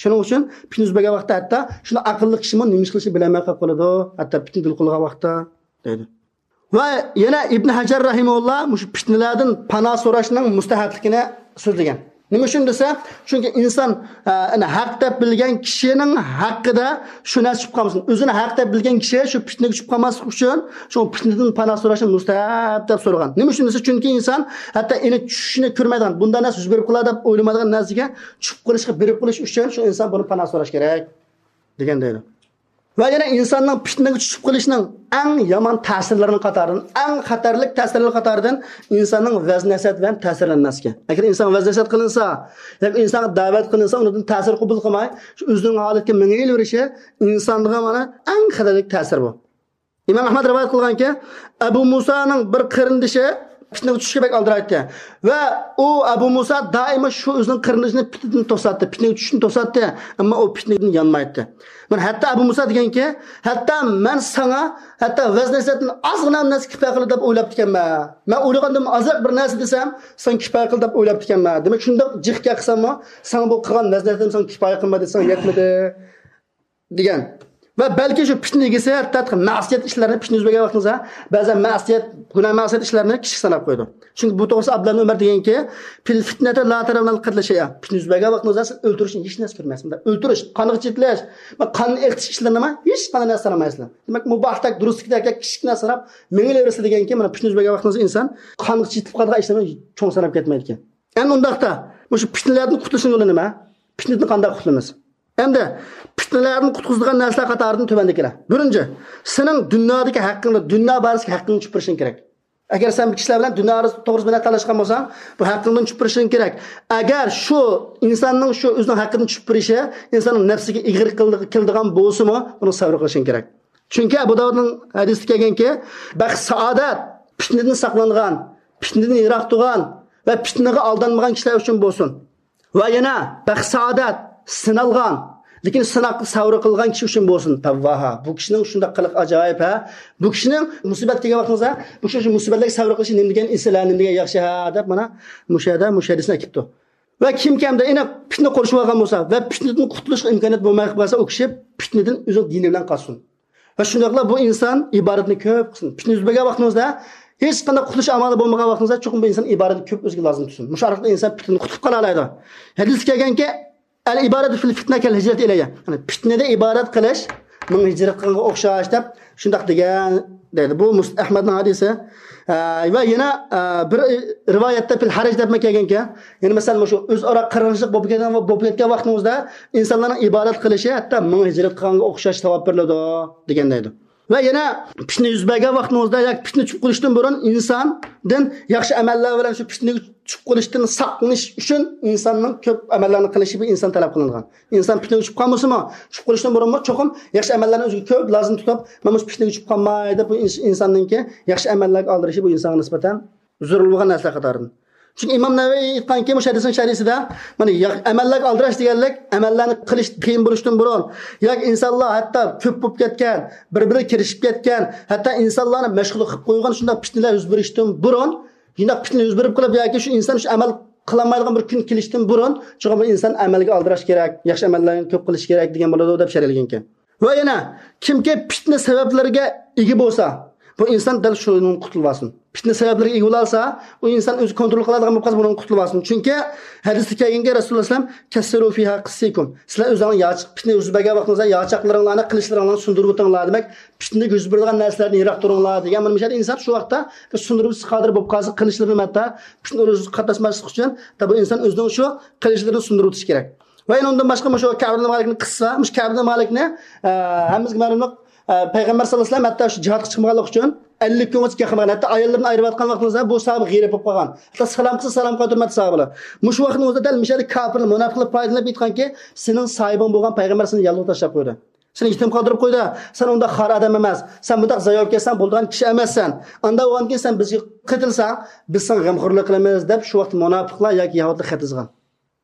شۇنىڭ ئۈچۈن پىتنە يۈز بەرگەن ۋاقىتتا ھەتتا شۇنداق ئەقىللىق كىشىمۇ نېمە ئىش قىلىشنى بىلەلمەي قېلىپ قالىدۇ. ھەتتا پىتنە دولقۇنلىغان ۋاقىتتا دەيدۇ. ۋە يەنە ئىبن ھەجەر رەھىمەھۇللا مۇشۇ پىتنىلەردىن پاناھ سوراشنىڭ مۇستەھەپلىكىنى سۆزلىگەن. نېمە ئۈچۈن دېسە، چۈنكى ئىنسان، ئە، ئەنە ھەق دەپ بىلگەن كىشىنىڭ ھەققىدە شۇ نەرسە چۈشۈپ قالمىسۇن. ئۆزىنى ھەق دەپ بىلگەن كىشى شۇ پىتنىگە چۈشۈپ قالماسلىق ئۈچۈن شۇ پىتنىدىن پاناھ سوراشنى مۇستەھەپ دەپ سورىغان. نېمە ئۈچۈن دېسە، چۈنكى ئىنسان ھەتتا ئېنى چۈشىنى كۆرمەيدىغان، بۇنداق نەرسە يۈز بېرىپ قالار دەپ ئويلىمايدىغان نەرسىگە چۈشۈپ قېلىشقا بېرىپ قېلىش ئۈچۈن شۇ ئىنسان بۇنى پاناھ سوراش كېرەك دېگەن دەيدۇ. ۋە يەنە ئىنساننىڭ پىتنىگە چۈشۈپ قېلىشنىڭ ئەڭ يامان تەسىرلىرىنىڭ قاتارىدىن، ئەڭ خەتەرلىك تەسىرلىرىنىڭ قاتارىدىن ئىنساننىڭ ۋەز نەسىھەت بىلەن تەسىرلەنمەسلىكى. ئەگەر ئىنسانغا ۋەز نەسىھەت قىلىنسا ياكى ئىنسانغا دەۋەت قىلىنسا، ئۇنىڭدىن تەسىر قوبۇل قىلماي، شۇ ئۆزىنىڭ ھالىتىگە مېڭىۋېرىشى ئىنسانغا مانا ئەڭ خەتەرلىك تەسىر بۇ. ئىمام ئەھمەد رىۋايەت قىلغانكى، ئەبۇ مۇسانىڭ بىر قېرىندىشى پىتنىگە چۈشۈشكە بەك ئالدىرايتتى. ۋە ئۇ ئەبۇ مۇسا دائىما شۇ ئۆزىنىڭ قېرىندىشىنى پىتنىدىن توساتتى، پىتنىگە چۈشۈشتىن توساتتى، ئەمما ئۇ پىتنىدىن يانمايتتى. مانا ھەتتا ئەبۇ مۇسا دېگەنكى، ھەتتا مەن ساڭا، ھەتتا ۋەز نەسىھەتتىن ئازغىنە نەرسە كىپايە قىلدى دەپ ئويلاپتىكەنمەن. مەن ئويلىغاندىن ئازراق بىر نەرسە دېسەم، ساڭا كىپايە قىلدى دەپ ئويلاپتىكەنمەن. دېمەك، شۇنداق جىق گەپ قىلساممۇ، ساڭا بۇ قىلغان ۋەز نەسىھەتىم ساڭا كىپايە قىلمىدى، ساڭا يەتمىدى. دېگەن. ۋە بەلكى شۇ پىتنە ئىگىسى ھەتتا مەسىيەت ئىشلارنى، پىتنە يۈز بەرگەن ۋاقتىڭىزدا بەزەن مەسىيەت، گۇناھ مەسىيەت ئىشلارنى كىچىك ساناپ قويىدۇ. چۈنكى بۇ توغرىسىدا ئابدۇللا ئۆمەر دېگەنكى، «فىل فىتنەتى لا تەرەۋنەل قەتلە شەيئا.» پىتنە يۈز بەرگەن ۋاقتىڭىزدا سىز ئۆلتۈرۈشنى ھېچ نەرسە كۆرمەيسىز. ئۆلتۈرۈش، قانغا چېتىلىش، قان ئېقىتىش ئىشلىرىنىمۇ ھېچ قانداق نەرسە سانىمايسىلەر. دېمەك، مۇباھتەك، دۇرۇستىكىدەك كىچىك نەرسە ساناپ مېڭىۋېرىسىلەر دېگەنكى، مانا پىتنە يۈز بەرگەن ۋاقتىڭىزدا ئىنسان قانغا چېتىپ قالىدىغان ئىشلارنى چوڭ ساناپ كەتمەيدىكەن. ئەمدى ئۇنداقتا، مۇشۇ پىتنىلەردىن قۇتۇلۇشنىڭ يولى نېمە؟ پىتنىدىن قانداق قۇتۇلىمىز؟ ئەمدى پىتنىلەردىن قۇتقۇزىدىغان نەرسىلەر قاتارىدىن تۆۋەندىكىلەر. بىرىنچى، سېنىڭ دۇنيادىكى ھەققىڭنى، دۇنيا بارىسىدىكى ھەققىڭنى چۈشۈپ بېرىشىڭ كېرەك. ئەگەر سەن بىر كىشىلەر بىلەن دۇنيا توغرىسىدا بىر نەرسە تالاشقان بولساڭ، بۇ ھەققىڭدىن چۈشۈپ بېرىشىڭ كېرەك. ئەگەر شۇ ئىنساننىڭ شۇ ئۆزىنىڭ ھەققىدىن چۈشۈپ بېرىشى ئىنساننىڭ نەپسىگە ئېغىر كېلىدىغان بولسىمۇ، بۇنى سەۋر قىلىشىڭ كېرەك. چۈنكى ئەبۇ داۋۇدنىڭ ھەدىسىدە كەلگەنكى، بەخت سائادەت پىتنىدىن ساقلانغان، پىتنىدىن يىراق تۇرغان ۋە پىتنىگە ئالدانمىغان كىشىلەر ئۈچۈن بولسۇن. ۋە يەنە بەخت سائادەت سىنالغان لېكىن سىناق سەۋر قىلغان كىشى ئۈچۈن بولسۇن. پەۋۋاھا. بۇ كىشىنىڭ شۇنداق قىلىقى ئاجايىپ، ھە. بۇ كىشىنىڭ مۇسىبەت كەلگەن ۋاقتىڭىزدا، بۇ كىشى شۇ مۇسىبەتلەرگە سەۋر قىلىشى نېمە دېگەن ئېسىل، ھە، نېمە دېگەن ياخشى، ھە، دەپ مانا مۇشۇ يەردە، مۇشۇ ھەدىسنى ئەكىپتۇ. ۋە كىمكى ئەمدى ئېنىق پىتنە قورشىۋالغان بولسا ۋە پىتنىدىن قۇتۇلۇشقا ئىمكانىيەت بولماي قالسا، ئۇ كىشى پىتنىدىن ئۆزىنىڭ دىنى بىلەن قالسۇن. ۋە شۇنداقلا بۇ ئىنسان ئىبادەتنى كۆپ قىلسۇن. پىتنە يۈز بەرگەن ۋاقتىڭىزدا، ھېچقانداق قۇتۇلۇش ئامالى بولمىغان ۋاقتىڭىزدا، چوقۇم بۇ ئىنسان ئىبادەتنى كۆپ ئۆزىگە لازىم تۇتسۇن. مۇشۇ ئارقىلىق ئىنسان پىتنىدىن قۇتۇلۇپ قالالايدۇ. ھەدىستە كەلگەنكى، «ئەل ئىبادەتۇ فىل فىتنە كەل ھىجرەت ئىلەييە.» يەنى پىتنىدە ئىبادەت قىلىش مېڭە ھىجرەت قىلغانغا ئوخشاش دەپ شۇنداق دېگەن دەيدۇ. بۇ مۇس-، ئەھمەدنىڭ ھەدىسى. ئە، ۋە يەنە، ئە، بىر رىۋايەتتە «پىل ھەرەج» دەپمۇ كەلگەنكەن. يەنى مەسىلەن، مۇشۇ ئۆزئارا قىرغىنچىلىق بولۇپ كەتكەن، بولۇپ كەتكەن ۋاقتىڭىزدا ئىنسانلارنىڭ ئىبادەت قىلىشى ھەتتا مېڭە ھىجرەت قىلغانغا ئوخشاش ساۋاب بېرىلىدۇ دېگەن دەيدۇ. ۋە يەنە پىتنە يۈز بەرگەن ۋاقتىڭىزدا ياكى پىتنە چۈشۈپ قېلىشتىن بۇرۇن ئىنساندىن ياخشى ئەمەللەر بىلەن شۇ پىتنىگە چۈشۈپ قېلىشتىن ساقلىنىش ئۈچۈن ئىنساننىڭ كۆپ ئەمەللەرنى قىلىشى بۇ ئىنسان تەلەپ قىلىنغان. ئىنسان پىتنىگە چۈشۈپ قالمىسىمۇ، چۈشۈپ قېلىشتىن بۇرۇنمۇ چوقۇم ياخشى ئەمەللەرنى ئۆزىگە كۆپ لازىم تۇتۇپ، مەن مۇشۇ پىتنىگە چۈشۈپ قالماي دەپ، بۇ ئىنس-، ئىنساننىڭكى ياخشى ئەمەللەرگە ئالدىرىشى بۇ ئىنسانغا نىسبەتەن زۆرۈر بولغان نەرسىلەر قاتارىدىن. چۈنكى ئىمام نەۋەۋى ئېيتقانكى، مۇشۇ ھەدىسنىڭ شەرھىسىدە، مانا يا-، ئەمەللەرگە ئالدىراش دېگەنلىك، ئەمەللەرنى قىلىش قىيىن بولۇشتىن بۇرۇن، ياكى ئىنسانلار ھەتتا كۆپ بولۇپ كەتكەن، بىر-بىرىگە كىرىشىپ كەتكەن، ھەتتا ئىنسانلارنى مەشغۇل قىلىپ قويغان شۇنداق پىتنىلەر يۈز بېرىشتىن بۇرۇن، شۇنداق پىتنە يۈز بېرىپ قېلىپ ياكى شۇ ئىنسان شۇ ئەمەل قىلالمايدىغان بىر كۈن كېلىشتىن بۇرۇن، چوقۇم بۇ ئىنسان ئەمەلگە ئالدىراش كېرەك، ياخشى ئەمەللەرنى كۆپ قىلىش كېرەك دېگەن بولىدۇ، دەپ شەرھلىگەنكەن. ۋە يەنە، كىمكى پىتنە سەۋەبلىرىگە ئىگە بولسا، بۇ ئىنسان دەل شۇنىڭدىن قۇتۇلۇۋالسۇن. پىتنە سەۋەبلىرىگە ئىگە بولالسا، ئۇ ئىنسان ئۆزى كونترول قىلالايدىغان بولۇپ قالسا، بۇنىڭدىن قۇتۇلۇۋالسۇن. چۈنكى ھەدىستە كەلگەنكى، رەسۇلۇللا ئەلەيھىسسالام، «كەسسىرۇ فىھا قىسسىكۇم.» سىلەر ئۆزۈڭلار ياچاق، پىتنە يۈز بەرگەن ۋاقتىڭىزدا ياچاقلىرىڭلارنى، قىلىچلىرىڭلارنى سۇندۇرۇۋېتىڭلار. دېمەك، پىتنىگە يۈز بېرىدىغان نەرسىلەردىن يىراق تۇرۇڭلار دېگەن. مانا مۇشۇ يەردە ئىنسان شۇ ۋاقىتتا سۇندۇرۇپ قادىر بولۇپ قالسا، قىلىچلىرىنى ھەتتا پىتنە ئۇرۇشىغا قاتناشماسلىق ئۈچۈن، بۇ ئىنسان ئۆزىنىڭ شۇ قىلىچلىرىنى سۇندۇرۇۋېتىشى كېرەك. ۋە يەنە ئۇندىن باشقا مۇشۇ كەئب ئىبن مالىكنىڭ قىسسىسى بار. مۇشۇ كەئب ئىبن مالىكنى، ئە، ھەممىمىزگە مەلۇملۇق، ئە، پەيغەمبەر ساللاللاھۇ ئەلەيھى ۋەسەللەم ھەتتا شۇ جىھادقا چىقمىغانلىقى ئۈچۈن ئەللىك كۈنگىچە گەپ قىلمىغان. ھەتتا ئاياللىرىنى ئايرىۋاتقان ۋاقتىمىزدا بۇ ساھابە غېرىب بولۇپ قالغان. ھەتتا سالام قىلسا سالام قايتۇرمايتتى ساھابىلار. مۇشۇ ۋاقىتنىڭ ئۆزىدە دەل مۇشۇ يەردە كاپىرلار، مۇناپىقلار پايدىلىنىپ ئېيتقانكى، سېنىڭ ساھىبىڭ بولغان پەيغەمبەر سېنى يالغۇز تاشلاپ قويدى. سېنى يېتىم قالدۇرۇپ قويدى. سەن ئۇنداق خار ئادەم ئەمەس. سەن بۇنداق زايا بولۇپ كەتسەڭ بولىدىغان كىشى ئەمەسسەن. ئانداق بولغاندىن كېيىن سەن بىزگە قېتىلسەڭ، بىز ساڭا غەمخورلۇق قىلىمىز، دەپ شۇ ۋاقىتتا مۇناپىقلار ياكى يەھۇدىيلار خەت يازغان.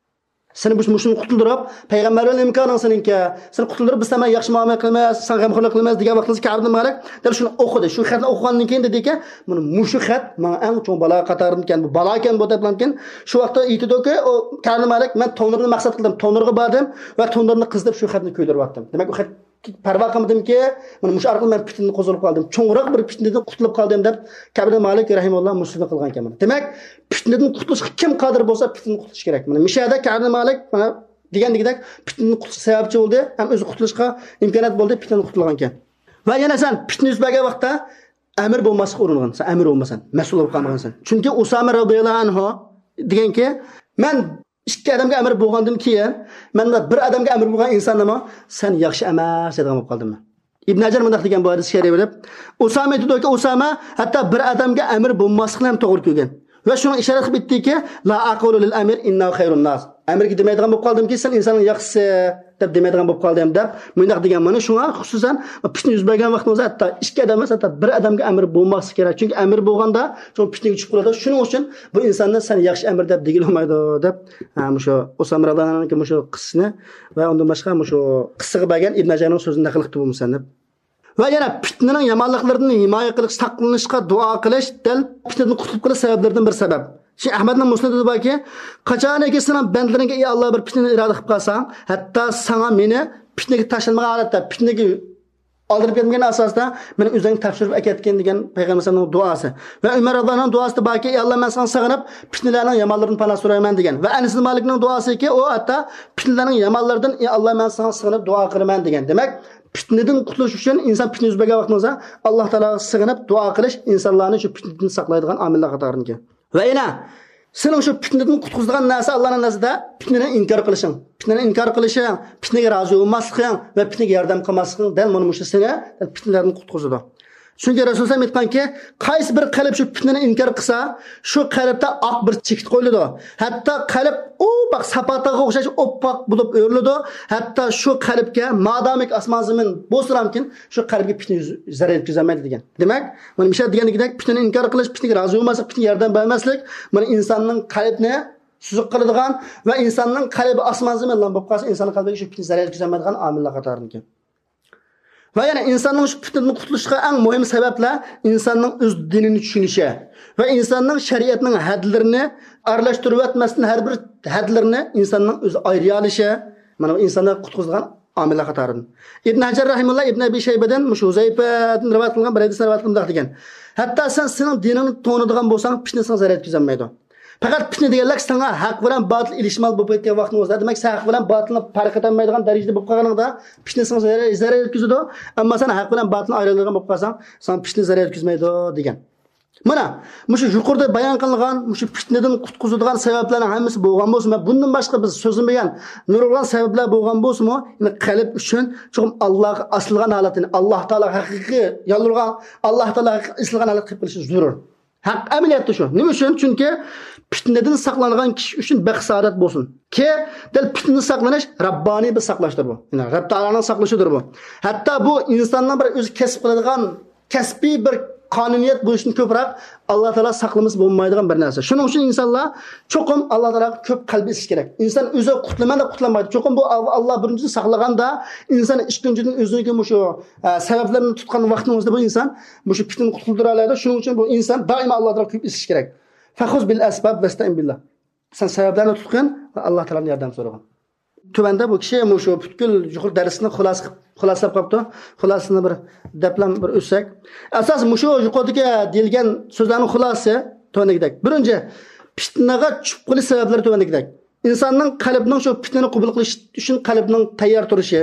سېنى مۇش-، مۇشۇنى قۇتۇلدۇرۇپ، پەيغەمبەر بىلەن ئىمكانىڭ سېنىڭكى. سېنى قۇتۇلدۇرۇپ، بىز ساڭا ياخشى مۇئامىلە قىلىمىز، ساڭا غەمخورلۇق قىلىمىز دېگەن ۋاقتىڭىزدا كەئب ئىبن مالىك دەل شۇنى ئوقۇدى. شۇ خەتنى ئوقۇغاندىن كېيىن دېدىكى، مانا مۇشۇ خەت ماڭا ئەڭ چوڭ بالا قاتارىدىكەن، بۇ بالاكەن بۇ دەپلەمكىن. شۇ ۋاقىتتا ئېيتىدۇكى، ئۇ كەئب ئىبن مالىك، مەن تونۇرنى مەقسەت قىلدىم، تونۇرغا باردىم ۋە تونۇرنى قىزىتىپ شۇ خەتنى كۆيدۈرۈۋەتتىم. دېمەك، ئۇ خەت پەرۋا قىلمىدىمكى، مانا مۇشۇ ئارقىلىق مەن پىتنىدىن قۇتۇلۇپ قالدىم. چوڭراق بىر پىتنىدىن قۇتۇلۇپ قالدىم دەپ كەئب ئىبن مالىك رەھىمەھۇللا مۇسنەدنى قىلغان ئىكەن. دېمەك، پىتنىدىن قۇتۇلۇشقا كىم قادىر بولسا، پىتنىدىن قۇتۇلۇش كېرەك. مانا مۇشۇ يەردە كەئب ئىبن مالىك، مانا دېگەندىكىدەك، پىتنىدىن قۇتۇلۇشقا سەۋەبچى بولدى، ھەم ئۆزى قۇتۇلۇشقا ئىمكانىيەت بولدى، پىتنىدىن قۇتۇلغان ئىكەن. ۋە يەنە سەن پىتنە يۈز بەرگەن ۋاقىتتا ئەمىر بولماسلىققا ئۇرۇنغىن، سەن ئەمىر بولمىسەن، مەسئۇل بولۇپ قالمىغىنسەن. چۈنكى ئۇسامە رەزىياللاھۇ ئەنھۇ دېگەنكى، مەن ئىككى ئادەمگە ئەمىر بولغاندىن كېيىن، مەن بىر ئادەمگە ئەمىر بولغان ئىنساننىمۇ سەن ياخشى ئەمەس دەيدىغان بولۇپ قالدىم مەن. ئىبن ھەجەر مۇنداق دېگەن بۇ ھەدىسكە شەرھ بېرىپ، ئۇسامە ئېيتىدۇكى، ئۇسامە ھەتتا بىر ئادەمگە ئەمىر بولماسلىقنى ھەم توغرا كۆرگەن. ۋە شۇنىڭ ئىشارەت قىلىپ ئېيتتىكى، لا ئەقۇلۇ لىل ئەمىر ئىننەھۇ خەيرۇن ناس. ئەمىرگە دېمەيدىغان بولۇپ قالدىمكى، سەن ئىنساننىڭ ياخشىسى دەپ دېمەيدىغان بولۇپ قالدىم دەپ مۇنداق دېگەن. مانا شۇڭا خۇسۇسەن پىتنە يۈز بەرگەن ۋاقتىڭىزدا ھەتتا ئىككى ئادەم ئەمەس، ھەتتا بىر ئادەمگە ئەمىر بولماسلىق كېرەك. چۈنكى ئەمىر بولغاندا شۇ پىتنىگە چۈشۈپ قالىدۇ. شۇنىڭ ئۈچۈن بۇ ئىنساننى سەن ياخشى ئەمىر دەپ دېگىلى بولمايدۇ دەپ، ھە، مۇشۇ ئۇسامە رەزىياللاھۇ ئەنھۇنىڭكى مۇشۇ قىسسىسىنى ۋە ئۇندىن باشقا مۇشۇ قىسسىغا بەرگەن ئىبن ھەجەرنىڭ سۆزىنى نەقىل قىلىپتۇ بۇ مۇسەننىپ. ۋە يەنە پىتنىنىڭ يامانلىقلىرىدىن ھىمايە قىلىش، ساقلىنىشقا دۇئا قىلىش دەل پىتنىدىن قۇتۇلۇپ قېلىش سەۋەبلىرىدىن بىر سەۋەب. شەيخ ئەھمەدنىڭ مۇسنىدىدا باركى، قاچانكى سېنىڭ بەندىلىرىڭگە، ئى ئاللا، بىر پىتنىنى ئىرادە قىلىپ قالساڭ، ھەتتا ساڭا مېنى پىتنىگە تاشلىمىغان ھالەتتە، پىتنىگە ئالدىرىپ كەتمىگەن ئاساستا مېنى ئۆزۈڭگە تاپشۇرۇپ ئەكەتكىن دېگەن پەيغەمبەر ئەلەيھىسسالامنىڭ دۇئاسى. ۋە ئۆمەر رەزىياللاھۇ ئەنھۇنىڭ دۇئاسىدا باركى، ئى ئاللا، مەن ساڭا سېغىنىپ، پىتنىلەرنىڭ يامانلىرىدىن پاناھ سورايمەن دېگەن. ۋە ئەنەس ئىبن مالىكنىڭ دۇئاسىكى، ئۇ ھەتتا پىتنىلەرنىڭ يامانلىرىدىن، ئى ئاللا، مەن ساڭا سىغىنىپ دۇئا قىلىمەن دېگەن. دېمەك، پىتنىدىن قۇتۇلۇش ئۈچۈن ئىنسان پىتنە يۈز بەرگەن ۋاقتىڭىزدا ئاللا تائالاغا سىغىنىپ دۇئا قىلىش ئىنسانلارنى شۇ پىتنىدىن ساقلايدىغان ئامىللار قاتارىدىكەن. ۋە يەنە سېنىڭ شۇ پىتنىدىن قۇتقۇزىدىغان نەرسە ئاللانىڭ نەزىرىدە پىتنىنى ئىنكار قىلىشىڭ. پىتنىنى ئىنكار قىلىشىڭ، پىتنىگە رازى بولماسلىقىڭ ۋە پىتنىگە ياردەم قىلماسلىقىڭ دەل مانا مۇشۇ سېنى پىتنىلەردىن قۇتقۇزىدۇ. چۈنكى رەسۇل سەللەللاھۇ ئەلەيھى ۋەسەللەم ئېيتقانكى، قايسى بىر قەلب شۇ پىتنىنى ئىنكار قىلسا، شۇ قەلبتە ئاق بىر چېكىت قويۇلىدۇ. ھەتتا قەلب ئوپئاق ساپا تاغقا ئوخشاش ئوپئاق بولۇپ ئۆرۈلىدۇ. ھەتتا شۇ قەلبكە مادامىكى ئاسمان زېمىن بولسىلامكىن، شۇ قەلبكە پىتنە يۈز-، زەرەر يەتكۈزەلمەيدۇ دېگەن. دېمەك، مانا مىشە دېگەندىكىدەك پىتنىنى ئىنكار قىلىش، پىتنىگە رازى بولماسلىق، پىتنىگە ياردەم بەرمەسلىك، مانا ئىنساننىڭ قەلبىنى سۈزۈك قىلىدىغان ۋە ئىنساننىڭ قەلبى ئاسمان زېمىنلام بولۇپ قالسا، ئىنساننىڭ قەلبىگە شۇ پىتنە زەرەر يەتكۈزەلمەيدىغان ئامىللار قاتارىدىكەن. ۋە يەنە ئىنساننىڭ شۇ پىتنىدىن قۇتۇلۇشىغا ئەڭ مۇھىم سەۋەبلەر ئىنساننىڭ ئۆز دىنىنى چۈشىنىشى ۋە ئىنساننىڭ شەرىئەتنىڭ ھەدلىرىنى ئارىلاشتۇرۇۋەتمەستىن، ھەر بىر ھەدلىرىنى ئىنساننىڭ ئۆزى ئايرىيالىشى، مانا بۇ ئىنساننى قۇتقۇزىدىغان ئامىللار قاتارىدىن. ئىبن ھەجەر رەھىمۇللا ئىبن ئەبى شەيبىدىن، مۇشۇ ھۇزەيپەدىن رىۋايەت قىلغان بىر ھەدىسنى رىۋايەت قىلىپ مۇنداق دېگەن: ھەتتا سەن سېنىڭ دىنىڭنى تونۇيدىغان بولساڭ، پىتنە ساڭا زەرەر يەتكۈزەلمەيدۇ. پەقەت پىتنە دېگەنلىك ساڭا ھەق بىلەن باتىل ئېلىشمال بولۇپ كەتكەن ۋاقتىڭىزدا، دېمەك، سەن ھەق بىلەن باتىلنى پەرق ئېتەلمەيدىغان دەرىجىدە بولۇپ قالغىنىڭدا، پىتنە ساڭا زەرەر، زەرەر يەتكۈزىدۇ. ئەمما سەن ھەق بىلەن باتىلنى ئايرىيالىغان بولۇپ قالساڭ، ساڭا پىتنە زەرەر يەتكۈزمەيدۇ دېگەن. مانا مۇشۇ يۇقىرىدا بايان قىلىنغان مۇشۇ پىتنىدىن قۇتقۇزىدىغان سەۋەبلەرنىڭ ھەممىسى بولغان بولسىمۇ، بۇندىن باشقا بىز سۆزلىمىگەن نۇرغۇنلىغان سەۋەبلەر بولغان بولسىمۇ، يەنى قەلب ئۈچۈن چوقۇم ئاللاغا ئاسىلغان ھالەتتە، يەنى ئاللا تائالاغا ھەقىقىي يالۋۇرغان، ئاللا تائالاغا ھەقىقىي ئېسىلغان ھالەتتە قېلىپ قېلىشى زۆرۈر. ھەق ئەمەلىيەتتە شۇ. نېمە ئۈچۈن؟ چۈنكى پىتنىدىن ساقلانغان كىشى ئۈچۈن بەخت سائادەت بولسۇن. كى، دەل پىتنىدىن ساقلىنىش رەببانىي بىر ساقلاشتۇر بۇ. يەنى رەب تائالانىڭ ساقلىشىدۇر بۇ. ھەتتا بۇ ئىنساننىڭ بىر ئۆزى كەسىپ قىلىدىغان كەسپىي بىر قانۇنىيەت بولۇشتىن كۆپرەك ئاللا تائالا ساقلىمىسا بولمايدىغان بىر نەرسە. شۇنىڭ ئۈچۈن ئىنسانلار چوقۇم ئاللا تائالاغا كۆپ قەلب ئېسىش كېرەك. ئىنسان ئۆزى قۇتۇلىمەن دەپ قۇتۇلالمايدۇ. چوقۇم بۇ ئال-، ئاللا بىرىنچىدىن ساقلىغاندا، ئىنسان ئىككىنچىدىن ئۆزىنىڭكى مۇشۇ، ئە، سەۋەبلىرىنى تۇتقان ۋاقتىنىڭ ئۆزىدە بۇ ئىنسان مۇشۇ پىتنىدىن قۇتۇلدۇرالايدۇ. شۇنىڭ ئۈچۈن بۇ ئىنسان دائىما ئاللا تائالاغا كۆپ ئېسىش كېرەك. فخذ بالأسباب واستعن بالله. سەن سەۋەبلەرنى تۇتقىن ۋە ئاللا تائالادىن ياردەم سورىغىن. تۆۋەندە بۇ كىشى مۇشۇ پۈتكۈل يۇقىرى دەرسنى خۇلاسە قىلىپ، خۇلاسىلاپ قاپتۇ. خۇلاسىسىنى بىر دەپلا بىر ئۆتسەك. ئاساس مۇشۇ يۇقىرىدىكى دېيىلگەن سۆزلەرنىڭ خۇلاسىسى تۆۋەندىكىدەك. بىرىنچى، پىتنىگە چۈشۈپ قېلىش سەۋەبلىرى تۆۋەندىكىدەك. ئىنساننىڭ قەلبىنىڭ شۇ پىتنىنى قوبۇل قىلىش ئۈچۈن قەلبىنىڭ تەييار تۇرۇشى.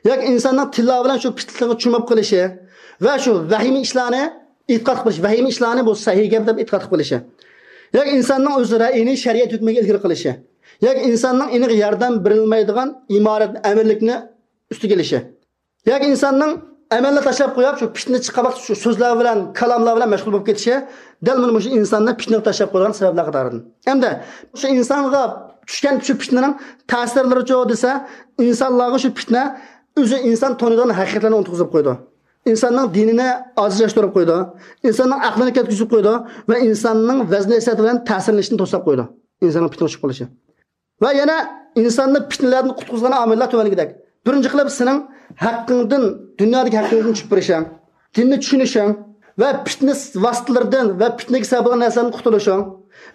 ياكى ئىنساننىڭ تىللا بىلەن شۇ پىتنىگە چۆمۈپ قېلىشى ۋە شۇ ۋەھىمە ئىشلارنى ئېتىقاد قىلىش، ۋەھىمە ئىشلارنى بۇ سەھىي گەپ دەپ ئېتىقاد قىلىشى. ياكى ئىنساننىڭ ئۆز رەئىيىنى شەرىئەت ھۆكمىگە ئىلگىرى قىلىشى. ياكى ئىنساننىڭ ئېنىق ياردەم بېرىلمەيدىغان ئىمارەت ئەمىرلىكنى ئۈستىگە ئېلىشى. ياكى ئىنساننىڭ ئەمەلنى تاشلاپ قويۇپ، شۇ پىتنە چىققان ۋاقىت شۇ سۆزلەر بىلەن، كالاملار بىلەن مەشغۇل بولۇپ كېتىشى دەل مانا مۇشۇ ئىنساننى پىتنىگە تاشلاپ قويىدىغان سەۋەبلەر قاتارىدىن. ئەمدى شۇ ئىنسانغا چۈشكەن شۇ پىتنىنىڭ تەسىرلىرىچۇ دېسە، ئىنسانلارغا شۇ پىتنە ئۆزى ئىنسان تونۇيدىغان ھەقىقەتلەرنى ئۇنتۇغۇزۇپ قويىدۇ. ئىنساننىڭ دىنىنى ئاجىزلاشتۇرۇپ قويىدۇ. ئىنساننىڭ ئەقلىنى كەتكۈزۈپ قويىدۇ ۋە ئىنساننىڭ ۋەزن-نەسىھەت بىلەن تەسىرلىنىشىنى توسلاپ قويىدۇ. ئىنساننىڭ پىتنىگە چۈشۈپ قېلىشى. ۋە يەنە ئىنساننى پىتنىلەردىن قۇتقۇزغان ئامىللار تۆۋەندىكىدەك. بىرىنچى قىلىپ، سېنىڭ ھەققىڭدىن، دۇنيادىكى ھەققىڭدىن چۈشۈپ بېرىشىڭ، دىننى چۈشىنىشىڭ ۋە پىتنە ۋاسىتىلىرىدىن ۋە پىتنىگە سەۋەب بولغان نەرسىلەردىن قۇتۇلۇشۇڭ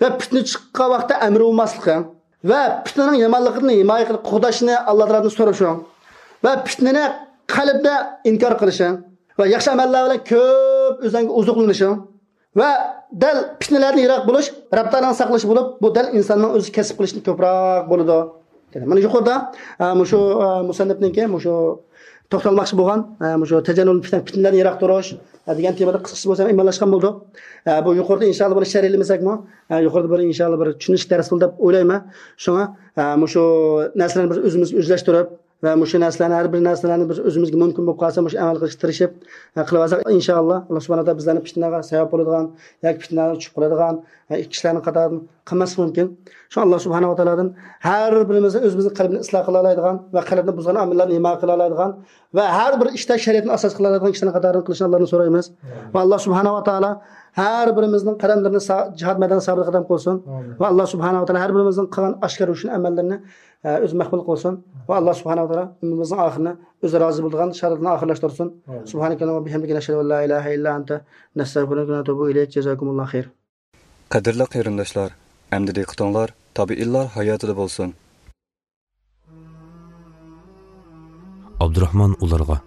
ۋە پىتنە چىققان ۋاقىتتا ئەمرى بولماسلىقىڭ ۋە پىتنىنىڭ يامانلىقىدىن ھىمايە قىلىپ، قوغداشنى ئاللا تائالادىن سورىشىڭ ۋە پىتنىنى قەلبىدە ئىنكار قىلىشىڭ ۋە ياخشى ئەمەللەر بىلەن كۆپ ئۆزۈڭگە ئوزۇقلىنىشىڭ ۋە دەل پىتنىلەردىن يىراق بولۇش رەب تائالانىڭ ساقلىشى بولۇپ، بۇ دەل ئىنساننىڭ ئۆزى كەسىپ قىلىشتىن كۆپرەك بولىدۇ. دېدى. مانا يۇقىرىدا، ئە، مۇشۇ، ئە، مۇسەننىپنىڭكى مۇشۇ توختالماقچى بولغان، ئە، مۇشۇ تەجەننۇل پىتنە، پىتنىلەردىن يىراق تۇرۇش، ئە، دېگەن تېمىدا قىسقىچە بولسا ئىمانلاشقان بولدۇق. ئە، بۇ يۇقىرىدا ئىنشاللا بۇنى شەرھلىمىسەكمۇ، ئە، يۇقىرىدا بىر ئىنشاللا بىر چۈشىنىش دەرس بولدى دەپ ئويلايمەن. شۇڭا، ئە، مۇشۇ نەرسىلەرنى بىز ئۆزىمىزگە ئۆزلەشتۈرۈپ، ۋە مۇشۇ نەرسىلەرنى، ھەر بىر نەرسىلەرنى بىز ئۆزىمىزگە مۇمكىن بولۇپ قالسا، مۇشۇ ئەمەل قىلىشقا تىرىشىپ، ئە، قىلىۋالساق، ئىنشائاللا، ئاللا سۇبھانەھۇ ۋە تائالا بىزلەرنى پىتنىگە سەۋەب بولىدىغان ياكى پىتنىگە چۈشۈپ قالىدىغان، ئە، كىشىلەرنىڭ قاتارىدىن قىلماسلىقى مۇمكىن. شۇڭا ئاللا سۇبھانەھۇ ۋە تائالادىن ھەر بىرىمىزنى ئۆزىمىزنىڭ قەلبىنى ئىسلاھ قىلالايدىغان ۋە قەلبنى بۇزغان ئامىللارنى ھىمايە قىلالايدىغان ۋە ھەر بىر ئىشتا شەرىئەتنى ئاساس قىلالايدىغان كىشىلەرنىڭ قاتارىدىن قىلىشنى ئاللادىن سورايمىز. ۋە ئاللا سۇبھانەھۇ ۋە تائالا ھەر بىرىمىزنىڭ قەدەملىرىنى سا-، جىھاد مەيدانىدا سابىت قەدەم قىلسۇن. ئامىن. ۋە ئاللا سۇبھانەھۇ ۋە تائالا ھەر بىرىمىزنىڭ قىلغان ئاشكارا روشەن ئەمەللىرىنى، ئە، ئۆزى مەقبۇل قىلسۇن. ۋە ئاللا سۇبھانەھۇ ۋە تائالا ئۆمرىمىزنىڭ ئاخىرىنى ئۆزى رازى بولىدىغان شادلىقتا ئاخىرلاشتۇرسۇن. ئامىن. سۇبھانەكەللاھۇممە ۋە بىھەمدىكە، نەشھەدۇ ئەن لا ئىلاھە ئىللا ئەنتە، نەستەغفىرۇكە ۋە نەتۇبۇ ئىلەيك. جازاكۇمۇللاھۇ خەير. قەدىرلىك قېرىنداشلار، ئەمدى دىققىتىڭلار تابىئىنلار ھاياتىدا بولسۇن. ئابدۇراخمان ئۇلارغا: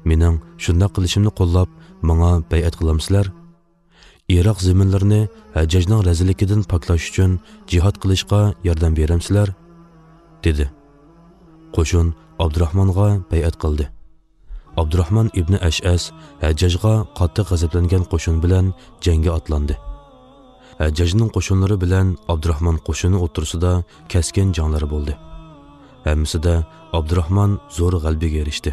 مېنىڭ شۇنداق قىلىشىمنى قوللاپ، ماڭا بەيئەت قىلامسىلەر؟ ئىراق زېمىنلىرىنى ھەججاجنىڭ رەزىللىكىدىن پاكلاش ئۈچۈن جىھاد قىلىشقا ياردەم بېرەمسىلەر؟ دېدى. قوشۇن ئابدۇراخمانغا بەيئەت قىلدى. ئابدۇراخمان ئىبنى ئەشئەس ھەججاجغا قاتتىق غەزەپلەنگەن قوشۇن بىلەن جەڭگە ئاتلاندى. ھەججاجنىڭ قوشۇنلىرى بىلەن ئابدۇراخمان قوشۇنى ئوتتۇرىسىدا كەسكىن جەڭلەر بولدى. ھەممىسىدە ئابدۇراخمان زور غەلىبىگە ئېرىشتى.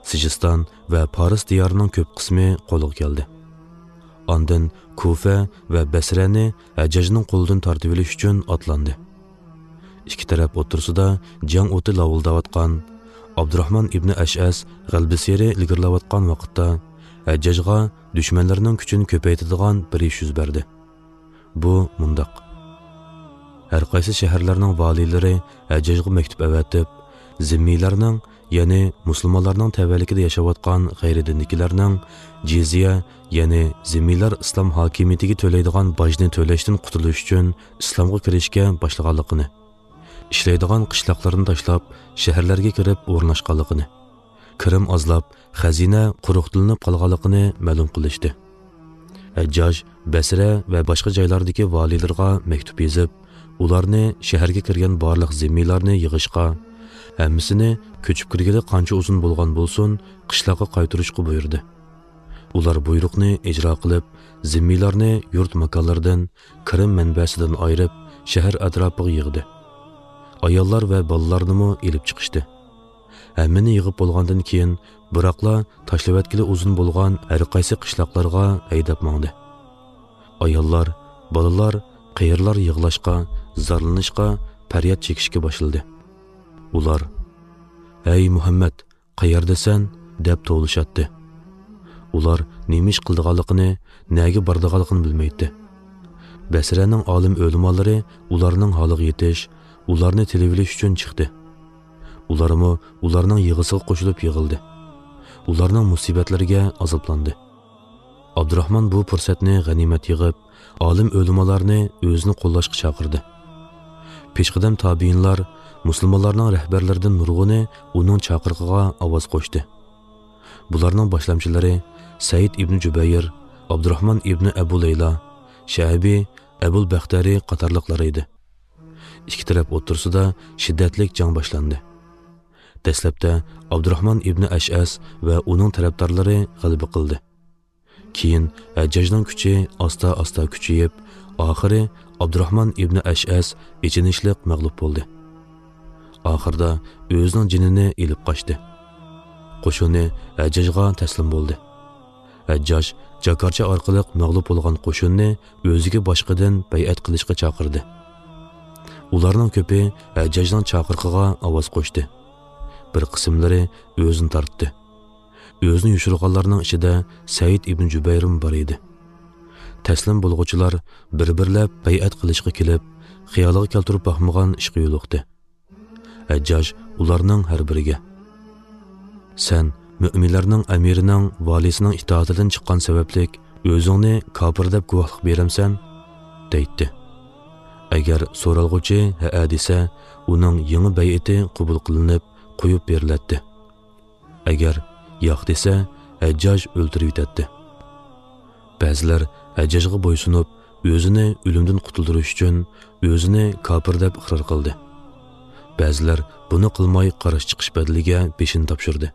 سىجىستان ۋە پارس دىيارىنىڭ كۆپ قىسمى قولغا كەلدى. ئاندىن كۇفە ۋە بەسرەنى ھەججاجنىڭ قولىدىن تارتىۋېلىش ئۈچۈن ئاتلاندى. ئىككى تەرەپ ئوتتۇرىسىدا جەڭ ئوتى لاۋۇلداۋاتقان، ئابدۇراخمان ئىبنى ئەشئەس غەلىبىسىيرى ئىلگىرىلەۋاتقان ۋاقىتتا، ھەججاجغا دۈشمەنلىرىنىڭ كۈچىنى كۆپەيتىدىغان بىر ئىش يۈز بەردى. بۇ مۇنداق. ھەر قايسى شەھەرلەرنىڭ ۋالىيلىرى ھەججاجغا مەكتۇپ ئەۋەتىپ، زىممىيلارنىڭ، يەنى مۇسۇلمانلارنىڭ تەۋەلىكىدە ياشاۋاتقان غەيرىي دىندىكىلەرنىڭ جىزيە، يەنى زىممىيلار ئىسلام ھاكىمىيىتىگە تۆلەيدىغان باجنى تۆلەشتىن قۇتۇلۇش ئۈچۈن ئىسلامغا كىرىشكە باشلىغانلىقىنى، ئىشلەيدىغان قىشلاقلىرىنى تاشلاپ، شەھەرلەرگە كىرىپ ئورۇنلاشقانلىقىنى، كىرىم ئازلاپ، خەزىنە قۇرۇقتىلىنىپ قالغانلىقىنى مەلۇم قىلىشتى. ھەججاج بەسرە ۋە باشقا جايلاردىكى ۋالىيلىرىغا مەكتۇپ يېزىپ، ئۇلارنى شەھەرگە كىرگەن بارلىق زىممىيلارنى يىغىشقا، ھەممىسىنى كۆچۈپ كىرگىلى قانچە ئۇزۇن بولغان بولسۇن، قىشلاققا قايتۇرۇشقا بۇيرۇدى. ئۇلار بۇيرۇقنى ئىجرا قىلىپ، زىممىيلارنى يۇرت ماكانلىرىدىن، كىرىم مەنبەسىدىن ئايرىپ، شەھەر ئەتراپىغا يىغدى. ئاياللار ۋە بالىلارنىمۇ ئېلىپ چىقىشتى. ھەممىنى يىغىپ بولغاندىن كېيىن، بىراقلا تاشلىۋەتكىلى ئۇزۇن بولغان ھەر قايسى قىشلاقلارغا ھەيدەپ ماڭدى. ئاياللار، بالىلار، قېرىلار يىغلاشقا، زارلىنىشقا، پەرياد چېكىشكە باشلىدى. ئۇلار، «ھەي مۇھەممەد، قەيەردىسەن؟» دەپ توۋلىشاتتى. ئۇلار نېمە ئىش قىلىدىغانلىقىنى، نەگە بارىدىغانلىقىنى بىلمەيتتى. بەسرەنىڭ ئالىم ئۆلىمالىرى ئۇلارنىڭ ھالىغا يېتىش، ئۇلارنى تىلىۋېلىش ئۈچۈن چىقتى. ئۇلارمۇ ئۇلارنىڭ يىغىسىغا قوشۇلۇپ يىغىلدى. ئۇلارنىڭ مۇسىبەتلىرىگە ئازابلاندى. ئابدۇراخمان بۇ پۇرسەتنى غەنىيمەت يىغىپ، ئالىم ئۆلىمالارنى ئۆزىنى قوللاشقا چاقىردى. پېشقەدەم تابىئىنلار، مۇسۇلمانلارنىڭ رەھبەرلىرىدىن نۇرغۇنى ئۇنىڭ چاقىرىقىغا ئاۋاز قوشتى. بۇلارنىڭ باشلامچىلىرى سەئىد ئىبنى جۈبەير، ئابدۇراخمان ئىبنى ئەبۇ لەيلا، شەئبى، ئەبۇل بەختەرى قاتارلىقلار ئىدى. ئىككى تەرەپ ئوتتۇرىسىدا شىددەتلىك جەڭ باشلاندى. دەسلەپتە ئابدۇراخمان ئىبنى ئەشئەس ۋە ئۇنىڭ تەرەپدارلىرى غەلىبە قىلدى. كېيىن ھەججاجنىڭ كۈچى ئاستا-ئاستا كۈچىيىپ، ئاخىرى ئابدۇراخمان ئىبنى ئەشئەس ئېچىنىشلىق مەغلۇپ بولدى. ئاخىرىدا ئۆزىنىڭ جېنىنى ئېلىپ قاچتى. قوشۇنى ھەججاجغا تەسلىم بولدى. ھەججاج جاكارچا ئارقىلىق مەغلۇپ بولغان قوشۇننى ئۆزىگە باشقىدىن بەيئەت قىلىشقا چاقىردى. ئۇلارنىڭ كۆپى ھەججاجنىڭ چاقىرىقىغا ئاۋاز قوشتى. بىر قىسىملىرى ئۆزىنى تارتتى. ئۆزىنى يوشۇرغانلارنىڭ ئىچىدە سەئىد ئىبن جۈبەيرمۇ بار ئىدى. تەسلىم بولغۇچىلار بىر-بىرلەپ بەيئەت قىلىشقا كېلىپ، خىيالىغا كەلتۈرۈپ باقمىغان ئىشقا يولۇقتى. ھەججاج ئۇلارنىڭ ھەر بىرىگە، «سەن مۆمىنلەرنىڭ ئەمىرىنىڭ، ۋالىسىنىڭ ئىتائىتىدىن چىققان سەۋەبلىك ئۆزۈڭنى كاپىر دەپ گۇۋاھلىق بېرەمسەن؟» دەيتتى. ئەگەر سورالغۇچى ھەئە دېسە، ئۇنىڭ يېڭى بەيئىتى قوبۇل قىلىنىپ، قويۇپ بېرىلەتتى. ئەگەر ياق دېسە، ھەججاج ئۆلتۈرۈۋېتەتتى. بەزىلەر ھەججاجغا بويسۇنۇپ، ئۆزىنى ئۆلۈمدىن قۇتۇلدۇرۇش ئۈچۈن ئۆزىنى كاپىر دەپ ئىقرار قىلدى. بەزىلەر بۇنى قىلماي قارشى چىقىش بەدىلىگە بېشىنى تاپشۇردى.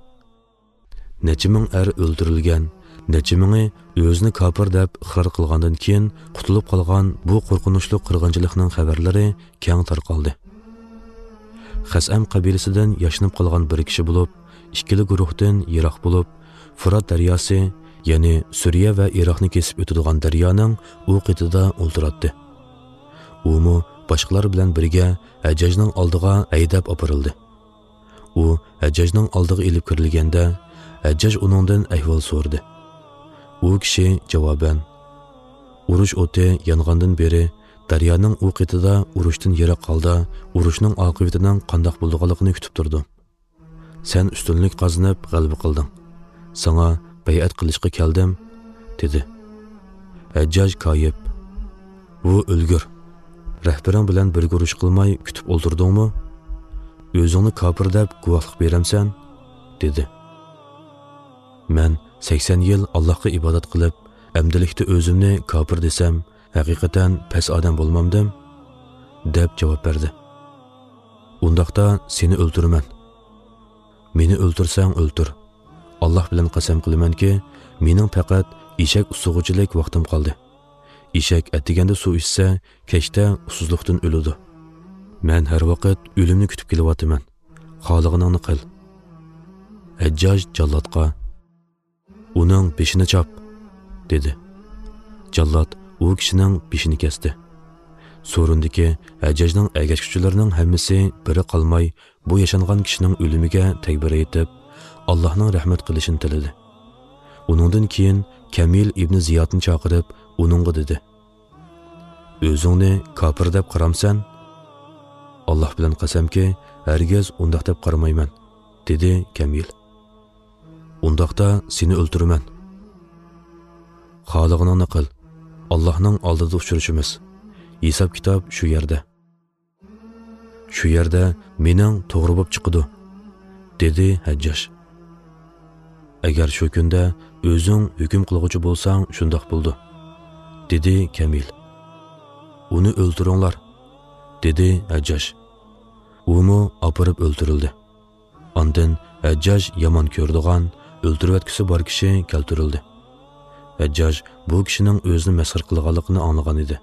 نەچچە مىڭ ئەر ئۆلتۈرۈلگەن، نەچچە مىڭى ئۆزىنى كاپىر دەپ ئىقرار قىلغاندىن كېيىن قۇتۇلۇپ قالغان بۇ قورقۇنچلۇق قىرغىنچىلىقنىڭ خەۋەرلىرى كەڭ تارقالدى. خەسئەم قەبىلىسىدىن ياشىنىپ قالغان بىر كىشى بولۇپ، ئىككىلا گۇرۇھتىن يىراق بولۇپ، فۇرات دەرياسى، يەنى سۈرىيە ۋە ئىراقنى كېسىپ ئۆتىدىغان دەريانىڭ ئۇ قېتىدا ئولتۇراتتى. ئۇمۇ باشقىلار بىلەن بىرگە ھەججاجنىڭ ئالدىغا ھەيدەپ ئاپىرىلدى. ئۇ ھەججاجنىڭ ئالدىغا ئېلىپ كىرىلگەندە، ھەججاج ئۇنىڭدىن ئەھۋال سورىدى. ئۇ كىشى جاۋابەن، «ئۇرۇش ئوتى يانغاندىن بېرى دەريانىڭ ئۇ قېتىدا ئۇرۇشتىن يىراق ھالدا ئۇرۇشنىڭ ئاقىۋىتىنىڭ قانداق بولىدىغانلىقىنى كۈتۈپ تۇردۇم. سەن ئۈستۈنلۈك قازىنىپ غەلىبە قىلدىڭ. ساڭا بەيئەت قىلىشقا كەلدىم» دېدى. ھەججاج كايىپ، «بۇ ئۆلگۈر! رەھبىرىڭ بىلەن بىرگە ئۇرۇش قىلماي كۈتۈپ ئولتۇردۇڭمۇ؟ ئۆزۈڭنى كاپىر دەپ گۇۋاھلىق بېرەمسەن؟» دېدى. «مەن سەكسەن يىل ئاللاھقا ئىبادەت قىلىپ، ئەمدىلىكتە ئۆزۈمنى كاپىر دېسەم، ھەقىقەتەن پەس ئادەم بولمامدىم؟» دەپ جاۋاب بەردى. «ئۇنداقتا سېنى ئۆلتۈرىمەن. مېنى ئۆلتۈرسەڭ ئۆلتۈر. ئاللاھ بىلەن قەسەم قىلىمەنكى، مېنىڭ پەقەت ئېشەك ئۇسسىغۇچىلىك ۋاقتىم قالدى. ئېشەك ئەتىگەندە سۇ ئىچسە، كەچتە ئۇسسۇزلۇقتىن ئۆلىدۇ. مەن ھەر ۋاقىت ئۆلۈمنى كۈتۈپ كېلىۋاتىمەن. خالىغىنىڭنى قىل.» ھەججاج جاللاتقا، «ئۇنىڭ بېشىنى چاپ!» دېدى. جاللات ئۇ كىشىنىڭ بېشىنى كەستى. سورۇندىكى ھەججاجنىڭ ئەگەشكۈچىلىرىنىڭ ھەممىسى بىرى قالماي بۇ ياشانغان كىشىنىڭ ئۆلۈمىگە تەكبىر ئېيتىپ، ئاللاھنىڭ رەھمەت قىلىشىنى تىلىدى. ئۇنىڭدىن كېيىن كەمىل ئىبنى زىيادنى چاقىرىپ، ئۇنىڭغا دېدى، «ئۆزۈڭنى كاپىر دەپ قارامسەن؟» «ئاللاھ بىلەن قەسەمكى، ھەرگىز ئۇنداق دەپ قارىمايمەن»، دېدى كەمىل. «ئۇنداقتا سېنى ئۆلتۈرىمەن.» «خالىغىنىڭنى قىل. ئاللاھنىڭ ئالدىدا ئۇچرىشىمىز. ھېساب-كىتاب شۇ يەردە. شۇ يەردە مېنىڭ توغرا بولۇپ چىقىدۇ»، دېدى ھەججاج. «ئەگەر شۇ كۈندە ئۆزۈڭ ھۆكۈم قىلغۇچى بولساڭ، شۇنداق بولىدۇ»، دېدى كەمىل. «ئۇنى ئۆلتۈرۈڭلار»، دېدى ھەججاج. ئۇمۇ ئاپىرىپ ئۆلتۈرۈلدى. ئاندىن ھەججاج يامان كۆرىدىغان، ئۆلتۈرۈۋەتكۈسى بار كىشى كەلتۈرۈلدى. ھەججاج بۇ كىشىنىڭ ئۆزىنى مەسخىرە قىلغانلىقىنى ئاڭلىغان ئىدى.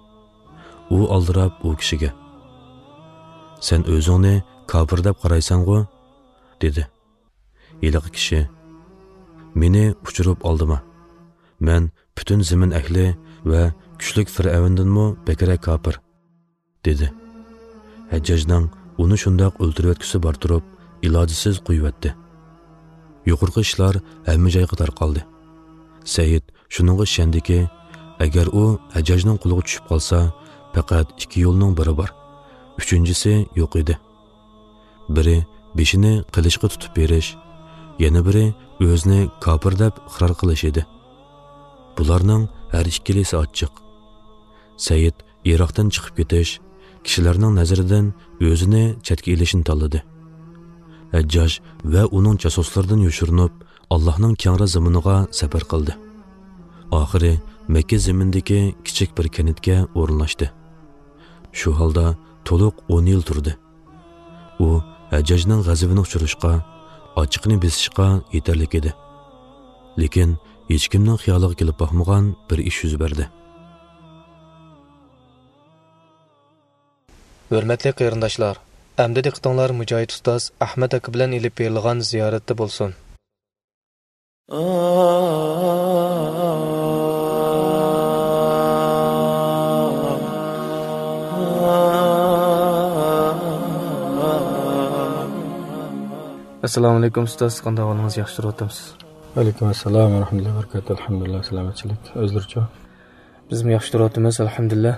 ئۇ ئالدىراپ ئۇ كىشىگە: «سەن ئۆزۈڭنى كاپىر دەپ قارايسەنغۇ؟» دېدى. ھېلىقى كىشى: «مېنى ئۇچۇرۇپ ئالدىما. مەن پۈتۈن زېمىن ئەھلى ۋە كۈچلۈك فىرئەۋندىنمۇ بەكرەك كاپىر»، دېدى. ھەججاجنىڭ ئۇنى شۇنداق ئۆلتۈرۈۋەتكۈسى بار تۇرۇپ، ئىلاجىسىز قويۇۋەتتى. يۇقىرىقى ئىشلار ھەممە جايغا تارقالدى. سەئىد شۇنىڭغا ئىشەندىكى، ئەگەر ئۇ ھەججاجنىڭ قولىغا چۈشۈپ قالسا، پەقەت ئىككى يولنىڭ بىرى بار. ئۈچىنچىسى يوق ئىدى. بىرى بېشىنى قىلىچقا تۇتۇپ بېرىش، يەنە بىرى ئۆزىنى كاپىر دەپ ئىقرار قىلىش ئىدى. بۇلارنىڭ ھەر ئىككىلىسى ئاچچىق. سەئىد ئىراقتىن چىقىپ كېتىش، كىشىلەرنىڭ نەزىرىدىن ئۆزىنى چەتكە ئېلىشنى تاللىدى. ھەججاج ۋە ئۇنىڭ جاسۇسلىرىدىن يوشۇرۇنۇپ، ئاللاھنىڭ كەڭرى زېمىنىغا سەپەر قىلدى. ئاخىرى مەككە زېمىنىدىكى كىچىك بىر كەنتكە ئورۇنلاشتى. شۇ ھالدا تولۇق ئون يىل تۇردى. ئۇ ھەججاجنىڭ غەزىپىنى ئۇچۇرۇشقا، ئاچچىقىنى بېسىشقا يېتەرلىك ئىدى. لېكىن ھېچكىمنىڭ خىيالىغا كېلىپ باقمىغان بىر ئىش يۈز بەردى. ھۆرمەتلىك قېرىنداشلار، ئەمدى دىققىتىڭلار مۇجاھىد ئۇستاز ئەھمەت ئاكا بىلەن ئېلىپ بېرىلغان زىيارەتتە بولسۇن. ئەسسالامۇئەلەيكۇم ئۇستاز، قانداق ئەھۋالىڭىز، ياخشى تۇرۇۋاتامسىز؟ ۋەئەلەيكۇم ئەسسالام ۋە رەھمەتۇللاھى ۋە بەرىكاتۇھ. ئەلھەمدۇلىللا، سالامەتچىلىك. ئۆزلىرىچۇ؟ بىزمۇ ياخشى تۇرۇۋاتىمىز، ئەلھەمدۇلىللا.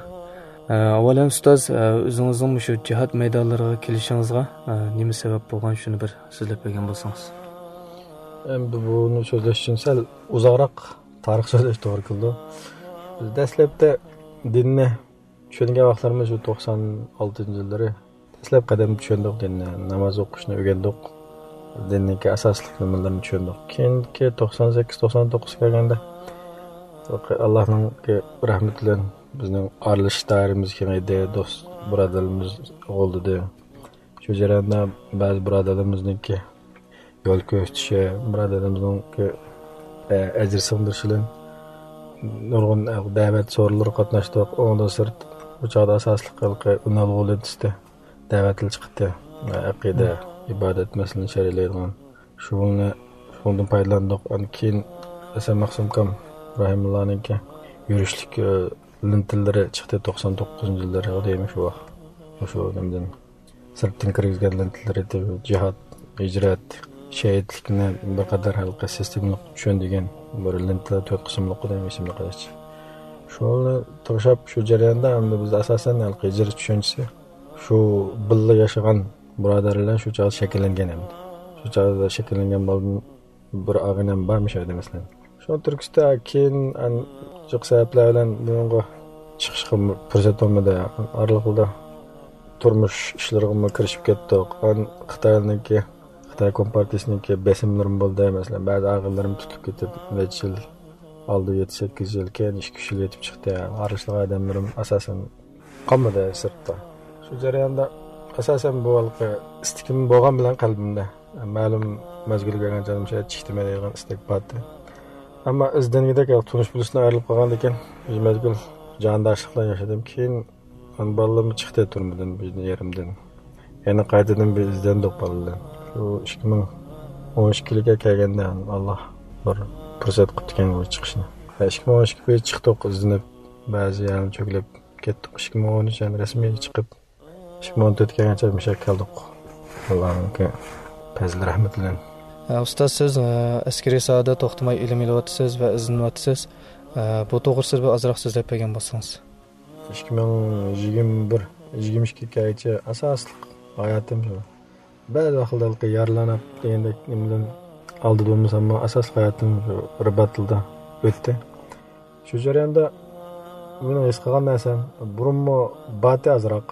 ئە، ئاۋۋال ھەم ئۇستاز، ئە، ئۆزىڭىزنىڭ مۇشۇ جىھاد مەيدانلىرىغا كېلىشىڭىزغا، ئە، نېمە سەۋەب بولغان، شۇنى بىر سۆزلەپ بەرگەن بولسىڭىز. ئەمدى بۇنى سۆزلەش ئۈچۈن سەل ئۇزاقراق تارىخ سۆزلەش توغرا كېلىدۇ. بىز دەسلەپتە دىننى چۈشەنگەن ۋاقىتلىرىمىز شۇ توقسان ئالتىنچى يىللىرى. دەسلەپ قەدەم چۈشەندۇق دىننى، ناماز ئوقۇشنى ئۆگەندۇق. دىننىڭكى ئاساسلىق نېمىلىرىنى چۈشەندۇق. كېيىنكى توقسان سەككىز، توقسان توققۇزغا كەلگەندە، ئاللاھنىڭكى رەھمىتى بىلەن بىزنىڭ ئارىلىشىش دائىرىمىز كېڭەيدى، دوست بۇرادەرلىرىمىز قوغلىدى. شۇ جەرياندا بەزى بۇرادەرلىرىمىزنىڭكى يول كۆرسىتىشى، بۇرادەرلىرىمىزنىڭكى، ئە، ئەجىر سىڭدۈرۈشى بىلەن نۇرغۇن دەۋەت سورۇنلىرىغا قاتناشتۇق. ئۇنىڭدىن سىرت، بۇ چاغدا ئاساسلىق ھېلىقى ئۈنئالغۇ لېنتىسىدە دەۋەت ئېلان چىقتى. ئەقىدە، ئىبادەت مەسىلىنى شەرھلەيدىغان. شۇنى، شۇنىڭدىن پايدىلاندۇق. ئاندىن كېيىن ھەسەن مەخسۇم ئاكام رەھىمۇللانىڭكى يۈرۈشلۈك، ئە، لېنتىلىرى چىقتى توقسان توققۇزىنچى يىللىرى، دەيمەن شۇ ۋاقىت. شۇ نېمىدىن. سىرتتىن كىرگۈزگەن لېنتىلىرى، جىھاد، ھىجرەت، شېھىتلىكنى بىر قەدەر ھېلىقى سىستېمىلىق چۈشەندۈرگەن بىر لېنتا، تۆت قىسىملىق ئىدى، ئېسىمدە قېلىشىچە. شۇنى تىڭشاپ، شۇ جەرياندا ئەمدى بىز ئاساسەن ھېلىقى ھىجرەت چۈشەنچىسى شۇ بىللە ياشىغان بۇرادەرلەر بىلەن شۇ چاغدا شەكىللەنگەن ئەمدى. شۇ چاغدا شەكىللەنگەن بالىدىن بىر ئاغىنەم بار مۇشۇ يەردە، مەسىلەن. شۇنىڭ تۈرتكىسىدە كېيىن ئەن-، جىق سەۋەبلەر بىلەن بۇنىڭغا چىقىشقا پۇرسەت بولمىدى. ئارىلىقىدا تۇرمۇش ئىشلىرىغىمۇ كىرىشىپ كەتتۇق. ئان-، خىتاينىڭكى، خىتاي كومپارتىيىسىنىڭكى بېسىملىرىمۇ بولدى. مەسىلەن، بەزى ئاغىنىلىرىم تۇتۇپ كېتىپ، نەچچە يىل، ئالدى يەتتە سەككىز يىل، كېيىن ئىككى ئۈچ يىل يېتىپ چىقتى. ئارىلىشىدىغان ئادەملىرىم ئاساسەن قالمىدى سىرتتا. شۇ جەرياندا ئاساسەن بۇ ھېلىقى ئىستىكىم بولغان بىلەن قەلبىمدە مەلۇم مەزگىلگە كەلگەن چاغدا مۇشۇ يەردە چىقتىمەن دەيدىغان ئىستەك بارتى. ئەمما ئىزدەنگۈدەك تونۇش بىلىشتىن ئايرىلىپ قالغاندىن كېيىن بىر مەزگىل جانداشلىق بىلەن ياشىدىم. كېيىن بالىلىرىم چىقتى تۈرمىدىن، بىزنىڭ يېرىمدىن. يەنە قايتىدىن بىر ئىزدەندۇق بالىلار. شۇ ئىككى مىڭ ئون ئىككىلىككە كەلگەندە ئاللا بىر پۇرسەت قىپتىكەن بۇ چىقىشنى. ئىككى مىڭ ئون ئىككى بىر چىقتۇق، ئىزدىنىپ، بەزى يەرلەرنى چۆگىلەپ كەتتۇق. ئىككى مىڭ ئون ئۈچ يەنە رەسمىي چىقىپ، ئىككى مىڭ ئون تۆتكە كەلگەنچە مۇشۇ يەرگە كەلدۇق. ئاللانىڭكى پەزلى رەھمىتى بىلەن. ئە، ئۇستاز، سىز، ئە، ئەسكىرىي ساھەدە توختىماي ئىلىم ئېلىۋاتىسىز ۋە ئىزدىنىۋاتىسىز. ئە، بۇ توغرىسىدا بىر ئازراق سۆزلەپ بەرگەن بولسىڭىز. ئىككى مىڭ يىگىرمە بىر، يىگىرمە ئىككى كەلگەنچە ئاساسلىق ھاياتىم شۇ. بەزى ۋاقىتلاردا يارىلىنىپ دېگەندەك نېمىدىن ئالدىدا بولمىساممۇ، ئاساسلىق ھاياتىم شۇ رىباتلىدا ئۆتتى. شۇ جەرياندا مېنىڭ ھېس قىلغان نەرسەم، بۇرۇنمۇ باتى ئازراق.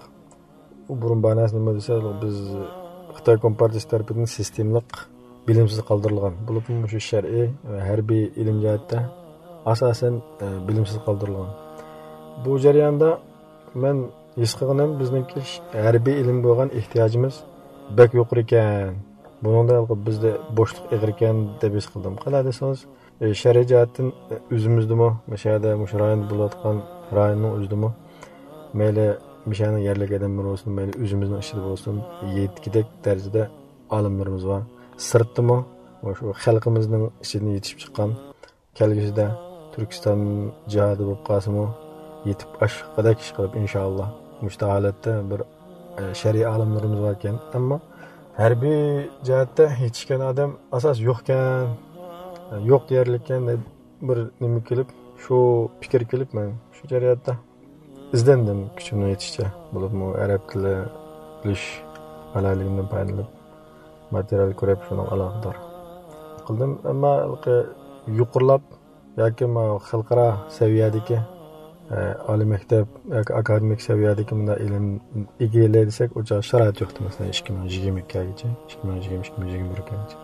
ئۇ بۇرۇن بار نەرسە نېمە دېسە، بىز خىتاي كومپارتىيىسى تەرىپىدىن سىستېمىلىق بىلىمسىز قالدۇرۇلغان. بولۇپمۇ مۇشۇ شەرئىي ۋە ھەربىي ئىلىم جەھەتتە ئاساسەن، ئە، بىلىمسىز قالدۇرۇلغان. بۇ جەرياندا مەن ھېس قىلغىنىم، بىزنىڭكى ھەربىي ئىلىم بولغان ئېھتىياجىمىز بەك يۇقىرى ئىكەن. بۇنىڭدا بىزدە بوشلۇق ئېغىر ئىكەن دەپ ھېس قىلدىم. قانداق دېسىڭىز، ئى، شەرئىي جەھەتتىن، ئى، ئۆزىمىزدىمۇ، مۇشۇ يەردە، مۇشۇ رايوندا بولۇۋاتقان رايوننىڭ ئۆزىدىمۇ، مەيلى مۇشۇ يەرنىڭ يەرلىك ئادەملىرى بولسۇن، مەيلى ئۆزىمىزنىڭ ئىچىدە بولسۇن، يەتكۈدەك دەرىجىدە ئالىملىرىمىز بار. سىرتتىمۇ مۇشۇ خەلقىمىزنىڭ ئىچىدىن يېتىشىپ چىققان، كەلگۈسىدە تۈركىستان جىھادى بولۇپ قالسىمۇ، يېتىپ ئاشقۇدەك ئىش قىلىپ، ئىنشائاللا، مۇشۇ ھالەتتە بىر، ئە، شەرئىي ئالىملىرىمىز باركەن. ئەمما ھەربىي جەھەتتە يېتىشكەن ئادەم ئاساس يوقكەن، يوق دېيەرلىككەن دەپ بىر نېمە كېلىپ، شۇ پىكىر كېلىپ، مەن شۇ جەرياندا ئىزدەندىم كۈچۈمنىڭ يېتىشىچە. بولۇپمۇ ئەرەب تىلى بىلىش ئالاھىدىلىكىمدىن پايدىلىنىپ، ماتېرىيال كۆرۈپ، شۇنىڭغا ئالاقىدار قىلدىم. ئەمما ھېلىقى يۇقىرىلاپ ياكى ما خەلقئارا سەۋىيەدىكى، ئە، ئالىي مەكتەپ ياكى ئاكادېمىك سەۋىيەدىكى مۇنداق ئىلىم ئىگىلەي دېسەك، ئۇ چاغ شارائىت يوقتى، مەسىلەن، ئىككى مىڭ يىگىرمە ئىككىگىچە، ئىككى مىڭ يىگىرمە، ئىككى مىڭ يىگىرمە بىرگىچە.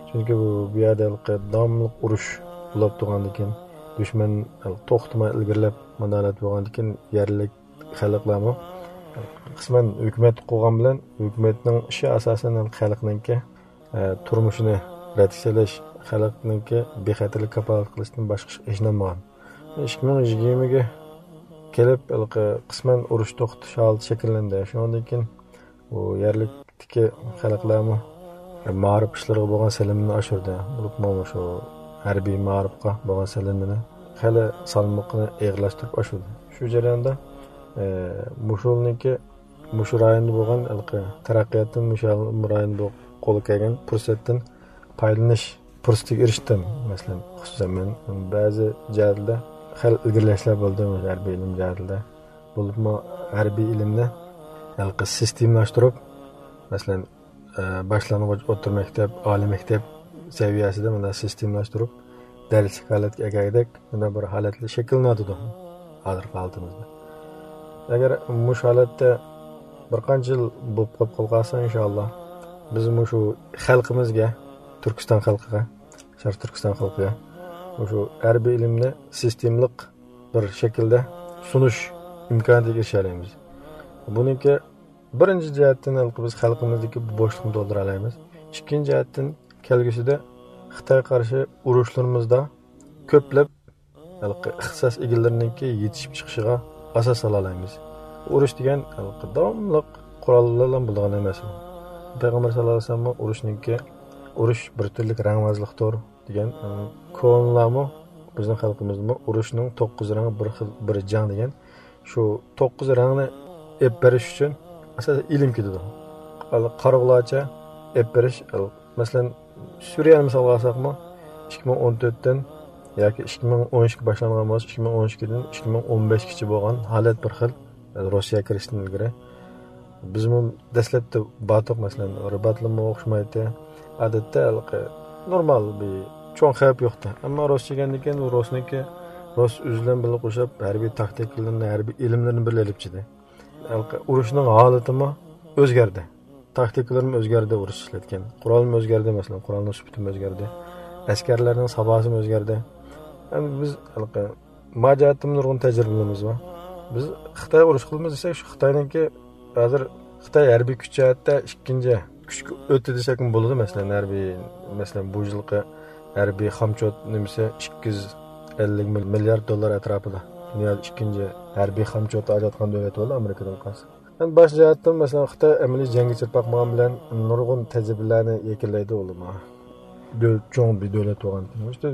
چۈنكى بۇ، بۇ يەردە ھېلىقى داۋاملىق ئۇرۇش بولۇپ تۇرغاندىكىن، دۈشمەن توختىماي ئىلگىرىلەپ، مۇنداق ھالەت بولغاندىكىن، يەرلىك خەلقلەرمۇ قىسمەن ھۆكۈمەت قۇرغان بىلەن، ھۆكۈمەتنىڭ ئىشى ئاساسەن خەلقنىڭكى، ئە، تۇرمۇشىنى رەتكە سېلىش، خەلقنىڭكى بىخەتەرلىك كاپالەت قىلىشتىن باشقا ئىشقا ئىشىنالمىغان. ئىككى مىڭ يىگىرمىگە كېلىپ، ھېلىقى قىسمەن ئۇرۇش توختىتىش ھالىتى شەكىللەندى. شۇنىڭدىن كېيىن بۇ يەرلىكتىكى خەلقلەرمۇ مائارىپ ئىشلىرىغا بولغان سېلىنمىنى ئاشۇردى. بولۇپمۇ شۇ ھەربىي مائارىپقا بولغان سېلىنمىنى خېلى سالمىقىنى ئېغىرلاشتۇرۇپ ئاشۇردى. شۇ جەرياندا، ئە، مۇشۇلنىڭكى مۇشۇ رايوندا بولغان ھېلىقى تەرەققىياتتىن، مۇشۇ رايوندا بۇ قولغا كەلگەن پۇرسەتتىن پايدىلىنىش پۇرسىتىگە ئېرىشتىم. مەسىلەن، خۇسۇسەن مەن بەزى جەھەتلەردە خېلى ئىلگىرىلەشلەر بولدى، ھەربىي ئىلىم جەھەتىدە. بولۇپمۇ ھەربىي ئىلىمنى ھېلىقى سىستېمىلاشتۇرۇپ، مەسىلەن، ئە، باشلانغۇچ، ئوتتۇرا مەكتەپ، ئالىي مەكتەپ سەۋىيەسىدە مۇنداق سىستېمىلاشتۇرۇپ، دەرسلىك ھالەتكە ئەكەلگۈدەك مۇنداق بىر ھالەتلەر شەكىللىنىۋاتىدۇ ھازىرقى ھالىتىمىزدە. ئەگەر مۇشۇ ھالەتتە بىر قانچە يىل بولۇپ قېلىپ قالسا، ئىنشائاللا، بىز مۇشۇ خەلقىمىزگە، تۈركىستان خەلقىگە، شەرقىي تۈركىستان خەلقىگە مۇشۇ ھەربىي ئىلىمنى سىستېمىلىق بىر شەكىلدە سۇنۇش ئىمكانىيىتىگە ئېرىشەلەيمىز. بۇنىڭكى بىرىنچى جەھەتتىن ھېلىقى بىز خەلقىمىزدىكى بوشلۇقنى تولدۇرالايمىز. ئىككىنچى جەھەتتىن كەلگۈسىدە خىتايغا قارشى ئۇرۇشلىرىمىزدا كۆپلەپ ھېلىقى ئىختىساس ئىگىلىرىنىڭكى يېتىشىپ چىقىشىغا ئاساس سالالايمىز. ئۇرۇش دېگەن ھېلىقى داۋاملىق قوراللار بىلەن بولىدىغان ئەمەس. پەيغەمبەر ساللاللاھۇ ئەلەيھى ۋەسەللەم ئۇرۇشنىڭكى، ئۇرۇش بىر تۈرلۈك رەڭۋازلىقتۇر دېگەن، ئە، كونىلارمۇ، بىزنىڭ خەلقىمىزمۇ ئۇرۇشنىڭ توققۇز رەڭ بىر خىل، بىر جەڭ دېگەن شۇ توققۇز رەڭنى ئېلىپ بېرىش ئۈچۈن ئاساسەن ئىلىم كېتىدۇ. قارىغۇلارچە ئېلىپ بېرىش، مەسىلەن، سۈرىيەنى مىسالغا ئالساقمۇ، ئىككى مىڭ ئون تۆتتىن ياكى ئىككى مىڭ ئون ئىككى باشلانغان بولسا، ئىككى مىڭ ئون ئىككىدىن ئىككى مىڭ ئون بەشكىچە بولغان ھالەت بىر خىل، روسىيەگە كىرىشتىن ئىلگىرى. بىزمۇ دەسلەپتە باتۇق، مەسىلەن، رىباتلىمۇ ئوخشىمايتتى. ئادەتتە ھېلىقى نورمال بىر چوڭ خەۋپ يوقتى. ئەمما رۇس كەلگەندىن كېيىن رۇسنىڭكى، رۇس ئۆزى بىلەن بىللە قوشۇپ ھەربىي تاكتىكىلىرىنى، ھەربىي ئىلىملىرىنى بىللە ئېلىپ چىقتى. ھېلىقى ئۇرۇشنىڭ ھالىتىمۇ ئۆزگەردى. تاكتىكىلىرىمۇ ئۆزگەردى، ئۇرۇش ئىشلەتكەن. قورالمۇ ئۆزگەردى، مەسىلەن، قورالنىڭ سۈپىتىمۇ ئۆزگەردى. ئەسكەرلەرنىڭ ساپاسىمۇ ئۆزگەردى. ئەمدى بىز ھېلىقى ما جەھەتتىمۇ نۇرغۇن تەجرىبىلىرىمىز بار. بىز خىتايغا ئۇرۇش قىلىمىز دېسەك، شۇ خىتاينىڭكى ھازىر خىتاي ھەربىي كۈچ جەھەتتە ئىككىنچى كۈچكە ئۆتتى دېسەكمۇ بولىدۇ. مەسىلەن، ھەربىي، مەسىلەن، بۇ يىلقى ھەربىي خامچوت نېمىسى ئىككى يۈز ئەللىك مىليارد دوللار ئەتراپىدا. دۇنيادا ئىككىنچى ھەربىي خامچوت ئاجراتقان دۆلەت بولدى ئامېرىكىدىن قالسا. ئەمدى باش جەھەتتىن، مەسىلەن، خىتاي ئەمەلىي جەڭگە چىقىپ باقمىغان بىلەن نۇرغۇن تەجرىبىلەرنى يەكۈنلەيدۇ ئۇلىمۇ. دۆل-، چوڭ بىر دۆلەت بولغاندىكىن. ئىشتە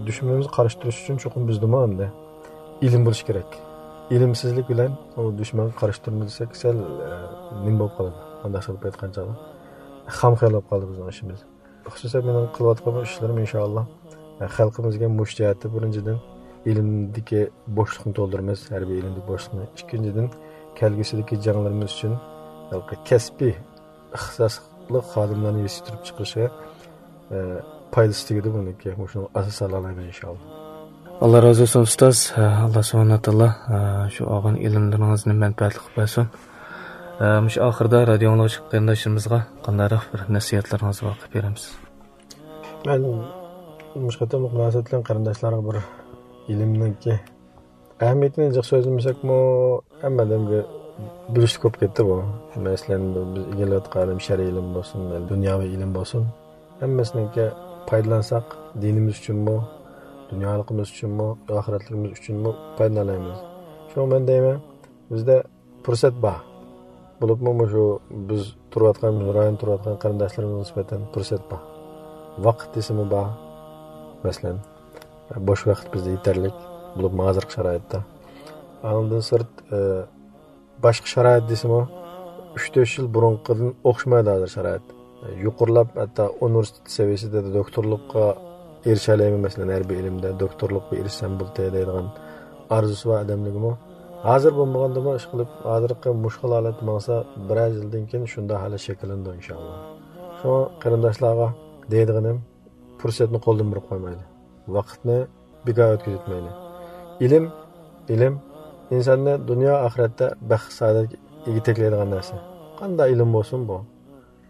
دۈشمىنىمىزغا قارشى تۇرۇش ئۈچۈن چوقۇم بىزدىمۇ ئەمدى ئىلىم بولۇشى كېرەك. ئىلىمسىزلىك بىلەن ئۇ دۈشمەنگە قارشى تۇرىمىز دېسەك، سەل، ئە، نېمە بولۇپ قالىدۇ؟ ئانداق بولۇپ ئېيتقان چاغدا خام خىيال بولۇپ قالىدۇ بىزنىڭ ئىشىمىز. خۇسۇسەن مېنىڭ قىلىۋاتقان ئىشلىرىم، ئىنشائاللا، خەلقىمىزگە مۇشۇ جەھەتتە بىرىنچىدىن ئىلىمدىكى بوشلۇقنى تولدۇرىمىز، ھەربىي ئىلىمدىكى بوشلۇقنى. ئىككىنچىدىن، كەلگۈسىدىكى جەڭلىرىمىز ئۈچۈن ھېلىقى كەسپىي ئىختىساسلىق خادىملارنى يېتىشتۈرۈپ چىقىرىشىغا، ئە، پايدىسى تېگىدۇ بۇنىڭكى. مۇشۇنىڭغا ئاساس سالالايمىز، ئىنشاللا. ئاللا رازى بولسۇن، ئۇستاز. ئە، ئاللا سۇبھانەھۇ تائالا، ئە، شۇ ئالغان ئىلىملىرىڭىزنى مەنپەئەتلىك قىلىپ بەرسۇن. ئە، مۇشۇ ئاخىردا رادىيو ئاڭلىغۇچى قېرىنداشلىرىمىزغا قانداقراق بىر نەسىھەتلىرىڭىز بار قىلىپ بېرەمسىز؟ مەن مۇشۇ قېتىملىق مۇناسىۋەت بىلەن قېرىنداشلارغا بىر ئىلىمنىڭكى ئەھمىيىتىنى جىق سۆزلىمىسەكمۇ، ھەممە ئادەمگە بىلىشلىك بولۇپ كەتتى بۇ. مەسىلەن، بىز ئىگىلەۋاتقان ئىلىم، شەرئىي ئىلىم بولسۇن، دۇنياۋى ئىلىم بولسۇن، ھەممىسىنىڭكى پايدىلانساق، دىنىمىز ئۈچۈنمۇ، دۇنيالىقىمىز ئۈچۈنمۇ، ئاخىرەتلىكىمىز ئۈچۈنمۇ پايدىلىنالايمىز. شۇڭا مەن دەيمەن، بىزدە پۇرسەت بار. بولۇپمۇ مۇشۇ بىز تۇرۇۋاتقان، مۇشۇ رايوندا تۇرۇۋاتقان قېرىنداشلىرىمىزغا نىسبەتەن پۇرسەت بار. ۋاقىت دېسىمۇ بار. مەسىلەن، بوش ۋاقىت بىزدە يېتەرلىك، بولۇپمۇ ھازىرقى شارائىتتا. ئاندىن سىرت، ئە، باشقا شارائىت دېسىمۇ، ئۈچ تۆت يىل بۇرۇنقىدىن ئوخشىمايدۇ ھازىر شارائىت. يۇقىرىلاپ، ھەتتا ئۇنىۋېرسىتېت سەۋىيەسىدە دوكتورلۇققا ئېرىشەلەيمەن، مەسىلەن، ھەربىي ئىلىمدە دوكتورلۇققا ئېرىشسەم بولدى دەيدىغان ئارزۇسى بار ئادەملىكمۇ ھازىر بولمىغاندىمۇ، ئىشقىلىپ، ھازىرقى مۇشۇ خىل ھالەتتە ماڭسا، بىرەر يىلدىن كېيىن شۇنداق ھالەت شەكىللىنىدۇ، ئىنشاللا. شۇڭا قېرىنداشلارغا دەيدىغىنىم، پۇرسەتنى قولدىن بېرىپ قويمايلى. ۋاقىتنى بىكار ئۆتكۈزۈۋەتمەيلى. ئىلىم، ئىلىم ئىنساننى دۇنيا ئاخىرەتتە بەخت سائادەتكە يېتەكلەيدىغان نەرسە. قانداق ئىلىم بولسۇن بۇ؟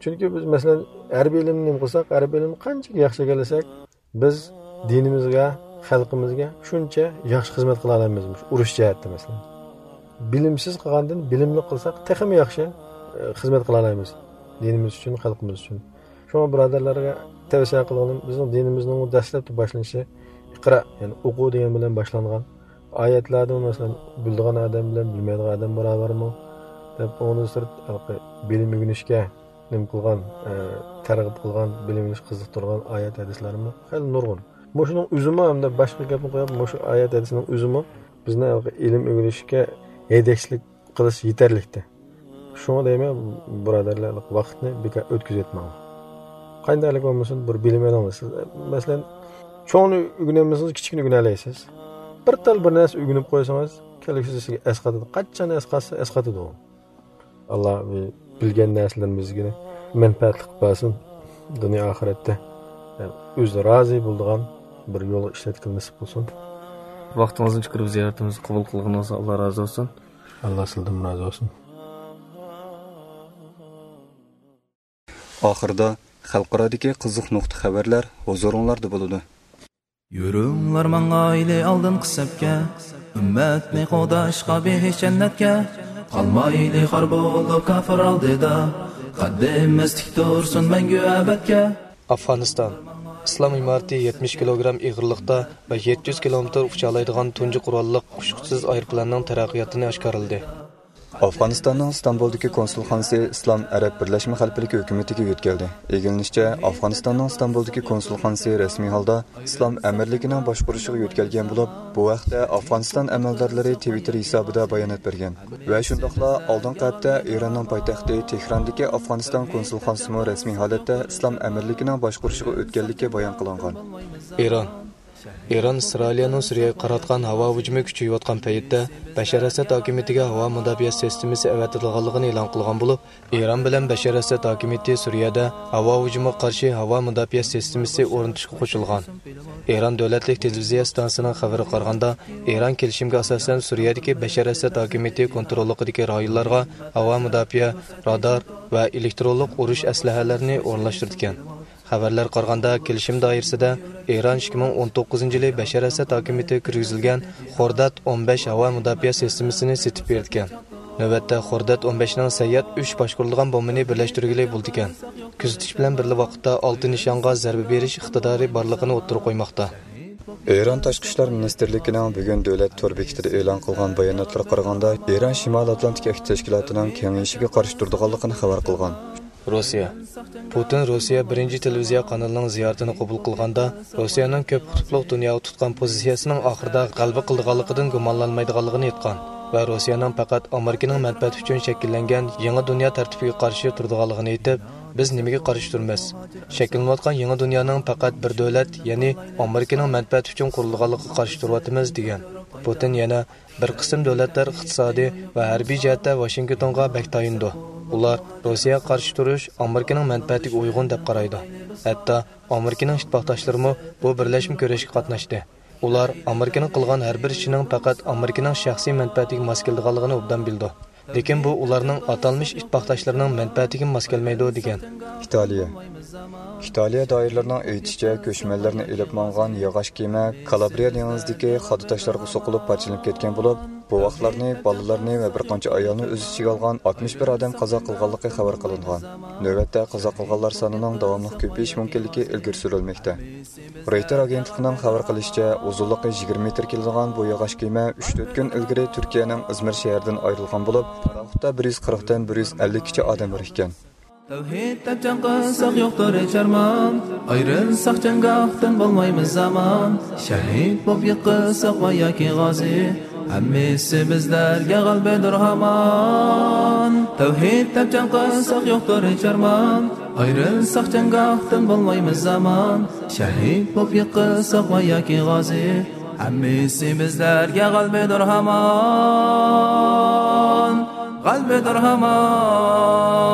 چۈنكى بىز، مەسىلەن، ھەربىي ئىلىمنى نېمە قىلساق، ھەربىي ئىلىمنى قانچىلىك ياخشى ئىگىلىسەك، بىز دىنىمىزگە، خەلقىمىزگە شۇنچە ياخشى خىزمەت قىلالايمىز، مۇشۇ ئۇرۇش جەھەتتە، مەسىلەن. بىلىمسىز قىلغاندىن بىلىملىك قىلساق، تېخىمۇ ياخشى، ئە، خىزمەت قىلالايمىز دىنىمىز ئۈچۈن، خەلقىمىز ئۈچۈن. شۇڭا بۇرادەرلەرگە تەۋسىيە قىلغىنىم، بىزنىڭ دىنىمىزنىڭ دەسلەپتە باشلىنىشى ئىقرا، يەنى ئوقۇ دېگەن بىلەن باشلانغان. ئايەتلەردىمۇ، مەسىلەن، بىلىدىغان ئادەم بىلەن بىلمەيدىغان ئادەم باراۋەرمۇ دەپ، ئۇنىڭدىن سىرت، ھېلىقى بىلىم ئۆگىنىشكە نېمە قىلغان، ئە، تەرغىب قىلغان، بىلىم ئېلىشقا قىزىقتۇرغان ئايەت ھەدىسلەرمۇ خېلى نۇرغۇن. مۇشۇنىڭ ئۆزىمۇ، ھەمدە باشقا گەپنى قويۇپ، مۇشۇ ئايەت ھەدىسنىڭ ئۆزىمۇ بىزنى ھېلىقى ئىلىم ئۆگىنىشكە ھەيدەكچىلىك قىلىش يېتەرلىكتە. شۇڭا دەيمەن، بۇرادەرلەر، ۋاقىتنى بىكار ئۆتكۈزۈۋەتمەڭ. قانداقلىك بولمىسۇن، بىر بىلىم ئېلىڭلار. سىز، مەسىلەن، چوڭنى ئۆگىنەلمىسىڭىز، كىچىكنى ئۆگىنەلەيسىز. بىر تال بىر نەرسە ئۆگىنىپ قويسىڭىز، كەلگۈسى سىزگە ئەسقاتىدۇ. قاچان ئەسقاتسا، ئەسقاتىدۇ. ئاللا بىلگەن نەرسىلىرىمىزگە مەنپەئەتلىك قىلىپ بەرسۇن. دۇنيا ئاخىرەتتە ئۆزى رازى بولىدىغان بىر يولغا ئىشلەتكىلى نېسىپ بولسۇن. ۋاقتىڭىزنى چىقىرىپ زىيارىتىمىزنى قوبۇل قىلغىنىڭىزغا ئاللا رازى بولسۇن. ئاللا سىلدىن رازى بولسۇن. ئاخىرىدا خەلقئارادىكى قىزىق نۇقتا خەۋەرلەر ھۇزۇرۇڭلاردا بولىدۇ. يۈرۈڭلار ماڭايلى ئالدىنقى سەپكە، ئۈممەتنى قوغداشقا بېھىش جەننەتكە. قالمايلى خار بولۇپ كاپىر ئالدىدا، قەددىمىز تىك تۇرسۇن مەڭگۈ ئەبەدكە. ئافغانىستان. ئىسلام ئىمارىتى يەتمىش كىلوگرام ئېغىرلىقتا ۋە يەتتە يۈز كىلومېتىر ئۇچالايدىغان تۇنجى قوراللىق ئۇچقۇچىسىز ئايروپىلاننىڭ تەرەققىياتىنى ئاشكارىلىدى. ئافغانىستاننىڭ ئىستانبۇلدىكى كونسۇلخانىسى ئىسلام ئەرەب بىرلەشمە خەلىپىلىكى ھۆكۈمىتىگە يۆتكەلدى. ئىگىلىنىشىچە، ئافغانىستاننىڭ ئىستانبۇلدىكى كونسۇلخانىسى رەسمىي ھالدا ئىسلام ئەمىرلىكىنىڭ باشقۇرۇشىغا يۆتكەلگەن بولۇپ، بۇ ھەقتە ئافغانىستان ئەمەلدارلىرى تىۋىتتېر ھېسابىدا بايانات بەرگەن. ۋە شۇنداقلا ئالدىنقى ھەپتە ئىراننىڭ پايتەختى تېھراندىكى ئافغانىستان كونسۇلخانىسىمۇ رەسمىي ھالەتتە ئىسلام ئەمىرلىكىنىڭ باشقۇرۇشىغا ئۆتكەنلىكى بايان قىلىنغان. ئىران. ئىران ئىسرائىلىيەنىڭ سۈرىيەگە قاراتقان ھاۋا ھۇجۇمى كۈچىيىۋاتقان پەيتتە، بەشار ئەسەد ھاكىمىيىتىگە ھاۋا مۇداپىئە سىستېمىسى ئەۋەتىدىغانلىقىنى ئېلان قىلغان بولۇپ، ئىران بىلەن بەشار ئەسەد ھاكىمىيىتى سۈرىيەدە ھاۋا ھۇجۇمىغا قارشى ھاۋا مۇداپىئە سىستېمىسى ئورنىتىشقا قوشۇلغان. ئىران دۆلەتلىك تېلېۋىزىيە ئىستانسىسىنىڭ خەۋىرىگە قارىغاندا، ئىران كېلىشىمگە ئاساسەن سۈرىيەدىكى بەشار ئەسەد ھاكىمىيىتى كونتروللۇقىدىكى رايونلارغا ھاۋا مۇداپىئە، رادار ۋە ئېلېكترونلۇق ئۇرۇش ئەسلىھەلىرىنى ئورۇنلاشتۇرىدىكەن. خەۋەرلەرگە قارىغاندا، كېلىشىم دائىرىسىدە ئىران ئىككى مىڭ ئون توققۇزىنچى يىلى بەشار ئەسەد ھاكىمىيىتىگە كىرگۈزۈلگەن خورداد ئون بەش ھاۋا مۇداپىئە سىستېمىسىنى سېتىپ بېرىدىكەن. نۆۋەتتە خورداد ئون بەشنىڭ سەيياد ئۈچ باشقۇرىدىغان بومبىنى بىرلەشتۈرگىلى بولىدىكەن. كۆزىتىش بىلەن بىرلا ۋاقىتتا ئالتە نىشانغا زەربە بېرىش ئىقتىدارى بارلىقىنى ئوتتۇرىغا قويماقتا. ئىران تاشقى ئىشلار مىنىستىرلىكىنىڭ بۈگۈن دۆلەت تور بېكىتىدە ئېلان قىلغان باياناتلىرىغا قارىغاندا، ئىران شىمالىي ئاتلانتىك ئەھدى تەشكىلاتىنىڭ كېڭىيىشىگە قارشى تۇرىدىغانلىقىنى خەۋەر قىلغان. روسىيە. پۇتىن روسىيە بىرىنچى تېلېۋىزىيە قانىلىنىڭ زىيارىتىنى قوبۇل قىلغاندا، روسىيەنىڭ كۆپ قۇتۇپلۇق دۇنياغا تۇتقان پوزىتسىيەسىنىڭ ئاخىرىدا غەلىبە قىلىدىغانلىقىدىن گۇمانلانمايدىغانلىقىنى ئېيتقان ۋە روسىيەنىڭ پەقەت ئامېرىكىنىڭ مەنپەئەتى ئۈچۈن شەكىللەنگەن يېڭى دۇنيا تەرتىپىگە قارشى تۇرىدىغانلىقىنى ئېيتىپ، بىز نېمىگە قارشى تۇرىمىز؟ شەكىللىنىۋاتقان يېڭى دۇنيانىڭ پەقەت بىر دۆلەت، يەنى ئامېرىكىنىڭ مەنپەئەتى ئۈچۈن قۇرۇلغانلىقىغا قارشى تۇرۇۋاتىمىز، دېگەن. پۇتىن يەنە بىر قىسىم دۆلەتلەر ئىقتىسادىي ۋە ھەربىي جەھەتتە ۋاشىنگتونغا بەك تايىنىدۇ. ئۇلار روسىيەگە قارشى تۇرۇش ئامېرىكىنىڭ مەنپەئەتىگە ئۇيغۇن دەپ قارايدۇ. ھەتتا ئامېرىكىنىڭ ئىتتىپاقداشلىرىمۇ بۇ بىرلەشمە كۈرەشكە قاتناشتى. ئۇلار ئامېرىكىنىڭ قىلغان ھەر بىر ئىشىنىڭ پەقەت ئامېرىكىنىڭ شەخسىي مەنپەئەتىگە ماس كېلىدىغانلىقىنى ئوبدان بىلىدۇ. لېكىن بۇ ئۇلارنىڭ ئاتالمىش ئىتتىپاقداشلىرىنىڭ مەنپەئەتىگىمۇ ماس كەلمەيدۇ، دېگەن. ئىتالىيە. ئىتالىيە دائىرىلىرىنىڭ ئېيتىشىچە، كۆچمەنلەرنى ئېلىپ ماڭغان ياغاچ كېمە كالابرىيە دېڭىزىدىكى خادا تاشلارغا سوقۇلۇپ پارچىلىنىپ كەتكەن بولۇپ، بوۋاقلارنى، بالىلارنى ۋە بىر قانچە ئايالنى ئۆز ئىچىگە ئالغان ئاتمىش بىر ئادەم قازا قىلغانلىقى خەۋەر قىلىنغان. نۆۋەتتە قازا قىلغانلار سانىنىڭ داۋاملىق كۆپىيىش مۇمكىنلىكى ئىلگىرى سۈرۈلمەكتە. رويتېر ئاگېنتلىقىنىڭ خەۋەر قىلىشىچە، ئۇزۇنلۇقى يىگىرمە مېتىر كېلىدىغان بۇ ياغاچ كېمە ئۈچ تۆت كۈن ئىلگىرى تۈركىيەنىڭ ئىزمىر شەھىرىدىن ئايرىلغان بولۇپ، پاراخوتتا بىر يۈز قىرىقتىن بىر يۈز ئەللىككىچە ئادەم بار ئىكەن. تەۋھىد دەپ جەڭ قىلساق يوقتۇر ھېچ ئارمان، ئايرىلساق جەڭگاھتىن بولمايمىز ئامان، شەھىد بولۇپ يىقىلساق ۋە ياكى غازى، ھەممىسى بىزلەرگە غەلىبىدۇر ھامان. تەۋھىد دەپ جەڭ قىلساق يوقتۇر ھېچ ئارمان، ئايرىلساق جەڭگاھتىن بولمايمىز ئامان، شەھىد بولۇپ يىقىلساق ۋە ياكى غازى، ھەممىسى بىزلەرگە غەلىبىدۇر ھامان، غەلىبىدۇر ھامان.